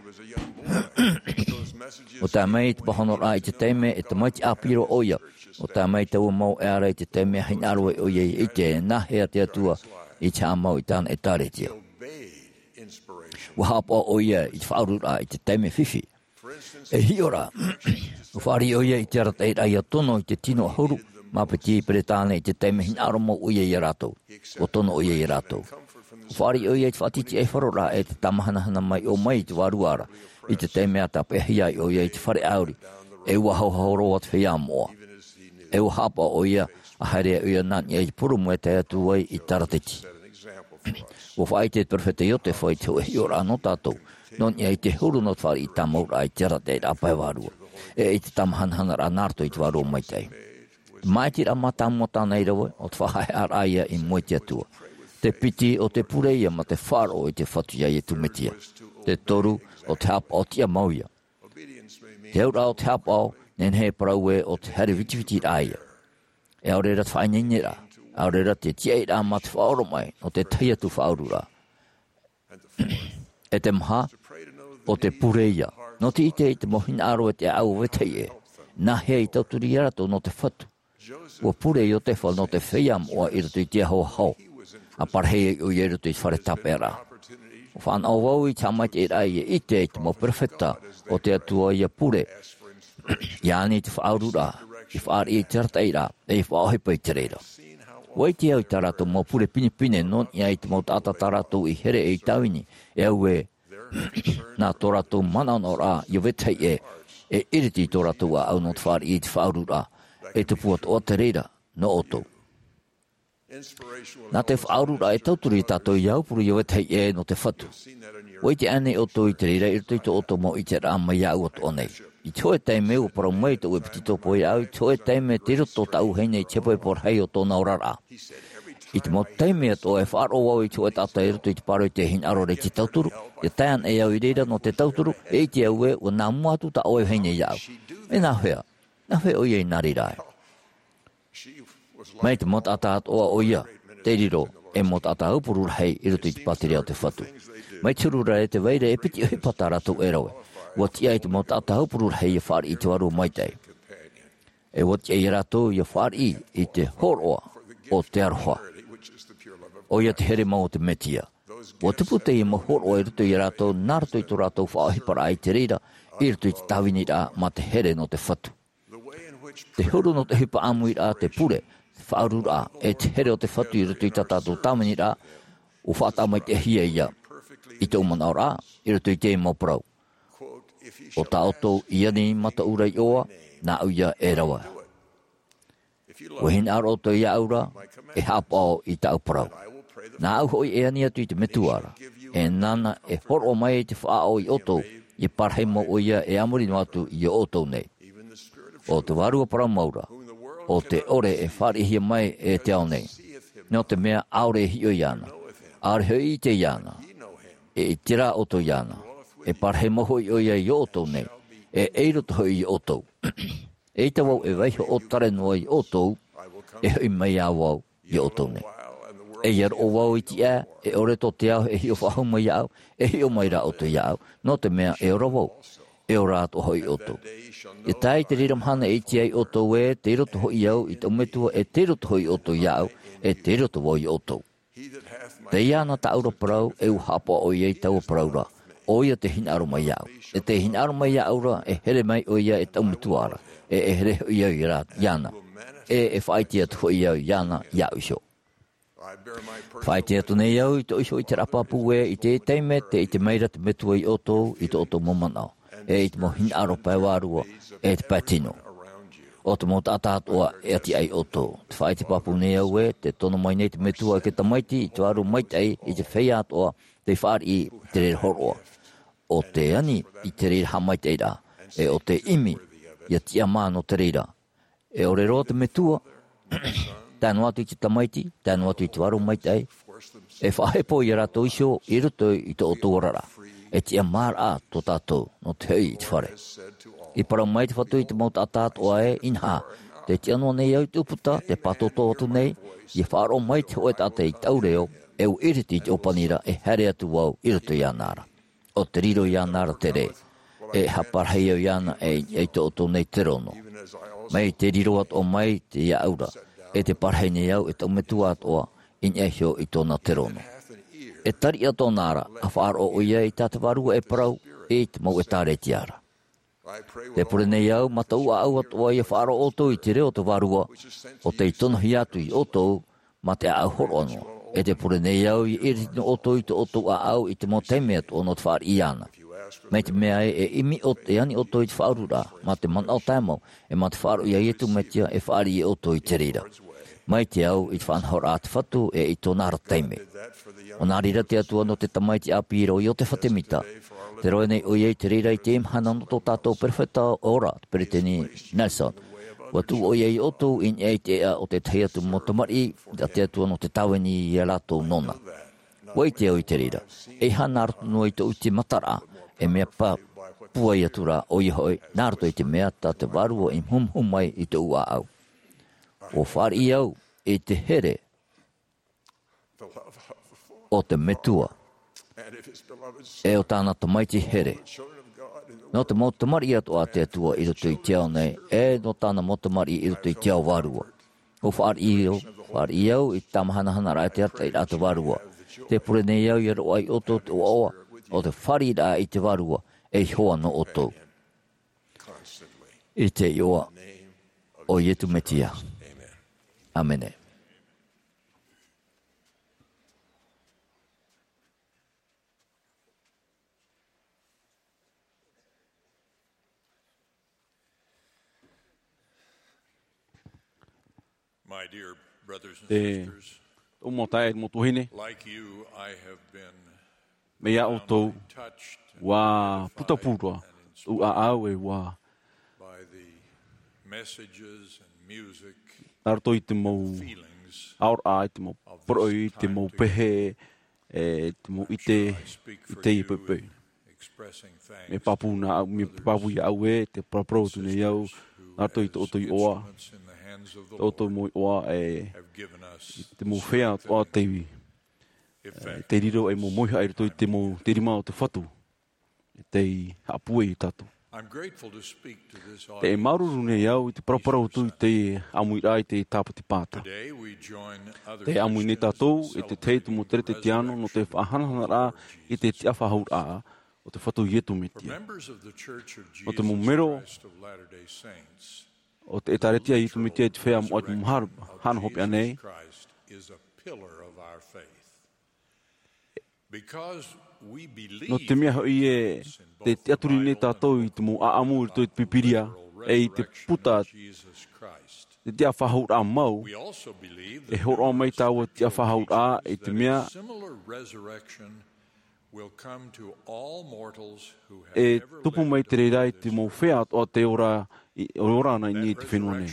Ua tae mai i te pāhonoraʻa i te taime e tamaiti ʻāpī roa ʻoia. Ua tae mai taua mau ʻē ra i te taime e hinaʻaro ai ʻoia ia ʻite e nāhea te Atua i te haʻamau i tāna ʻĒtārētia. Ua haʻapaʻo ʻoia i te faʻaururaʻa i te taime fifi. E hiʻo ra, ua fāriʻi ʻoia i te arataʻiraʻa ia tono i te tino ʻahuru mā piti Peretāne i te taime hinaʻaro mau ʻoia ia rātou. Ua tono ʻoia ia rātou. Ua fāriʻi ʻoia i te faʻatītīʻaifaroraʻa e te tāmahanahana mai ʻō mai i te vārua ra, i te taime a tāpeʻahia ai ʻoia i te fare ʻāuri, e ua haohaoa roa te feiā moʻa. E ua haʻapaʻo ʻoia a haere ai ʻoia nā niʻa i te purūmu e tae atu ai i Tarateti. Ua faʻaʻite te perofeta Iotefa i te hōʻē hiʻoraʻa nō tātou, nō niʻa i te huru nō te fāriʻi tāmauraʻa i te arataʻiraʻa pae vārua, e i te tāmahanahanaraʻa nā roto i te vārua maitaʻi. Te māʻitiraʻa mātāmua tāna i rave, ʻo te faʻaheheʻaraʻa ia i mua i te Atua. Te piti, ʻo te pure ia mā te faʻaroʻo i te Fatu iā Iesu Mesia. Te toru, ʻo te haʻapaʻo tiʻamau ia. Te auraʻa o te haʻapaʻo, nehenehe e parau ē ʻo te haere vitivitiraʻa ia. E ʻaore ra te faʻaineineraʻa, ʻaore ra te tiaʻiraʻa mā te faʻaoromaʻi nō te tahi atu faʻaururaʻa. E te maha, ʻo te pure ia. Nō te ʻite i te mau hinaʻaro e te ʻāʻau o Vetahi ʻē, nāhea i tauturu ia rātou nō te Fatu. Ua pure Iotefa nō te feiā moʻa i roto i te aho ʻahau, a parahi ai ʻoia i roto i te fare tāpeʻaraʻa. Ua fānaʻo vau i te haʻamaitaʻiraʻa ia ʻite i te mau perofeta o te Atua ia pure, ia ani i te faʻaururaʻa, ia fāriʻi i te arataʻiraʻa, e ia faʻaʻohipa i te reira. Ua ʻite au i tā rātou mau pure pinepine nō niʻa i te mau taʻata tā rātou i here e i tāvini, e auē, nā tō rātou manaʻonaʻoraʻa ia Vetahi ʻē, e iriti i tō rātou ʻāʻau nō te fāriʻi i te faʻaururaʻa, e tupu atoʻa te reira nō ʻoutou. Nā te faʻaururaʻa e tauturu ia tātou ia aupuru ia Vetahi ʻē nō te Fatu. Ua ʻite ānei ʻoutou i te reira i roto i tō ʻoutou mau ʻiteraʻa mai iāʻu atoʻa nei? I te hōʻē taime ua parau mai tōʻu ʻepitetopo iāʻu, i te hōʻē taime tei roto tāʻu vahine i te hepohepo rahi o tōna oraraʻa. I te mau taime atoʻa e faʻaroʻo vau i te hōʻē taʻata i roto i te pāroita e hinaʻaro ra i te tauturu, ia tae ana e au i reira nō te tauturu, e ʻite au ē, ua nā mua atu tā ʻoe vahine iāʻu. E nāhea? Nāhea ʻoia i nā reira ai? Mai te mau taʻata atoʻa ʻoia, tei riro ei mau taʻata aupuru rahi i roto i te pātireia o te Fatu. Mai te huru ra e tē vai ra e piti ʻohipa tā rātou e rave. Ua tiʻa i te mau taʻata aupuru rahi ia fāriʻi i te Vārua Maitaʻi. E ua tiʻa ia rātou ia fāriʻi i te hōroʻa o te aroha, ʻoia te here mau o te Mesia. Ua tupu teie mau hōroʻa i roto ia rātou, nā roto i tō rātou faʻaʻohiparaʻa i te reira, i roto i te tāviniraʻa mā te here nō te Fatu. Te huru nō te ʻohipa ʻāmuiraʻa, te pure, te faʻaururaʻa, e te here o te Fatu i roto i tā tātou tāviniraʻa, ua faʻatāmaitaʻihia ia i tōʻu manaʻoraʻa, i roto i teie mau parau. ʻO tā ʻoutou i ani i mātou ra i ʻō, nāʻu ia e rave. ʻUa hinaʻaro ʻoutou iāʻu ra, e haʻapaʻo i tāʻu parau. Nāʻu hoʻi e ani atu i te Metua ra, e nāna e hōroʻa mai i te faʻaʻo ia ʻoutou, ia parahi mau ʻoia e a muri noa atu ia ʻoutou nei. ʻO te Vārua Parau Mau ra, ʻo te ʻore e fāriʻihia mai e te ao nei. Nō te mea ʻaore e hiʻo iāna, ʻaore hoʻi e ʻite iāna, e ʻite rā ʻoutou iāna, e parahi mau hoʻi ʻoia ia ʻoutou nei, e ʻei roto hoʻi ia ʻoutou. ʻEita vau e vaiiho ʻōtare noa ia ʻoutou, e hoʻi mai ā vau ia ʻoutou nei. E ʻia roʻo vau i te ʻāʻau, e ʻore tō te ao e hiʻo faʻahou mai iāʻu, e hiʻo mai rā ʻoutou iāʻu, nō te mea e ora vau, e ora atoʻa hoʻi ʻoutou. ʻIa tae i te reira mahana e ʻite ai ʻoutou ē, tei roto hoʻi au i tōʻu Metua, e tei roto hoʻi ʻoutou iāʻu, e tei roto vau ia ʻoutou. Tei iāna tāʻu ra parau, e ua haʻapaʻo ʻoia i taua parau ra, ʻoia tē hinaʻaro mai iāʻu. E tē hinaʻaro mai iāʻu ra, e here mai ʻoia e tōʻu Metua ra, e, e here hoʻi au ia rā, iāna. E, e faʻaʻite atu hoʻi au iāna, iāʻu iho. Faʻaʻite atu nei au i tōʻu iho ʻiteraʻa pāpū ē, i te taime tē ʻite mai ra te Metua ia ʻoutou, i tō ʻoutou mau manaʻo, e i te mau hinaʻaro pae vārua, e te pae tino. ʻO te mau taʻata atoʻa e ʻati ai ʻoutou. Te faʻaʻite pāpū nei au ē, tē tono mai nei te Metua e te Tamaiti, i te Vārua Maitaʻi, i te feiā atoʻa tei fāriʻi i te reira hōroʻa. ʻO tē ani i te reira haʻamaitaʻiraʻa, e ʻo tē ʻimi ia tiʻamā nō te reira. E ʻore roa te Metua, tae noa atu i te Tamaiti, tae noa atu i te Vārua Maitaʻi, E faʻahepo iā rātou iho i roto i tō ʻoutou oraraʻa. E tiʻamāraʻa tō tātou nō te hoʻi i te fare. I parau mai te Fatu i te mau taʻata atoʻa ē, inaha, tē tiʻa noa nei au i te ʻūputa, tē pātōtō atu nei, ʻia faʻaroʻo mai te hōʻē taʻata i tāʻu reo, e ʻua ʻiriti i te ʻōpani ra, e haere atu vau i roto iāna ra. ʻO te riro iāna ra te rē, e haʻaparahi au iāna e, e tō ʻoutou nei terono. Mai te riro atoʻa mai te iāʻu ra, e tē parahi nei au e taʻu metua atoʻa, i niʻa iho i tōna terono. E tariʻa tōna ra, ʻa faʻaroʻo ʻoia i tā te Vārua e parau, i te mau ʻētāretia ra. Tē pure nei au, mā tōʻu ʻāʻau atoʻa ʻia faʻaroʻo ʻoutou i te reo o te Vārua, ʻo tei tonohia atu iā ʻoutou, mā te ʻāʻau hōroʻa noa. E tē pure nei au, ʻia ʻiriti noa ʻoutou i tō ʻoutou ʻāʻau i te mau taime atoʻa nō te fāriʻi iāna. Mai te mea ē, e ʻimi ʻo, e ani ʻoutou i te faʻaururaʻa, mā te manaʻo taeaʻe mau, e mā te faʻaroʻo iā Iesu Mesia, e fāriʻi ʻoutou i te reira. Mai te au i te faʻanahoraʻa a te Fatu, e i tōna ra taime. ʻO nā reira te Atua nō te tamaiti ʻāpī ra ʻo Iosepha Semita, tē roaʻa nei ʻoia i te reira i te mahana nō tō tātou perofeta ora, te Peresideni Nelson. ʻUa tuʻu ʻoia iā ʻoutou i niʻa i te ʻēʻa o te tahi atu mau tamariʻi, a te Atua nō te tāvini iā rātou nōna. ʻUa ʻite au i te reira. ʻEiaha nā roto noa i tōʻu ʻite mataraʻa, e mea pāpū atu ra ʻoia hoʻi, nā roto i te mea tā te Vārua i muhumuhu mai i tōʻu ʻāʻau. ʻUa fāriʻi au i te here o te Metua, e o tāna tamaiti here. Nō te mau tamariʻi atoʻa a te Atua i roto i te ao nei, e nō tāna mau tamariʻi i roto i te ao vārua. ʻUa fāriʻi au, fāriʻi au i te tāmāhanahanaraʻa e te arataʻiraʻa a te Vārua. Tē pure nei au ʻia roaʻa iā ʻoutou te ʻoaʻoa o te fāriʻiraʻa i te Vārua, e iho ā nō ʻoutou. I te iʻoa o Iesu Mesia. ʻĀmene. My dear brothers and Te sisters, tōʻu mau taeaʻe, mau tuahine, like you, I have been mai iā ʻoutou, profoundly touched and ua gratified putapū roa and tōʻu inspired ʻāʻau e ua by the messages and music nā roto i te mau feelings aʻoraʻa, i te mau of this poroʻi, i te mau time together. Pehe, e te mau ʻite i teie poʻipoʻi. Mea pāpū nā au, mea pāpū iā ʻau ē, tē paraparau atu nei au, nā roto i tō ʻoutou iʻoa, tō ʻoutou mau iʻoa, e, i te mau feiā atoʻa tei, e, tei riro ei mau mauhaʻa i roto i te mau, te rima o te Fatu. Tei haʻapūai iā tātou. I'm grateful to speak to this audience. Tē māuruuru nei au i te paraparau atu i te ʻāmuiraʻa i te Tāpati Pāta. Today we join other Christians in celebrating Tē ʻāmui nei tātou i te tahi atu mau Keretetiano nō te faʻahanahanaraʻa i te tiʻafaʻahouraʻa o te Fatu Iesu Mesia. For members of the Church of Jesus Christ of Latter-day Saints, Nō te mau mero o te ʻĒtārētia a Iesu Mesia i te Feiā Moʻa i te Mahana Hopeʻa nei, Christ is a pillar of our faith. Nō te mea hoʻi ē, tē tiʻaturi nei tātou i te mau ʻāʻamu i roto i te Pīpīria, e i te puta, te tiʻafaʻahouraʻa mau, e hōroʻa mai taua tiʻafaʻahouraʻa i te mea, e tupu mai te reira i te mau feiā atoʻa tei ora, i, ora ana i niʻa i te fenua nei.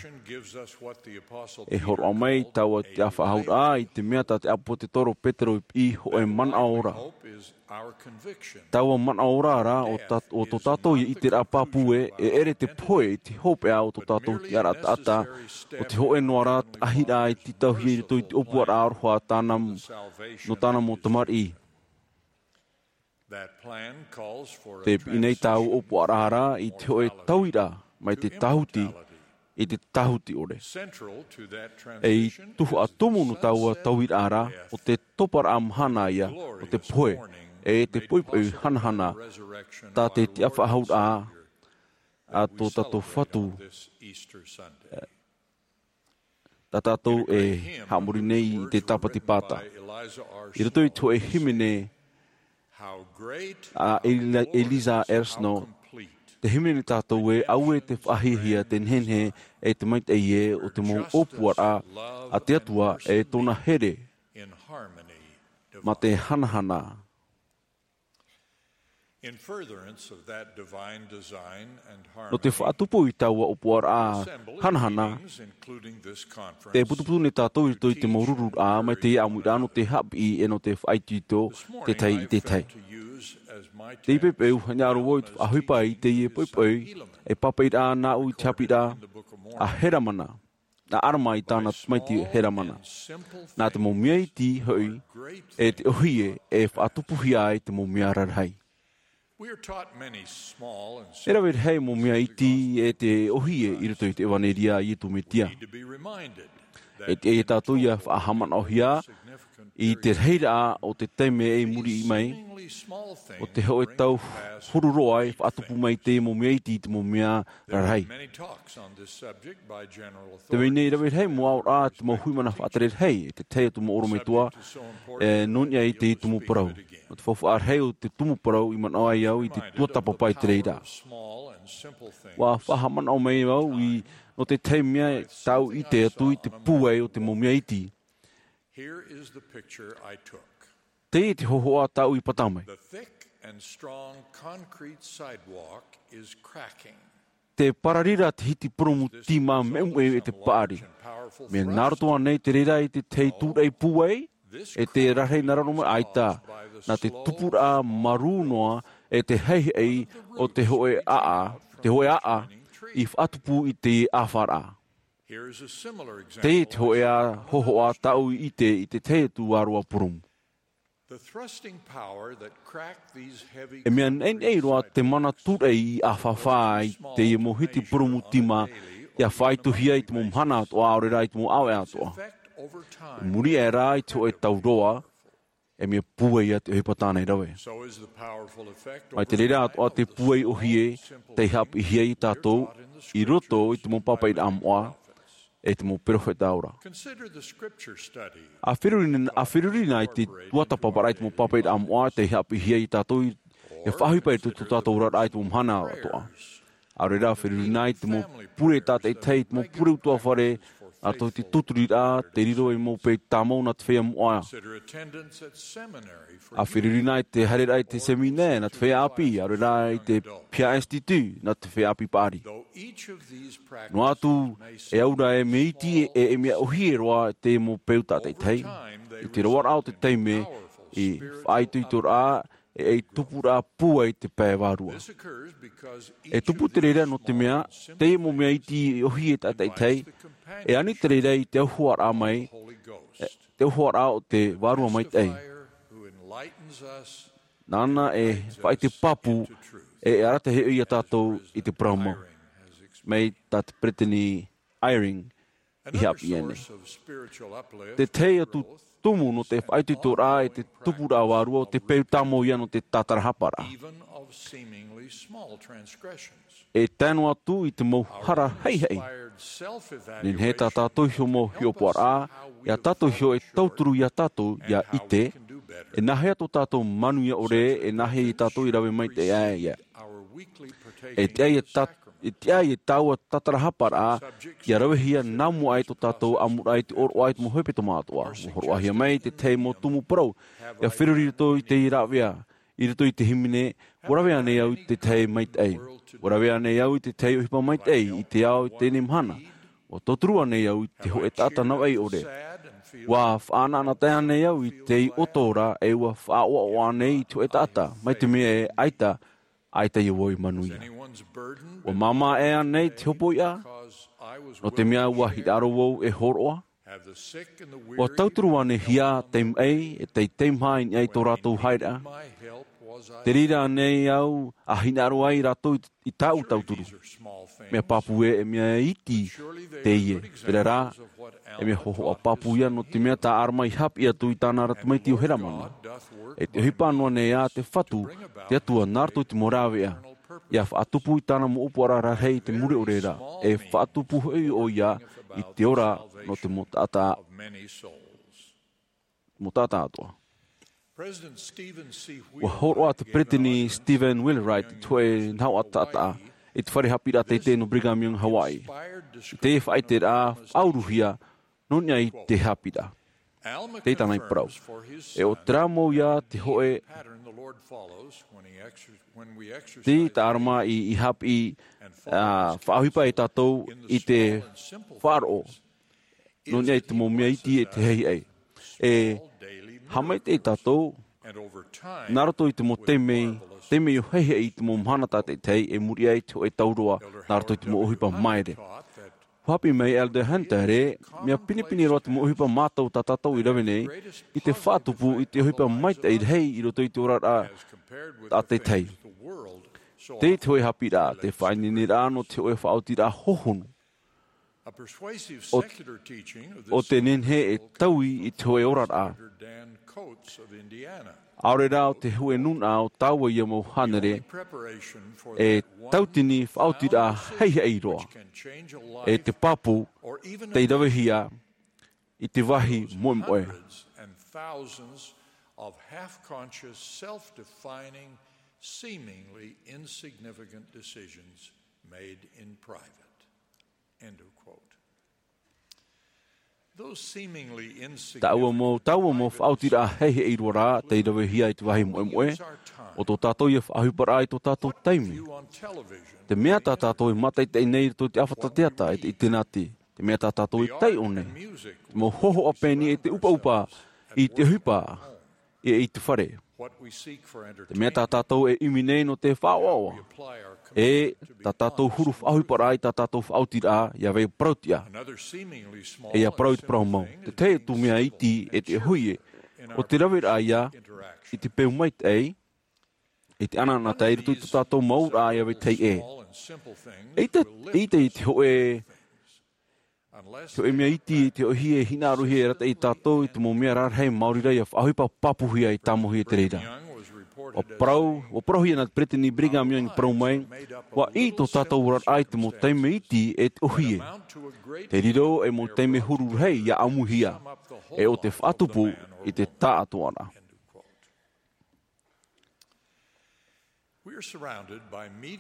E hōroʻa mai taua tiʻafaʻahouraʻa i te mea tā te ʻāpōsetolo Petero i piʻi hōʻē manaʻo ora. Taua manaʻo ora rā, ʻo tā, ʻo tō tātou ʻiteraʻa pāpū ē, e ʻere te pohe i te hopeʻa o tō tātou tiʻaraʻa taʻata, ʻo te hōʻē noa rā taʻahiraʻa e tītauhia i roto i te ʻōpuaraʻa aroha tāna, nō tāna mau tamariʻi. Tē piʻi nei taua ʻōpuaraʻa rā i te hōʻē tauiraʻa mai te tāhuti i te tāhuti ʻore. E i tuhaʻa tumu nō taua tauiraʻa rā, ʻo te toparaʻa mahana ïa o te pohe, e te poʻipoʻi hanahana, tā te tiʻafaʻahouraʻa a tō tātou Fatu. Tā tātou e haʻamori nei i te Tāpati Pāta. I roto i te hōʻē hīmene a Eli-, Eliza Ersno, tē hīmene tātou ē, auē te faʻahiahia, te nehenehe, e te maitaʻi ē, o te mau ʻōpuaraʻa a te Atua, e tōna here, mā te hanahana. In furtherance of that divine design and harmony, nō te faʻatupu i taua ʻōpuaraʻa hanahana, te putuputu nei tātou i roto i te mau rururaʻa mai te ʻāmuiraʻa nō te haʻapiʻi e nō te faʻaitoito te tahi i te tahi. Te poipoi, hinaʻaro vau i te faʻaʻohipa i teie poipoi, e pāpaʻiraʻa nāʻu i te haʻapiʻiraʻa a Helamana, a Alama i tāna tamaiti Helamana. Nā te mau mea iti hoʻi, e te ʻōhie e faʻatupuhia ai te mau mea rarahi. E rave rahi mau mea iti e te ʻōhie i roto i te ʻevanelia a Iesu Mesia. E tiʻa ia tātou ia faʻahaʻamanaʻohia i te rahiraʻa o te taime i muri mai, o te hōʻē tau huru roa e faʻatupu mai te mau mea iti i te mau mea rarahi. Te mea nei, rave rahi mau aʻoraʻa te mau hui mana faʻatere rahi, e te tahi atu mau ʻorometua, e nō niʻa i te tumu parau. Nō te faufaʻa rahi o te tumu parau i manaʻo ai au i te tuatāpapa i te reira. ʻUa faʻahaʻamanaʻo mai au i, nō te tahi mea tāʻu i ʻite atu i te pūai o te mau mea iti. Here is the picture I took. Teie te hōhoʻa tāʻu i pata mai. The thick and strong concrete sidewalk is cracking. Te pararira te hiti purūmu tīmā meumeu e te paʻari. Mea nā roto ānei te reira i te tahi tūraʻi pūai, e te rarahi nā raro mai ʻaita, nā te tupuraʻa marū noa e te haihai o te hōʻē ʻaʻa, te hōʻē ʻaʻa i faʻatupu i te ʻāfaraʻa. Here is a similar example. Teie te hōʻē hōhoʻa tāʻu i ʻite i te tahi atu vārua purūmu. The thrusting power that cracked these heavy E mea concrete neʻineʻi roa te mana tūraʻi i ʻāfāfā ai teie mau hiti purūmu tīmā, ʻia faʻaitohia i te mau mahana atoʻa, ʻaore rā i te mau ʻāvaʻe atoʻa. Effect over time. I muri aʻe rā i te hōʻē tau roa, e mea pūai ia te ʻohipa tāna i rave. So is the powerful effect over time. Mai te reira atoʻa te pūai ʻōhie, tei haʻapiʻihia ia tātou i roto i te mau pāpaʻiraʻa moʻa, e te mau perofeta ora. Consider the scripture study. ʻA feruri, ʻa feruri na i te tuatāpaparaʻa i te mau pāpaʻiraʻa moʻa, tei haʻapiʻihia ia tātou i, e faʻaʻohipa i tō tātou oraraʻa i te mau mahana atoʻa. ʻAore rā, feruri na i te mau pure tātaʻitahi, i te mau pure ʻutuāfare, ʻa tō te tūturiraʻa, te riro i mau peu tāmau nā te feiā moʻa. Consider attendance at seminary for ʻA feruri na i te haereraʻa i te seminare nā te feiā ʻāpī, ʻaore rā i te piha institut nā te feiā ʻāpī paʻari. Though each of these practices Noa atu, may e aura e mea iti e, e mea ʻōhie roa te mau peu tātaʻitahi. I te roaraʻa o te taime, i faʻaitoitoraʻa, e, e tupuraʻa pūai te pae vārua. E tupu te reira nō te mea, teie mau mea iti ʻōhie tātaʻitahi, e ani te reira i te auhoaraʻa mai, e, te auhoaraʻa o te Vārua Maitaʻi. Nāna e faʻaʻite pāpū, e, e arataʻi ia tātou i te parau mau. Mai tā te Peresideni Eyring i haʻapiʻi nei. Te tahi atu tumu nō te faʻaitoitoraʻa e te tupuraʻa vārua o te peu tāmau ia nō te tātarahaparaʻa. E tae noa atu i te mau hara haihai. Nehenehe tā tātou iho mau hiʻopoʻaraʻa, ʻia tātou iho e tauturu ia tātou ʻia ʻite, e nāhea tō tātou manuia ʻore, e nāhea ia tātou i rave maitaʻi ai ia. E tiʻa ia tā, e tiʻa ia taua tātarahaparaʻa, ʻia ravehia nā mua ai tō tātou ʻamuraʻa i te ʻōroʻa i te mau hepetoma atoʻa. ʻUa hōroʻahia mai te tahi mau tumu parau, ʻia feruri i roto i te rāveʻa, i roto i te hīmene, ʻua rave ānei au i te tahi maitaʻi? ʻUa rave ānei au i te tahi ʻohipa maitaʻi i te ao i teie mahana? ʻUa tauturu ānei au i te hōʻē taʻata navaʻi ʻore? ʻUa faʻanaʻanatae ānei au i te ʻoto ra, e ʻua faʻaʻoaʻoa ānei i te hōʻē taʻata, mai te mea e ʻaita, ʻaita ia vau i manuia? ʻUa māmā ʻē ānei te hopoiʻa, nō te mea ʻua hinaʻaro vau e hōroʻa? ʻUa tauturu ānei hia tei maʻi, e tei teimaha i niʻa i tō rātou haereʻa? Te reira ānei au ʻa hinaʻaro ai rātou i, i tāʻu tauturu? Mea pāpū ē, e mea iti teie. Terā rā, e mea hōhoʻa pāpū ia, nō te mea tā Alama i haʻapiʻi atu i tāna ra tamaiti ʻo Helamana. E te ʻohipa noa nei ā te Fatu, te Atua nā roto i te mau rāveʻa, ʻia faʻatupu i tāna mau ʻōpuaraʻa rarahi i te mure ʻore ra, e faʻatupu hoʻi ʻoia i te ora nō te mau taʻata, mau taʻata atoʻa. President Stephen C. ʻUa hōroʻa te Peresideni Stephen Wheelwright i te hōʻē nahoʻa taʻata i te fare haʻapiʻiraʻa teitei nō Brigham Young Hawaii. I teie faʻaʻiteraʻa faʻauruhia nō niʻa i te haʻapiʻiraʻa. Tei tāna i parau. E o terā mau ia te hoʻe. Tei tā Alama i, i haʻapiʻi, ā, faʻaʻohipa e tātou i te faʻaroʻo. Nō niʻa i te mau mea iti e te heihaʻi. E haʻamaitaʻi tātou, nā roto i te mau taime, taime o heihaʻi i te mau mahana tātaʻitahi, e muri aʻe i te hoʻe tauroa, nā roto i te mau ʻohipa maere. Haʻapiʻi mai Elder Hunter ē, mea pinepine roa te mau ʻohipa mātou tā tātou i rave nei, i te faʻatupu i te ʻohipa maitaʻi rahi i roto i te oraraʻa tātaʻitahi. Tei te hoʻe haʻapiʻiraʻa, te faʻaineineraʻa nō te hoʻe faʻaotiraʻa hohonu. O, o te nehenehe e taui i te hoʻe oraraʻa. ʻAore rā o te hoʻe nūnaʻa o taua ia mau hānere, e tautini faʻaotiraʻa heihaʻi roa. E te pāpū, tei ravehia i te vāhi moemoe. Hundreds and thousands of half-conscious, self-defining, seemingly insignificant decisions made in private. End of quote. Those seemingly insignificant. Taua mau, taua mau faʻaotiraʻa heihaʻi roa rā, tei ravehia i te vāhi moemoe, o tō tātou ia faʻaʻohiparaʻa i tō tātou taime. Te mea tā tātou e mātaʻitaʻi nei i roto i te ʻāfata teata e te ʻitenāti. Te mea tā tātou e taiʻo nei. Te mau hōhoʻa pēni e te ʻupaʻupa i te ʻohipa, e i te fare. Te mea tā tātou e ʻimi nei nō te faʻaʻoaʻoa. E tā tātou huru faʻaʻohiparaʻa i tā tātou faʻaotiraʻa, ia vai parautiʻa. E ia parau i te parau mau. Te tahi atu mea iti e te ʻohie. O te raveraʻa ia, i te peu maitaʻi, i te anaanatae i roto i tō tātou mau ra ia vai tahi ʻē. Eʻita, eʻita i te hoʻe, te hoʻe mea iti, te ʻohie e hinaʻarohia e arataʻi ia tātou i te mau mea rarahi, maori rā ia faʻaʻohipa, pāpūhia e tāmauhia te reira. ʻUa parau, ʻua parauhia nā Peresideni Brigham Young i parau mai, ʻua ʻī tō tātou oraraʻa i te mau taime iti e te ʻohie. Te riro e mau taime huru rahi ia ʻāmuihia, e o te faʻatupu i te taʻatoʻaraʻa.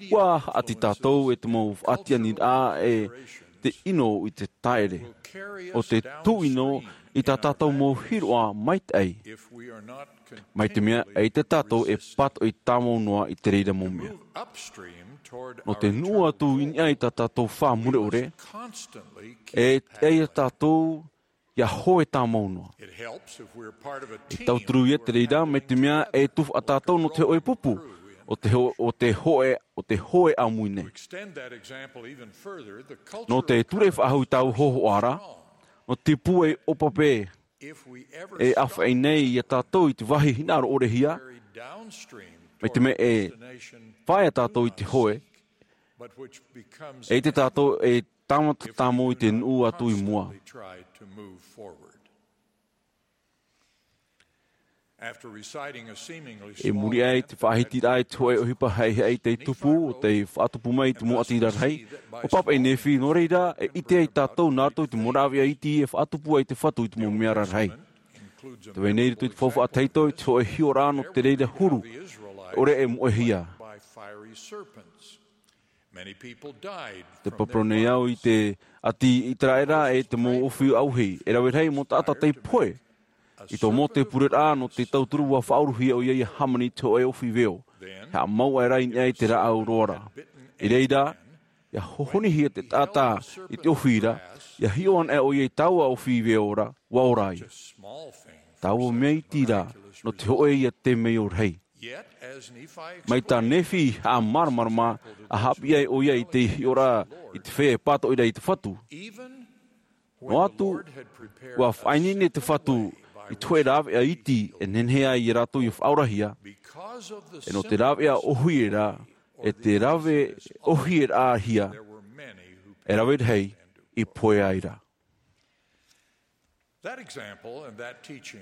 ʻUa haʻati tātou e te mau faʻatiʻaniraʻa e te ʻino i te taʻere. ʻO te tūʻino i tā tātou mau hiroʻa maitaʻi. Mai te mea, eʻita tātou e pātoʻi tāmau noa i te reira mau mea. Nō te nuʻu atu i niʻa i tā tātou fā mure ʻore, e tiʻa ia tātou ia hoe tāmau noa. E tauturu ia te reira, mai te mea e tufaʻa tātou nō te hoʻe pupu, o te ho-, o te hoe, o te hoe ʻāmui nei. Nō te ture faʻahou i tāua hōhoʻa ra, nō te pūai ʻōpape e ʻāfaʻi nei ia tātou i te vāhi hinaʻaro ʻore hia, mai te mea e faʻaea tātou i te hoe, eʻita tātou e tāmata tāmau i te nuʻu atu i mua. I muri aʻe i te faʻahitiraʻa i te hoʻe ʻohipa heihaʻi tei tupu, ʻo tei faʻatupu mai i te mau ʻati rarahi, ʻua pāpaʻi Nephi, nō reira, e ʻite ai tātou nā roto i te mau rāveʻa iti e faʻatupu ai te Fatu i te mau mea rarahi. Tē vai nei i roto i te faufaʻa tahito i te hoʻe hiʻoraʻa nō te reira huru, ʻore e moʻehia. Te parau nei au i te ʻati ʻĪteraʻera e te mau ʻōfī ʻauahi, e rave rahi mau taʻata tei pohe. I tō Mōte pureraʻa nō te tauturu ʻua faʻauruhia ʻoia ia hāmani i te hoʻe ʻōfī veo. E haʻamau aʻera i niʻa i te rāʻau roa ra. I reira, ia hohonihia te taʻata i te ʻōfī ra, ia hiʻo anaʻe ʻoia i taua ʻōfī veo ra, ʻua ora ai. Taua mea iti ra, nō te hoʻe ia temeio rahi. Mai tā Nephi i haʻamāramarama, ʻa haʻapiʻi ai ʻoia i te hiʻoraʻa i te feiā e pātoʻi ra i te Fatu. Noa atu, ʻua faʻaineine te Fatu i te hoʻe rāveʻa iti e nehenehe ai ia rātou ia faʻaorahia, e nō te rāveʻa ʻōhie ra, e te rave ʻōhieraʻahia, e rave rahi i pohe ai ra.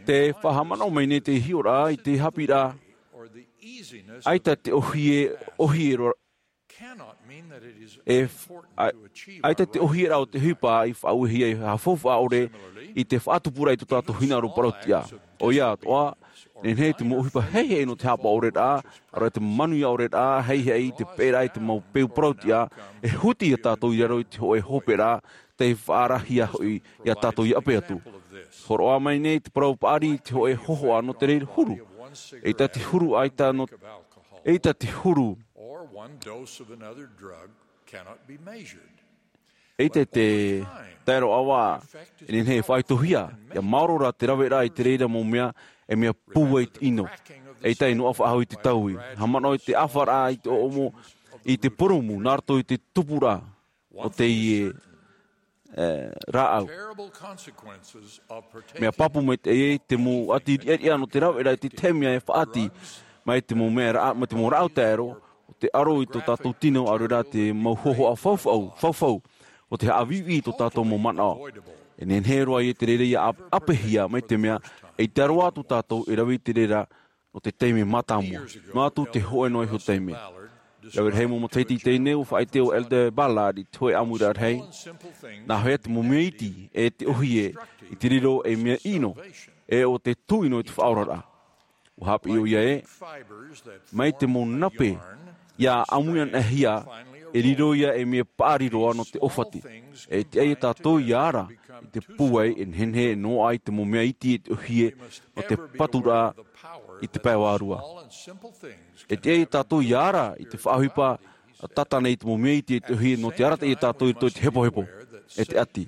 Te faʻahaʻamanaʻo mai nei te hiʻoraʻa i te haʻapiʻiraʻa, ʻaita te ʻōhie, ʻōhie roa, e, ʻa-, ʻaita te ʻōhieraʻa o te ʻohipa i faʻauehia e haʻafaufaʻa ʻore i te faʻatupuraʻa i tō tātou hinaʻaro parautiʻa. ʻOia atoʻa, nehenehe te mau ʻohipa heihaʻi nō te haʻapaʻo ʻore ra, ʻaore te manuia ʻore ra, heihaʻi i te peʻeraʻa i te mau peu parautiʻa, e huti ia tātou i raro i te hoʻe hoperaʻa, tei faʻaarahia hoʻi iā tātou i ʻape atu. Hōroʻa mai nei te parau paʻari i te hōʻē hōhoʻa nō te reira huru. ʻEita te huru, ʻaita nō, ʻeita te huru. Or one dose of another drug cannot be measured. ʻEita te taero ʻava, e nehenehe e faʻaitohia, ʻia maoro rā te raveraʻa i te reira mau mea, e mea pūai te ʻino. ʻEita e noaʻa faʻahou i te taui. Haʻamanaʻo i te ʻāfaraʻa i te ʻoʻomo, i te purūmu, nā roto i te tupuraʻa o teie, e, rāʻau. Mea pāpū maitaʻi ē, te mau ʻati riʻariʻa nō te raveraʻa i te tahi mea e faʻaʻati mai te mau mea rā-, mai te mau rāʻau taero, ʻo te aro i tō tātou tino, ʻaore rā te mau hōhoʻa faufaʻu, faufaʻu, ʻo te haʻaviʻiviʻi i tō tātou mau manaʻo. E nehenehe roa ia te reira ʻia ʻap-, ʻapehia mai te mea, ʻeita roa atu tātou e rave i te reira, nō te taime mātāmua. Noa atu te hōʻē noa iho taime. Rave rahi mau matahiti i teie nei, ʻua faʻaʻite ʻo Elder Ballard i te hōʻē ʻāmuiraʻa rahi. Nā hea te mau mea iti, e te ʻōhie, i te riro ei mea ʻino, e ʻo te tūʻino i te faʻaoraraʻa. ʻUa haʻapiʻi ʻoia ē, mai te mau nape, ʻia ʻāmui anaʻe hia, e riro ia ei mea paʻari roa nō te ʻōfati. E tiʻa ia tātou ʻia ara i te pūai, e nehenehe e noaʻa i te mau mea iti e te ʻōhie nō te paturaʻa i te pae vārua. E tiʻa ia tātou ʻia ara i te faʻaʻohipa tata nei i te mau mea iti e te ʻōhie nō te arataʻi ia tātou i roto i te hepohepo e te ʻati.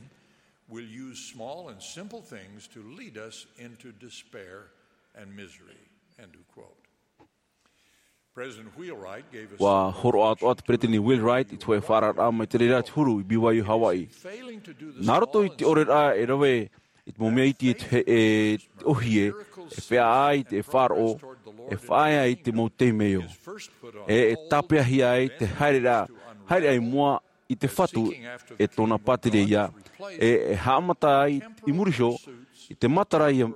Will use small and simple things to lead us into despair and misery. End of quote. President Wheelwright gave us ʻUa hōroʻa atoʻa te Peresideni Wheelwright i te hōʻē faʻaararaʻa mai te reira te huru i B Y U Hawaii. Nā roto i te ʻōreraʻa e rave i te mau mea iti e te, e te ʻōhie, e feiā ai te faʻaroʻo, e faʻaea i te mau temeio. E, e tāpeahia ai te haereraʻa, haereraʻa i mua i te Fatu e tōna pātireia, e, e haʻamata ai i muri iho i te matara ʻia,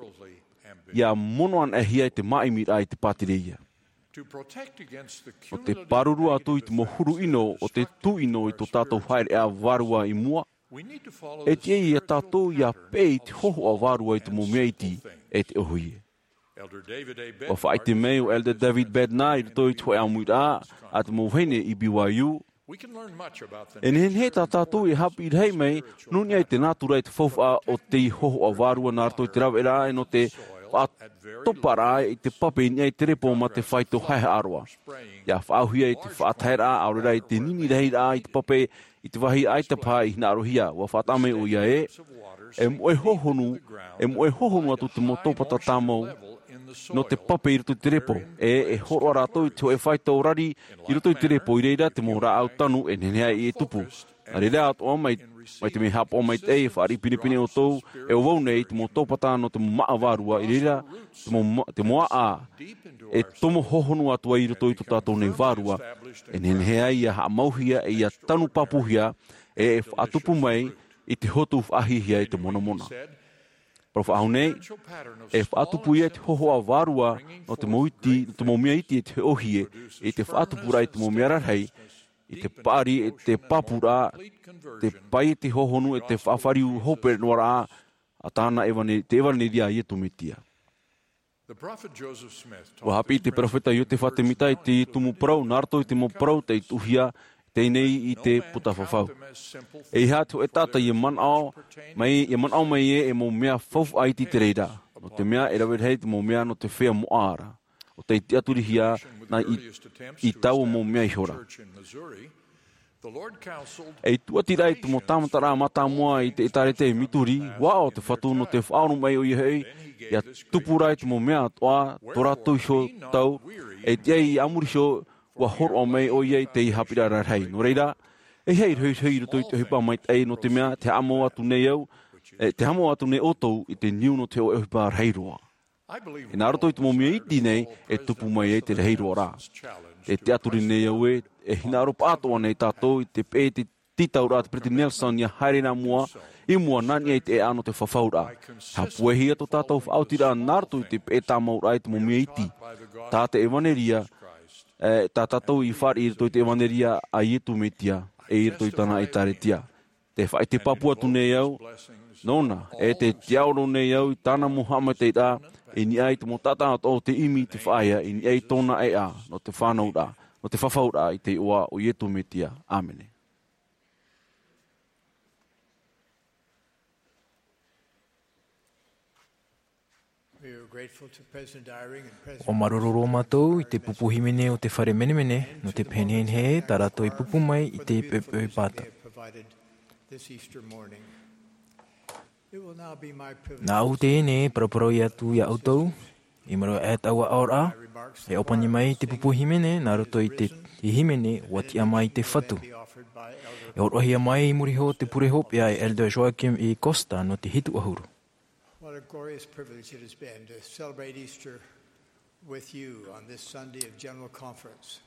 ʻia mono anaʻehia i te māʻimiraʻa i te pātireia. ʻO te pāruru atu i te mau huru ʻino o te tūʻino i tō tātou haereʻa vārua i mua, e tiʻa ia tātou ʻia peʻe i te hōhoʻa vārua i te mau mea iti e te ʻōhie. ʻUa faʻaʻite mai ʻo Elder David Bednar i roto i te hōʻē ʻāmuiraʻa a te mau vahine i B Y U, e nehenehe tā tātou e haʻapiʻi rahi mai nō niʻa i te nātura e te faufaʻa o te hōhoʻa vārua nā roto i te raveraʻa e nō te faʻatoparaʻa i te pape i niʻa i te repo mā te faito haehaʻa roa. ʻIa faʻaauhia i te faʻataheraʻa, ʻaore rā i te nini rahiraʻa i te pape i te vāhi ʻaita paha i hinaʻarohia. ʻUa faʻataʻa mai ʻoia ē, e moʻe hōhonu, e moʻe hōhonu atu te mau tōpata tāmau nō te pape i roto i te repo, e, e hōroʻa rātou i te hōʻē faito rari i roto i te repo, i reira te mau rāʻau tanu e nehenehe ai e tupu. Nā reira atoʻa mai, mai te mea haʻapaʻo maitaʻi e fāriʻi pinepine ʻoutou, e ʻo vau nei te mau tōpata nō te mau māʻa vārua, i reira te mau ma-, te mau ʻāʻā e tomo hōhonu atu ai i roto i tō tātou nei vārua, e nehenehe ai ʻia haʻamauhia, e ʻia tanu pāpūhia, e, e faʻatupu mai i te hotu faʻahiahia i te monamona. Parau faʻahou nei, e faʻatupu ia te hōhoʻa vārua nō te mau iti, nō te mau mea iti e te ʻōhie, i te faʻatupuraʻa i te mau mea rarahi, i te paʻari, e te pāpūraʻa, te pae i te hōhonu, e te faʻafāriu hōpere noa raʻa a tāna ʻevane-, te ʻevaneria a Iesu Mesia. ʻUa haʻapiʻi te peropheta Iotefa Temita i te tumu parau, nā roto i te mau parau tei tuʻuhia, teie nei i te puta fafau. ʻEiaha te hōʻē taʻata ʻia manaʻo mai, ʻia manaʻo mai ē, e mau mea faufaʻa iti te reira. Nō te mea, e rave rahi te mau mea nō te feiā moʻa ra. ʻO tei tiʻaturihia nā i, i taua mau mea ihora. E tūʻatiraʻa i te mau tāmataraʻa mātāmua i te ʻĒtārētia i Missouri, ʻua aʻo te Fatu nō te faʻaoromaʻi ʻoia hoʻi, ʻia tupu rā i te mau mea atoʻa, tō rātou iho tau, e tiʻa ai a muri iho, ʻua hōroʻa mai ʻoia i te haʻapiʻiraʻa rarahi. Nō reira, e ʻeiaha e rohirohi i roto i te ʻohipa maitaʻi, nō te mea, te haʻamau atu nei au, e, te haʻamau atu nei ʻoutou i te niu nō te hōʻē ʻohipa rahi roa. E nā roto i te mau mea iti nei, e tupu mai ai te rahi roa ra. Tē tiʻaturi nei au ē, e hinaʻaro paʻatoʻa nei tātou i te peʻe te tītauraʻa a te Peresideni Nelson ʻia haere nā mua, i mua nā niʻa i te ʻēʻa nō te fafauraʻa. Haʻapuehia tō tātou faʻaotiraʻa nā roto i te peʻe tāmauraʻa i te mau mea iti. Tā te ʻevaneria, e, tā tātou i fāriʻi i roto i te ʻevaneria a Iesu Mesia, e i roto i tāna ʻĒtārētia. Tē faʻaʻite pāpū atu nei au, nōna, e tē tiaʻoro nei au i tāna mau haʻamaitaʻiraʻa, i niʻa i te mau taʻata atoʻa o tē ʻimi i te faʻaea, i niʻa i tōna ʻēʻa, nō te fānauraʻa, nō te fafauraʻa i te iʻoa o Iesu Mesia. ʻĀmene. We are grateful to President Eyring and President ʻUa māuruuru mātou i te pupu hīmene o te fare menemene nō te pehenehenehe tā rātou i pupu mai i te poʻipoʻi pāta. Provided this Easter morning. It will now be my privilege. Nāʻu teie nei e paraparau atu iā ʻoutou, i muri aʻe i taua aʻoraʻa, e ʻōpani mai te pupu hīmene nā roto i te, te hīmene ʻUa tiʻa mai te Fatu. E hōroʻahia mai i muri iho i te pure hopeʻa e Elder Joachim E. Costa nō te hitu ʻahuru. What a glorious privilege it has been to celebrate Easter with you on this Sunday of General Conference.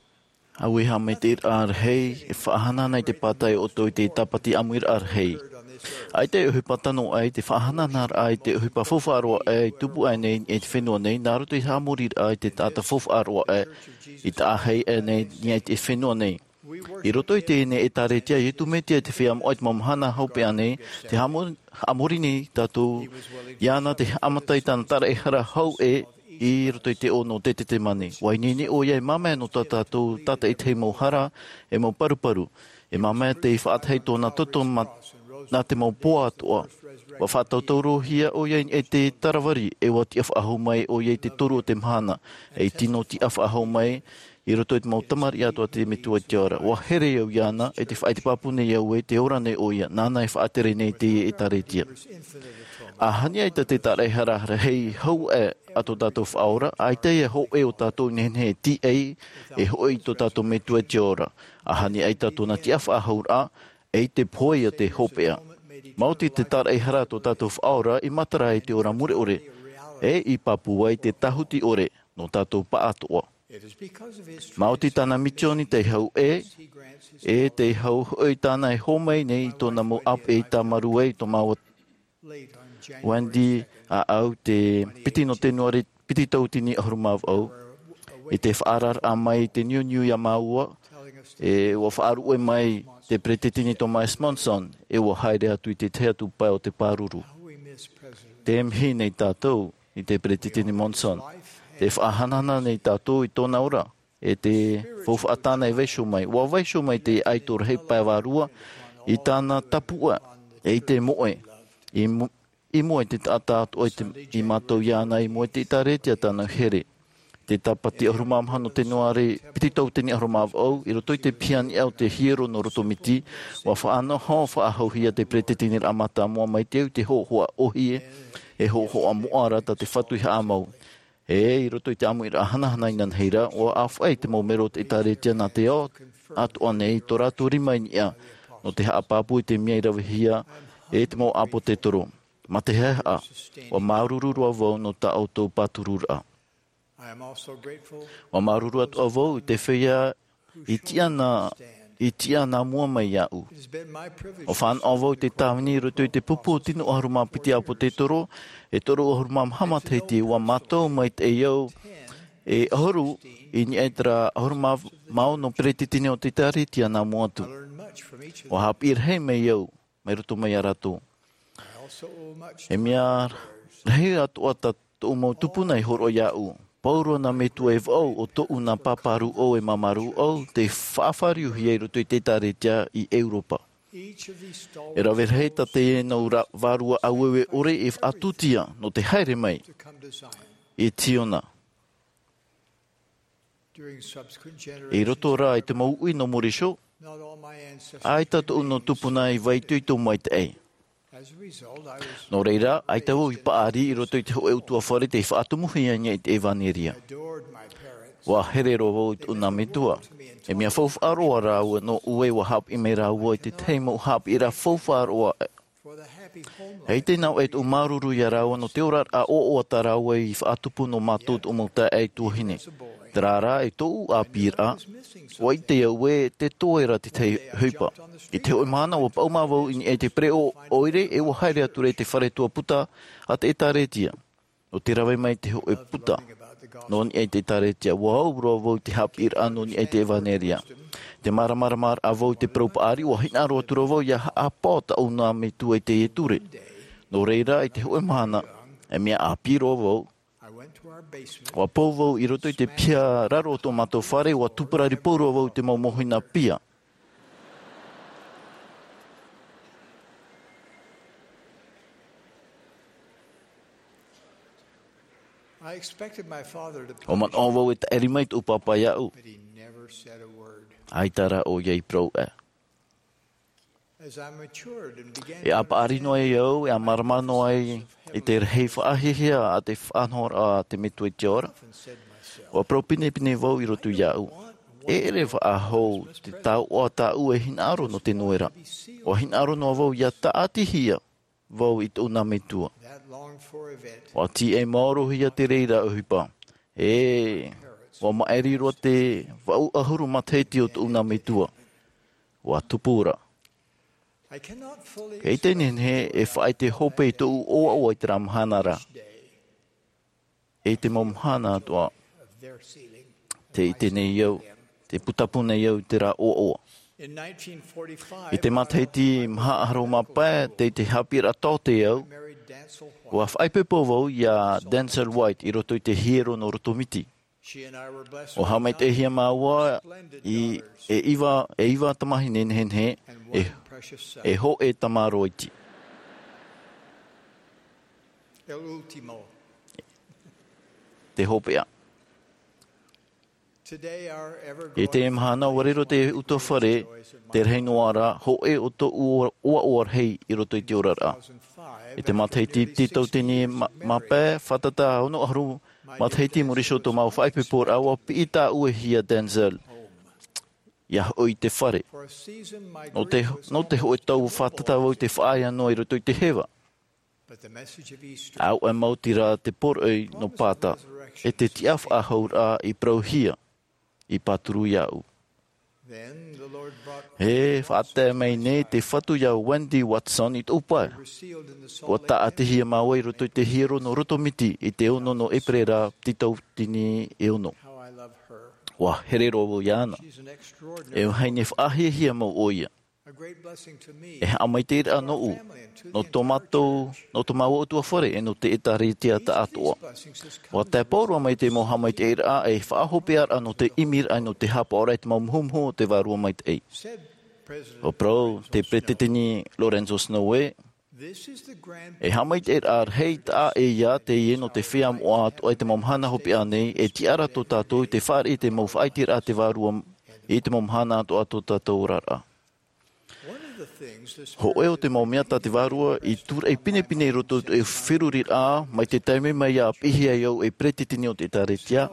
ʻAuē e haʻamaitaʻiraʻa rahi, e faʻahanahana i te pātai ʻoutou i te tāpati ʻāmuiraʻa rahi. ʻAita e ʻohipa tano aʻe i te faʻahanahanaraʻa i te ʻohipa faufaʻa roa aʻe i tupu aʻe nei i te fenua nei, nā roto i te haʻamoriraʻa i te taʻata faufaʻa roa aʻe, i taʻa hei aʻe nei i te fenua nei. I roto i teie ʻĒtārētia a Iesu Mesia i te feiā moʻa i te mau mahana hopeʻa nei, tē haʻamo-, haʻamori nei tātou iāna tē haʻamata i tāna taraehara hau ē i roto i te ʻō nō Ketesemane. ʻUa ineine ʻoia e māmā nō tā tātou tātaʻitahi mau hara, e mau paruparu. E māmā tei faʻatae i tōna toto ma-, nā te mau poa atoʻa. ʻUa faʻatautaurohia ʻoia i te Kalavari, e ʻua tiʻa faʻahou mai ʻoia i te toru o te mahana, e tino tiʻa faʻahou mai, i roto i te mau tamariʻi atoʻa a te Metua i te ao ra. ʻUa here au iāna, e tē faʻaʻite pāpū nei au ē tē ora nei ʻoia, nāna e faʻatere nei i teie ʻĒtārētia. ʻAhani ʻaita te taraehara rahi hau aʻe a tō tātou Faʻaora, ʻaita e hōʻē o tātou e nehenehe e tīaʻi, e hoʻi i tō tātou Metua i te ao ra. ʻAhani ʻaita tōna tiʻa faʻahouraʻa, ʻeita e pohe ia te hopeʻa. Maoti te taraehara a tō tātou Faʻaora i matara i te ora mure ʻore, e i pāpū ai te tāhuti ʻore nō tātou pāʻatoʻa. Maoti tāna misioni tei hau ē, e tei hau hoʻi tāna e hōmai nei i tōna mau ʻāpeʻe i tāmarū ai i tō māua Wendy, ʻaʻau te piti nō Tenuare, piti tauatini ʻahuru mā vaʻu. I te faʻaararaʻa mai i te niuniu iā māua, e ʻua faʻaruʻe mai te Peretiteni Thomas Monson, e ʻua haere atu i te tahi atu pae o te pāruru. Tē mihi nei tātou i te Peretiteni Monson. Tē faʻahanahana nei tātou i tōna ora, e te faufaʻa tāna e vaiiho mai. ʻUa vaiiho mai te aito rahi pae vārua i tāna tapuaʻe, e i te moʻe, i mu-, i mua i te taʻata atoʻa i te, i mātau iāna, i mua i te ʻĒtārētia tāna here. Te tāpati ʻahuru mā maha nō Tenuare, piti tauatini ʻahuru mā vaʻu, i roto i te piha niʻa o te hiero nō Rotomiti, ʻua faʻanoho faʻahouhia te Peretiteniraʻa Mātāmua mai te au i te hōhoʻa ʻōhie, e hōhoʻa moʻa ra tā te Fatu i haʻamau. E, i roto i te ʻāmuiraʻa hanahana inanahi ra, ʻua ʻāfaʻi te mau melo o te ʻĒtārētia nā te ao atoʻa nei i tō rātou rima i niʻa, nō te haʻapāpū i te mea i ravehia e te mau ʻāpōsetolo. Mā te haʻehaʻa, ʻua māuruuru roa vau nō tā ʻoutou pātururaʻa. ʻUa māuruuru atoʻa vau i te feiā i tiʻa nā, i tiʻa nā mua mai iāʻu. ʻUa fānaʻo vau i te tāvini i roto i te pupu tino ʻahuru mā piti ʻāpōsetolo, e toru ʻahuru mā maha matahiti, ʻua mātau maitaʻi au e ʻahuru i niʻa i terā ʻahuru mā ono Peretiteni o te ʻĒtārētia nā mua atu. ʻUa haʻapiʻi rahi mai au, mai roto mai iā rātou. E mea rahi atoʻa tā tōʻu mau tupuna i hōroʻa iāʻu. Pauroa nā metua e vaʻu, ʻo tōʻu nā pāpārūʻau e māmārūʻau, tei faʻafāriuhia i roto i te ʻĒtārētia i ʻEuropa. E rave rahi tā teie nau ra-, vārua ʻāueue ʻore i faʻatūtia nō te haere mai i Ziona. I roto rā i te mau uʻi nō muri iho, ʻaita tōʻu nau tupuna i vaiitoito maitaʻi. Nō reira, ʻaita vau i paʻari i roto i te hōʻē ʻutuāfare tei faʻatumuhia i niʻa i te ʻevanelia. ʻUa here roa vau i tōʻu nā metua. E mea faufaʻa roa rāua nōʻu ē ʻua haʻapiʻi mai rāua i te tahi mau haʻapiʻiraʻa faufaʻa roa. ʻEita ināʻu e tōʻu māuruuru iā rāua nō te oraraʻa ʻoaʻoa tā rāua i faʻatupu nō mātou tōʻu mau taeaʻe tuahine. Terā rā e tōʻu ʻāpīraʻa, ʻua ʻite au ē tē toe ra te tahi ʻohipa. I te hōʻē mahana ʻua paʻuma vau i niʻa i te pereʻoʻo ʻoire e ʻua haere atu ra i te fare tuaputa a te ʻĒtārētia. Nō te rave mai i te hōʻē puta nō niʻa i te ʻĒtārētia, ʻua au roa vau i te haʻapiʻiraʻa nō niʻa i te ʻevanelia. Te māramaramaraʻa vau i te parau paʻari, ʻua hinaʻaro atu ra vau ʻia haʻapaʻo tōʻu nā metua i teie ture. Nō reira, i te hōʻē mahana, e mea ʻāpī roa vau, ʻua pau vau i roto i te piha raro o tō mātou fare, ʻua tuparari pau roa vau i te mau mōhina pia. I expected my father to ʻUa manaʻo vau e taʻiri mai tōʻu pāpā iāʻu. But he never said a word. ʻAita rā ʻoia i parau ʻē. As I matured and began to ʻE ʻa paʻari noa ai au, e ʻa mārama noa ai i te rahi faʻahiahia a te faʻanahoraʻa a te Metua i te ao ra. Often said to myself, ʻUa parau pinepine vau i roto iāʻu. E ʻere faʻahou te taoʻa tāʻu e hinaʻaro nō te noera. ʻUa hinaʻaro noa vau ʻia tāʻatihia vau i tōʻu nā metua. That longed for event ʻUa tīaʻi maorohia te reira ʻohipa. E, ʻua maʻiri roa te vaʻu ʻahuru matahiti o tōʻu nā metua. ʻUa tupu ra. I cannot fully Kei te explain nehenehe e faʻaʻite hope i tōʻu ʻoaʻoa i terā mahana ra. Each day E te mau mahana atoʻa, of their ceiling. Te ʻite nei au, te putapū nei au i terā ʻoaʻoa. In nineteen forty-five, I te matahiti maha ʻahuru mā pae, tei te haʻapiʻiraʻa taote au, I married Denzil White. ʻUa faʻaipoipo vau iā Denzil White i roto i te hiero nō Rotomiti. She and I were blessed ʻUa with haʻamaitaʻihia māua splendid i daughters e iva, e iva tamahine nehenehe, and e, one precious son. E hōʻē tamaroa iti. El último. Te hopeʻa. Today, our ever-growing I teie mahana, ʻua riro te utuafare, te rahi noa ra, hōʻē o tōʻu ʻoaʻoa rahi i roto i te oraraʻa. I te matahiti tītau tini mā, mā pae, fātata ono ʻahuru matahiti i muri iho tō māua faʻaipoiporaʻa, ʻua piʻi tāʻuehia Denzil ʻia hoʻi i te fare. Nō te, nō te hōʻē tau fātata vau i te faʻaea noa i roto i te heva. But the message of Easter ʻAuʻa maoti rā te poroʻi nō Pāta, e te tiʻa faʻahouraʻa i parauhia, i pāturu iāʻu. Then the Lord brought E faʻatae mai nei te Fatu iā Wendy Watson i tōʻu pae. Were sealed in the Salt ʻUa Lake tāʻatihia māua i roto i te hiero nō Rotomiti i te ono nō ʻEperēra tītau tini e ono. How I love her. ʻUa here roa vau iāna. She's an extraordinary E vahine faʻahiahia mau ʻoia. A great blessing to me. E haʻamaitaʻiraʻa nōʻu, nō tō mātou, nō tō māua utuafare, e nō te ʻĒtārētia taʻatoʻa. ʻUa tae pauroa mai te mau haʻamaitaʻiraʻa e faʻahopeʻaraʻa nō te ʻimiraʻa, nō te haʻapaʻoraʻa i te mau muhumuhu o te Vārua Maitaʻi. ʻUa parau te Peresideni Lorenzo Snow ē, This is the grand E haʻamaitaʻiraʻa rahi taʻa ʻē ia teie nō te feiā moʻa atoʻa i te mau mahana hopeʻa nei, e tiʻa ra tō tātou i te fāriʻi i te mau faʻaiteraʻa a te Vārua i te mau mahana atoʻa tō tātou oraraʻa. Hōʻē o te mau mea tā te Vārua i tūraʻi pinepine i roto i te feruriraʻa, mai te taime mai ʻa piʻihia ai au ei peretiteni o te ʻĒtārētia,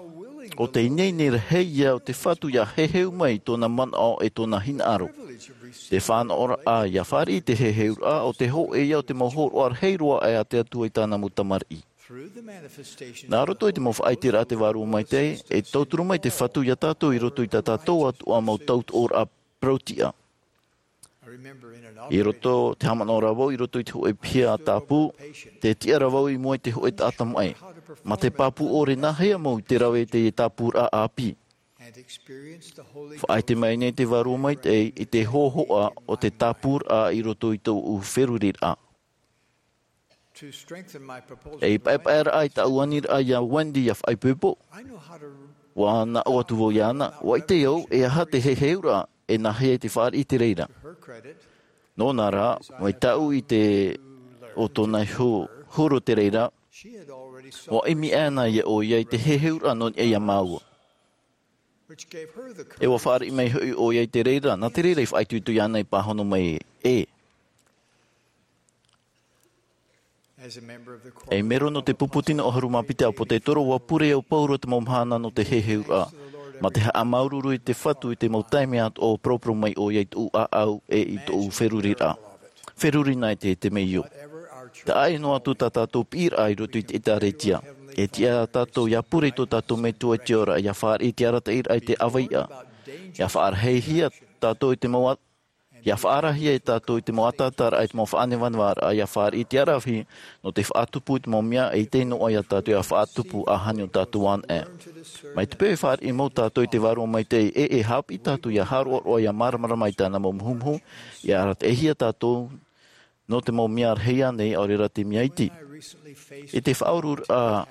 ʻo te ineine rahi ia o te Fatu ʻia heheu mai i tōna manaʻo e tōna hinaʻaro. Te fānaʻoraʻa ʻia fāriʻi i te heheuraʻa, ʻo te hōʻē ia o te mau hōroʻa rahi roa aʻe a te Atua i tāna mau tamariʻi. Nā roto i te mau faʻaiteraʻa a te Vārua Maitaʻi, e tauturu mai te Fatu iā tātou i roto i tā tātou atoʻa mau tautoʻoraʻa parau-tiʻa. I roto, te haʻamanaʻo ra vau i roto i te hōʻē piha tāpū, tē tiʻa ra vau i mua i te hōʻē taʻata maʻi. Mā te pāpū ʻore nāhea mau i te rave i te tāpūraʻa ʻāpī. Faʻaʻite mai nei te Vārua Maitaʻi i te hōhoʻa o te tāpūraʻa i roto i tōʻu feruriraʻa. E i paepaeraʻa i tāʻu aniraʻa iā Wendy ʻia faʻaipoipo. ʻUa naʻo atu vau iāna, ʻua ʻite au, e aha te heheuraʻa, e nāhea i te fāriʻi i te reira. Nōna rā, mai tāʻu i te, ʻo tōna iho huru te reira, ʻua ʻimi aʻe na ʻoia i te heheuraʻa nō niʻa iā māua. E ʻua fāriʻi mai hoʻi ʻoia i te reira, nā te reira i faʻaitoito iāna i pāhono mai ē. E mero nō te pupu tino ʻahuru mā piti ʻĀpotetoro, ʻua pure au pauroa te mau mahana nō te heheuraʻa. Mā te haʻamāuruuru i te Fatu i te mau taime atoʻa ʻua paraparau mai ʻoia i tōʻu ʻāʻau e i tōʻu feruriraʻa. Feruri na i te, te meio. Taʻa ʻē noa atu tā tātou piʻiraʻa i roto i te ʻĒtārētia. E tiʻa tātou ʻia pure i tō tātou Metua i te ao ra, ʻia fāriʻi i te arataʻiraʻa i te ʻāvaʻe. ʻIa faʻarahihia tātou i te mau at-, ʻia faʻarahihia e tātou i te mau ataataraʻa, i te mau faʻanevanevaraʻa, ʻia fāriʻi i te aravihi, nō te faʻatupu i te mau mea e ʻite noa iā tātou ʻia faʻatupu āhani ʻo tātou anaʻe. Mai te peu e fāriʻi mau tātou i te Vārua Maitaʻi, e, e haʻapiʻi tātou ʻia haroʻaroʻa, ʻia māramarama i tāna mau muhumuhu, ʻia arataʻihia tātou, nō te mau mea rahi ānei, ʻaore rā te mea iti. I te faʻaururaʻa,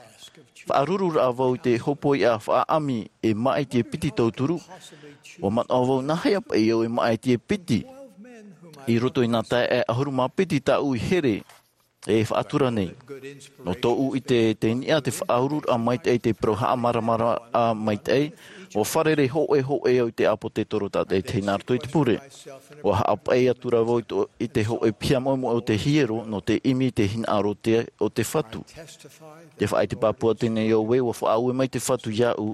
faʻarururaʻa vau i te hōpoiʻa faʻaʻami e maʻiti e piti tauturu, ʻua manaʻo vau nāhea paʻi au e maʻiti e piti. I roto i nā taeaʻe ʻahuru mā piti tāʻu i here, e faʻatura nei. Nō tōʻu ʻite, tei niʻa te faʻaururaʻa maitaʻi, te parau haʻamāramarama maitaʻi, ʻua fārerei hōʻē hōʻē au i te ʻāpōsetolo tātaʻitahi nā roto i te pure. ʻUa haʻapaʻi atu ra vau i tō-, i te hōʻē piha moʻemoʻe o te hiero, nō te ʻimi i te hinaʻaro te, o te Fatu. Tē faʻaʻite pāpū atu nei au ē, ʻua faʻaue mai te Fatu iāʻu,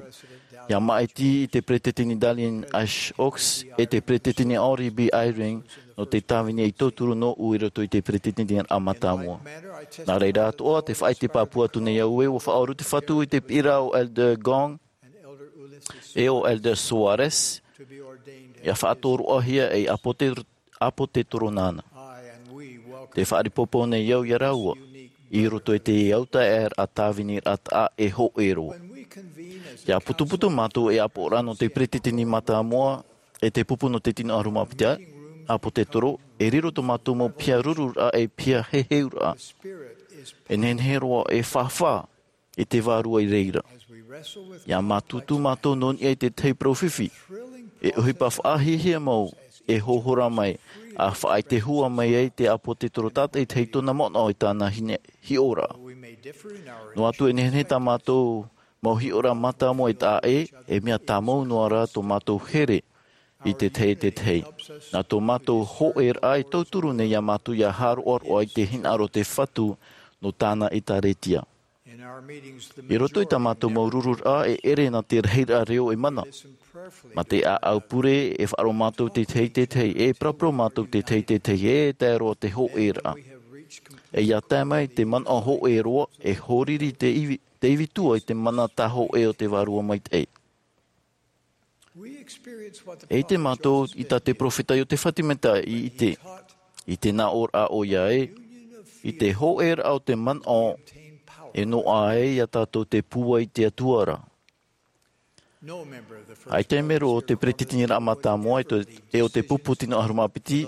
ʻia maʻiti i te Peretiteni Dallin H. Oaks, e te Peretiteni Henry B. Eyring, nō te tāvini ei tauturu nōʻu i roto i te Peretiteniraʻa Mātāmua. Nā reira atoʻa, tē faʻaʻite pāpū atu nei au ē, ʻua faʻauru te Fatu i te piʻiraʻa o Elder Gong, e o Elder Soares, ʻia faʻatoroʻahia ei ʻāpōse-, ʻāpōsetolo nāna. Tē faʻaʻite pāpū nei au iā rāua, i roto i te autaeaʻeraʻa tāviniraʻa taʻa ʻē hōʻē roa. ʻIa putuputu mātou ei ʻāpoʻoraʻa nō te Peretiteni Mātāmua, e te pupu nō te tino ʻahuru mā piti ʻāpōsetolo, e riro tō mātou mau piha rururaʻa, e piha heheuraʻa. E nehenehe roa e fāfā i te Vārua i reira. ʻIa mātutu mātou nō niʻa i te tahi parau fifi. E ʻohipa faʻahiahia mau, e hōhora mai, ʻa faʻaʻite hua mai ai te ʻāpōsetolo tātaʻitahi tōna manaʻo i tāna hine-, hiʻoraʻa. Noa atu e nehenehe tā mātou mau hiʻoraʻa mātāmua e taʻa ʻē, e mea tāmau noa rā tō mātou here i te tahi e te tahi. Nā tō mātou hōʻēraʻa e tauturu nei iā mātou ʻia haʻaroʻaroʻa i te hinaʻaro o te Fatu nō tāna ʻĒtārētia. I roto i tā mātou mau rururaʻa e ʻere nā te rahiraʻa reo e mana. Mā te ʻāʻau pure e faʻaroʻo mātou te tahi te tahi, e paraparau mātou te tahi te tahi, e tae roa te hōʻēraʻa. E ʻia tae mai te manaʻo hōʻē roa, e hōriri te ivi, te ivi tua i te mana tāhōʻē o te Vārua Maitaʻi. E ʻite mātou i tā te peropheta Iotefa Semita i ʻite, i te nāʻōraʻa ʻoia ē, i te hōʻēraʻa o te manaʻo, e noaʻa ai iā tātou te pūai i te Atua ra. ʻAita e mero o te Peretiteniraʻa Mātāmua e te, e o te pupu tino ʻahuru mā piti,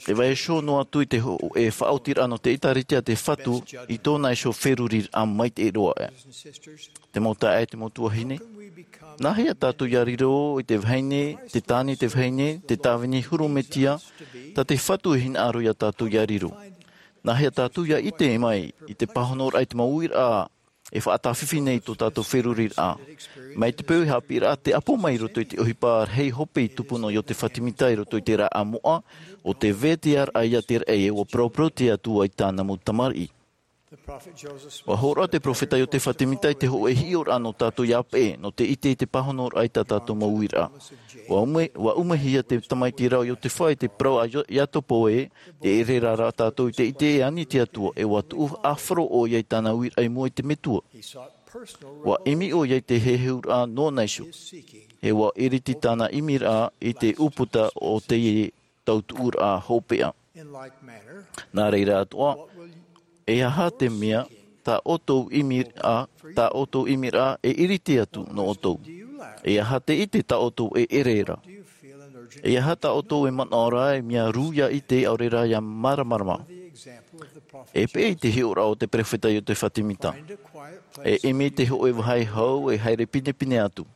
e vaiiho noa atu i te hō-, e faʻaotiraʻa nō te ʻĒtārētia a te Fatu i tōna iho feruriraʻa maitaʻi roa. Te mau taeaʻe, te mau tuahine. Nāhea tātou ʻia riro i te vahine, te tāne i te vahine, te tāvini huru metua, tā te Fatu e hinaʻaro iā tātou ʻia riro? Nāhea tātou ʻia ʻite mai i te pāhonoraʻa i te mau uiraʻa e faʻatāfifi nei i tō tātou feruriraʻa? Mai te peu e haʻapiʻiraʻa te ʻapo mai i roto i te ʻohipa rahi hope i tupu nō Iotefa Semita i roto i te rāʻau moʻa, ʻo te vetaʻaraʻa iā te raʻi e ʻua paraparau te Atua i tāna mau tamariʻi. ʻUa hōroʻa te peropheta Iotefa Semita i te hōʻē hiʻoraʻa nō tātou ʻia peʻe, nō te ʻite i te pāhonoraʻa i tā tātou mau uiraʻa. ʻUa ʻume-, ʻua ʻumehia te tamaiti ra o Iotefa i te parau a Io-, Iakobo ē, tē ʻere ra tātou i te ʻite e ani te Atua, e ʻua tuʻu ʻāfaro ʻoia i tāna uiraʻa i mua i te Metua. ʻUa ʻimi ʻoia i te heheuraʻa nōna iho. E ʻua iriti tāna ʻimiraʻa i te ʻūputa o te tautuʻuraʻa hopeʻa. Nā reira atoʻa, e aha te mea tā ʻoutou ʻimiraʻa, tā ʻoutou ʻimiraʻa e iriti atu nō ʻoutou? E aha te ʻite tā ʻoutou e ʻere ra? E aha tā ʻoutou e manaʻo ra e mea rū ʻia ʻite ʻaore rā ʻia māramarama? E peʻe i te hiʻoraʻa o te peropheta Iotefa Semita. E ʻimi i te hōʻē vāhi hau e haere pinepine atu.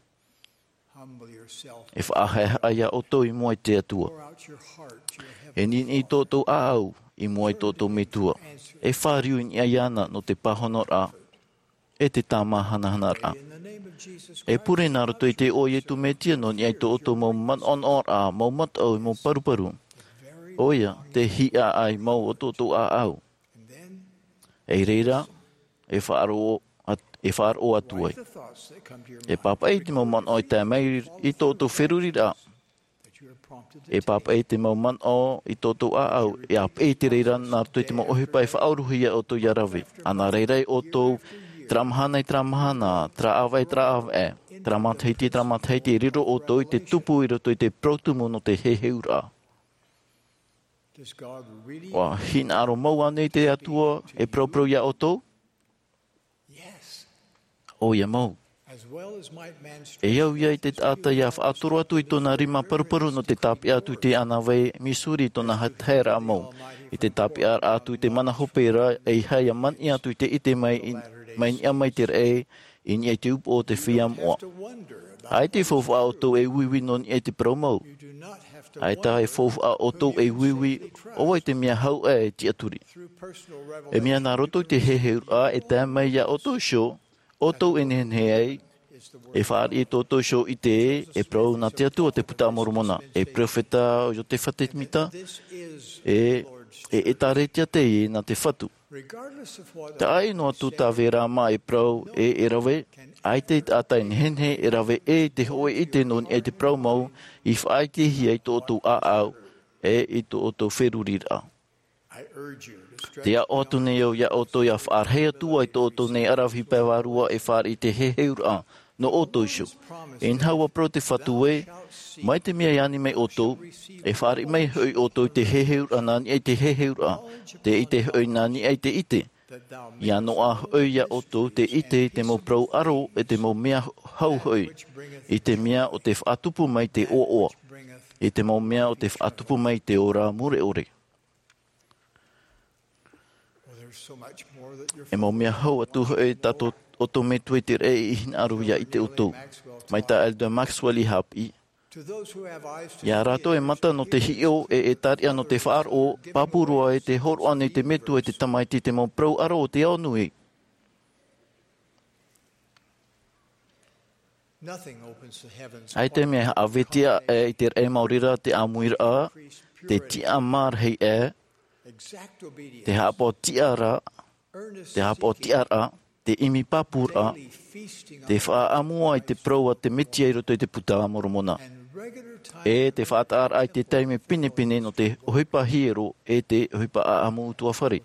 E faʻahaʻehaʻa iā ʻoutou i mua i te Atua. E niʻiniʻi tō ʻoutou ʻāʻau i mua i tō ʻoutou Metua. E fāriu i niʻa iāna nō te pāhonoraʻa, e te tāmāhanahanaraʻa. E pure nā roto i te iʻoa o Iesu Mesia nō niʻa i tō ʻoutou mau manaʻonaʻoraʻa, mau mataʻu, mau paruparu. ʻOia, te hiʻaʻai mau o tō ʻoutou ʻāʻau. E reira, e faʻaroʻo at-, e faʻaroʻo atu ai. E pāpaʻi i te mau manaʻo e tae mai i tō ʻoutou feruriraʻa. E pāpaʻi i te mau manaʻo i tō ʻoutou ʻāʻau, e ʻāpeʻe i te reira nā roto i te mau ʻohipa e faʻaorohia ʻoutou ʻia rave. ʻA nā reira ʻoutou, terā mahana i terā mahana, terā ʻāvaʻe i terā ʻāvaʻe, terā matahiti i terā matahiti, e riro ʻoutou i te tupu i roto i te parau tumu nō te heheuraʻa. ʻUa hinaʻaro mau ānei te Atua e paraparau iā ʻoutou? ʻOia mau. E au ia i te taʻata ʻia faʻatoro atu i tōna rima paruparu nō te tāpeʻa atu i te ʻānāvai Missouri i tōna ha-, haereraʻa mau. I te tāpeʻaraʻa atu i te mana hope ra, ʻeiaha ʻia maniʻi atu i te ʻite mai i, mai niʻa mai te raʻi, i niʻa i te upoʻo o te feiā moʻa. ʻAita e faufaʻa ʻoutou e uiui nō niʻa i te parau mau. ʻAita e faufaʻa ʻoutou e uiui, ʻo vai te mea hau ʻā e tiʻaturi. E mea nā roto i te heheuraʻa e tae mai iā ʻoutou iho, ʻoutou e nehenehe ai, e fāriʻi tō ʻoutou iho i te, e parau nā te Atua te Puta a Moromona, e peropheta ʻo Iotefa Semita, e, e ʻĒtārētia teie nā te Fatu. Taʻa ʻino atu tā Vērā mā e parau ē e rave, ʻaita e taʻata e nehenehe e rave ē te hōʻē ʻite nō niʻa i te parau mau, i faʻaʻitehia i tō ʻoutou ʻāʻau, e i tō ʻoutou feruriraʻa. Te aʻo atu nei au iā ʻoutou ʻia faʻarahi atu ai tō ʻoutou nei aravihi pae vārua e fāriʻi i te heheuraʻa, nō ʻoutou iho. E inaha ʻua parau te Fatu ē, mai te mea e ani mai ʻoutou, e fāriʻi mai hoʻi ʻoutou i te heheuraʻa nā niʻa i te heheuraʻa, te ʻite hoʻi nā niʻa i te ʻite. ʻIa noaʻa hoʻi iā ʻoutou te ʻite i te mau parau ʻaro e te mau mea hau hoʻi, i te mea ʻo te faʻatupu mai te ʻoaʻoa, i te mau mea ʻo te faʻatupu mai te ora mure ʻore. E mau mea hau atu hoʻi tā tō, ʻoutou metua i te raʻi i hinaʻaro ʻia ʻite ʻoutou. Mai tā Elder Maxwell i haʻapiʻi. Iā rātou e mata nō te hiʻo e, e ʻĒtārētia nō te faʻaroʻo, pāpū roa e te hōroʻa nei te Metua i te Tamaiti i te mau parau ʻaro o te ao nui. ʻAita e mea haʻavetia ʻē i te raʻi maori ra te ʻāmuiraʻa, te tiʻamārahi ʻē, te haʻapaʻo tiʻaraʻa, te haʻapaʻo tiʻaraʻa, te ʻimi pāpūraʻa, te faʻaʻamua i te parau a te Mesia i roto i te Puta a Moromona, e te faʻataʻaraʻa i te taime pinepine nō te ʻohipa hiero e te ʻohipa ʻaʻamu ʻutuāfare.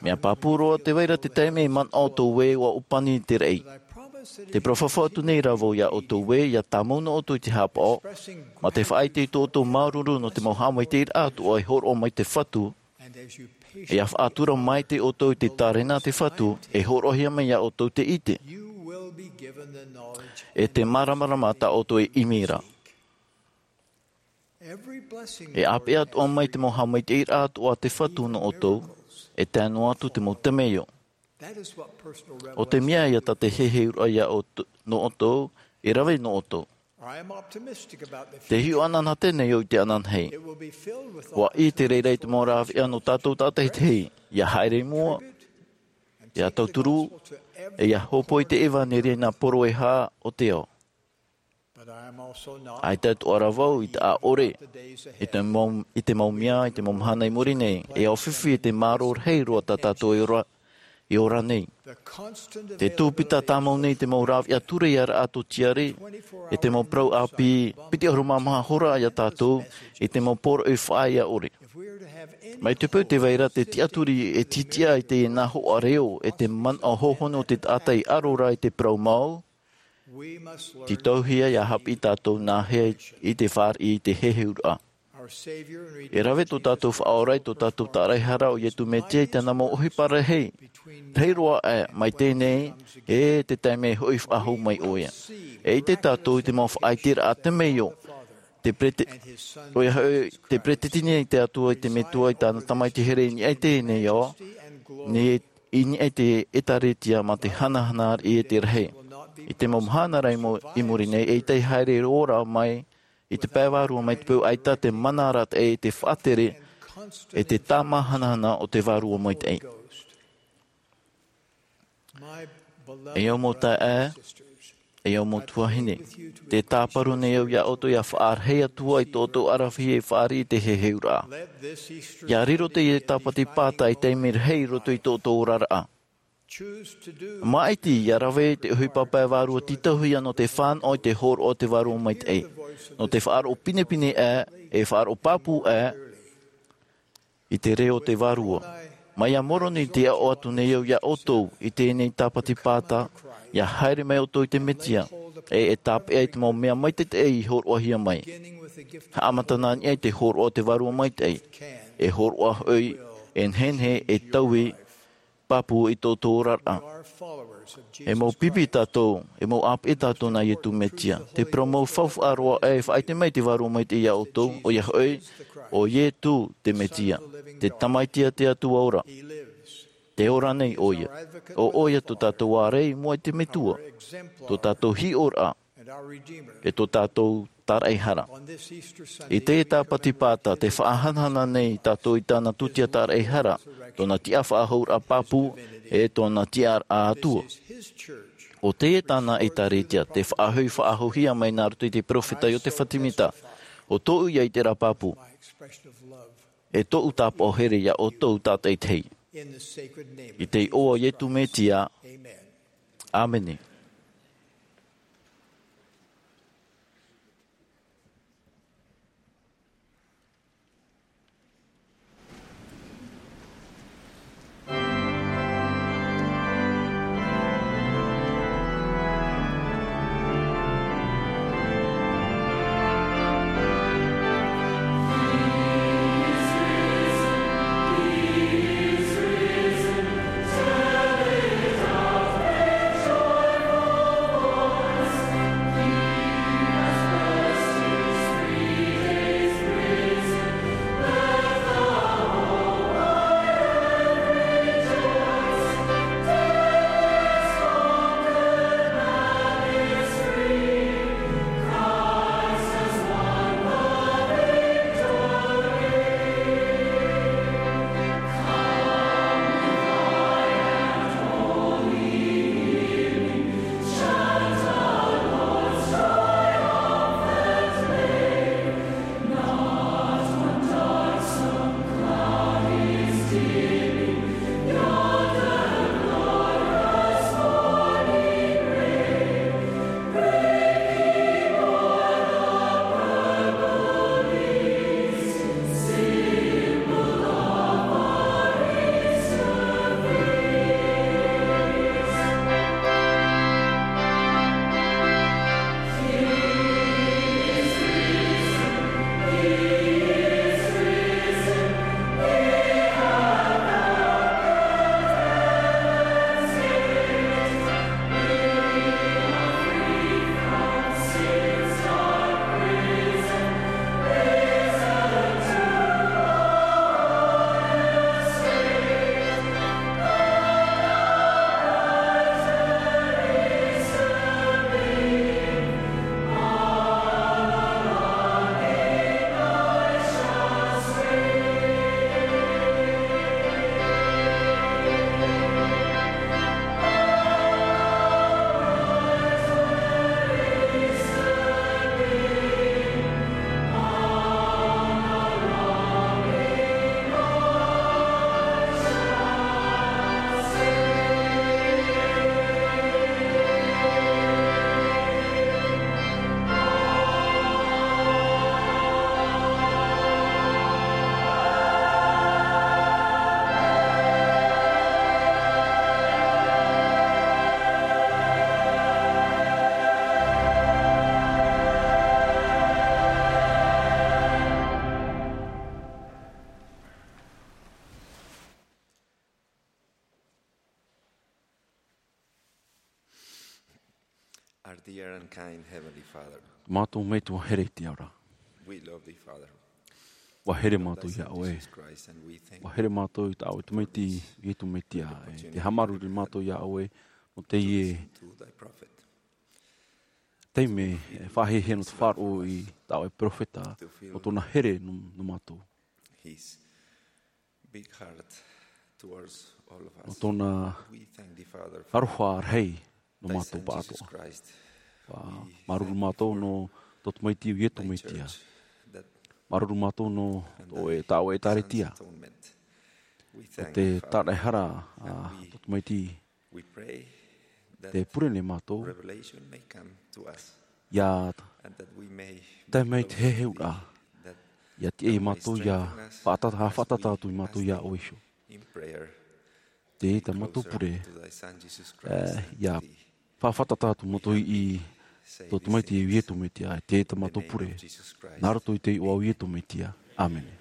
Mea pāpū roa te vai ra te taime e manaʻo ʻoutou ē ʻua ʻōpani te raʻi. Te parau fafau atu nei rā vau iā ʻoutou ē, ʻia tāmau noa ʻoutou i te haʻapaʻo, mā te faʻaʻite i tō ʻoutou māuruuru nō te mau haʻamaitaʻiraʻa atoʻa e hōroʻa mai te Fatu, e ʻia faʻatura maitaʻi ʻoutou i te tārena a te Fatu, e hōroʻahia mai iā ʻoutou te ʻite, e te māramarama tā ʻoutou e ʻimi ra. E ʻāpeʻe atoʻa mai te mau haʻamaitaʻiraʻa atoʻa a te Fatu nō ʻoutou, e tae noa atu te mau temeio. ʻO te mea ïa tā te heheuraʻa iā ʻoutou, nō ʻoutou, e rave nō ʻoutou. Te hiʻo ananahi nei au i te ananahi. ʻUa ʻī te reira i te mau rāveʻa nō tātou tātaʻitahi, ʻia haere i mua, ʻia tauturu, e ʻia hōpoi i te ʻevanelia nā poro e hā o te ao. ʻAita atoʻa rā vau i te ʻaʻore, i te mau, i te mau mea, i te mau mahana i muri nei, e ʻaufifia i te mārō rahi roa tā tātou e ora, e ora nei. Te tūpita tāmau nei te mau rāveʻa ture ia rā ʻato tiare, e te mau parau ʻāpī, piti ʻahuru mā maha hora iā tātou, i te mau poroʻi faʻaea ʻore. Mai te peu tē vai ra te tiʻaturi e tītiʻa i te nā hoʻa reo, e te manaʻo hohonu o te taʻata i ʻaro ra i te parau mau, tītauhia ʻia haʻapiʻi tātou nāhea i te fāriʻi i te heheuraʻa. E rave tō tātou Faʻaora e tō tātou Tāraehara ʻo Iesu Mesia i tāna mau ʻohipa rahi, rahi roa aʻe mai teie nei, e te taime e hoʻi faʻahou mai ʻoia. E ʻite tātou i te mau faʻaiteraʻa temeio, te perete-, ʻoia hoʻi, te peresideni a te Atua i te Metua i tāna Tamaiti here i niʻa i teie nei ao, nei i niʻa i te ʻĒtārētia mā te hanahana i te rahi. I te mau mahana ra i mu-, i muri nei, eʻita e haere roa ra mai, i te pae vārua mai te peu ʻaita te mana arataʻi e te faʻatere, e te tāmāhanahana o te Vārua Maitaʻi. E au mau taeaʻe, e au mau tuahine, tē tāparu nei au iā ʻoutou ʻia faʻarahi atu ai tō ʻoutou aravihi e fāriʻi i te heheuraʻa. ʻIa riro teie tāpati pāta ei taime rahi i roto i tō ʻoutou oraraʻa. Māʻiti ʻia rave te ʻohipa pae vārua tītauhia nō te fānaʻo i te hōroʻa o te Vārua Maitaʻi. Nō te faʻaroʻo pinepine aʻe, e faʻaroʻo pāpū aʻe, i te reo o te Vārua. Mai iā Moroni tē aʻo atu nei au iā ʻoutou i teie tāpati pāta, ʻia haere mai ʻoutou i te Mesia, e, e tāpeʻa i te mau mea maitaʻi i hōroʻahia mai. Haʻamata nā niʻa i te hōroʻa o te Vārua Maitaʻi, e hōroʻa hoʻi, e nehenehe, e taui, pāpū i tō ʻoutou oraraʻa. E mau pipi tātou, e mau ʻāpeʻe tātou nā Iesu Mesia. Te parau mau faufaʻa roa e faʻaʻite mai te Vārua Maitaʻi iā ʻoutou, ʻoia hoʻi, ʻo Iesu te Mesia, te Tamaiti a te Atua ora. Tē ora nei ʻoia. ʻO ʻoia tō tātou ārai i mua i te Metua, tō tātou hiʻoraʻa, e tō tātou tāraʻehara. I teie tāpati pāta, tē faʻahanahana nei tātou i tāna tūtia tāraʻehara, tōna tiʻa faʻahouraʻa pāpū, e tōna tiʻaraʻa Atua. ʻO teie tāna ʻētārētia, tē faʻahoʻi faʻahouhia mai nā roto i te peropheta Iotefa Temita, ʻo tōʻu ia ʻiteraʻa pāpū, e tōʻu tāpaʻo here ia ʻoutou tātaʻitahi. I te iʻoa o Iesu Mesia, ʻāmene. Our dear and kind Heavenly Father, Mātou Metua here i te ao ra. We love thee, Father. ʻUa here mātou iā ʻoe. Jesus Christ, and we thank ʻUa here mātou i tā ʻoe tamaiti, Iesu Mesia, e te haʻamāuruuru mātou iā ʻoe, nō teie Listen to thy prophet. Taime, e faʻahiahia nō te faʻaroʻo i tā ʻoe peropheta, nō tōna here nō, nō mātou. His big heart towards all of us. Nō tōna We thank thee, Father, for aroha rahi nō thy mātou son, Jesus pāʻatoʻa. Christ. ʻUa We māuruuru thank you mātou for nō tō tamaiti Iesu Mesia. Thy church that Māuruuru mātou nō and tō e, thy tā ʻoe son's ʻētārētia. Atonement. We Nō thank te thee, Father, tāraʻehara, and ā, we tō tamaiti We pray that Te pure nei mātou. Revelation may come to us, ʻIa and that we may tae mai te heheuraʻa. That ʻIa tiʻa ia thou may mātou ʻia strengthen us faʻatata, as we faʻatata atu i mātou iā ʻoe iho. In prayer, Te tā mātou pure, closer to thy Son, Jesus Christ, ē, ʻia faʻafaʻatata atu mātou i tō tamaiti Iesu Mesia, te tā mātou pure. Nā roto i te iʻoa o Iesu Mesia. ʻĀmene.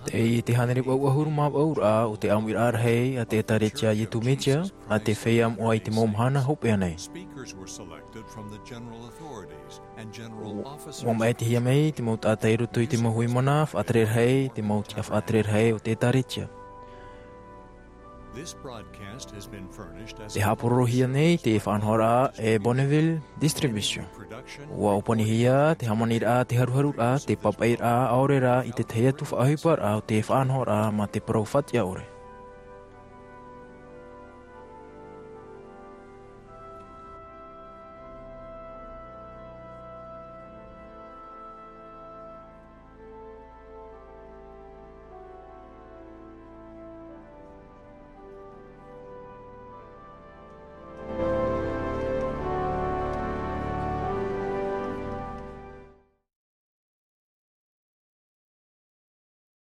Tei te hānere ʻahuru mā ʻahuru raʻa o te ʻāmuiraʻa rahi a te ʻĒtārētia Ietu Mesia, a te feiā moʻa i te mau mahana hopeʻa nei. ʻUa maʻitihia mai te mau taʻata i roto i te mau hui mana faʻatere rahi, te mau tiʻa faʻatere rahi o te ʻĒtārētia. Te haʻapōroʻohia nei te faʻanahoraʻa e Bonneville Distribution. ʻUa ʻōpanihia te hāmaniraʻa, te haruharuraʻa, te papaʻiraʻa ʻaore rā i te tahi atu faʻaʻohiparaʻa o te faʻanahoraʻa mā te parau fatiʻa ʻore.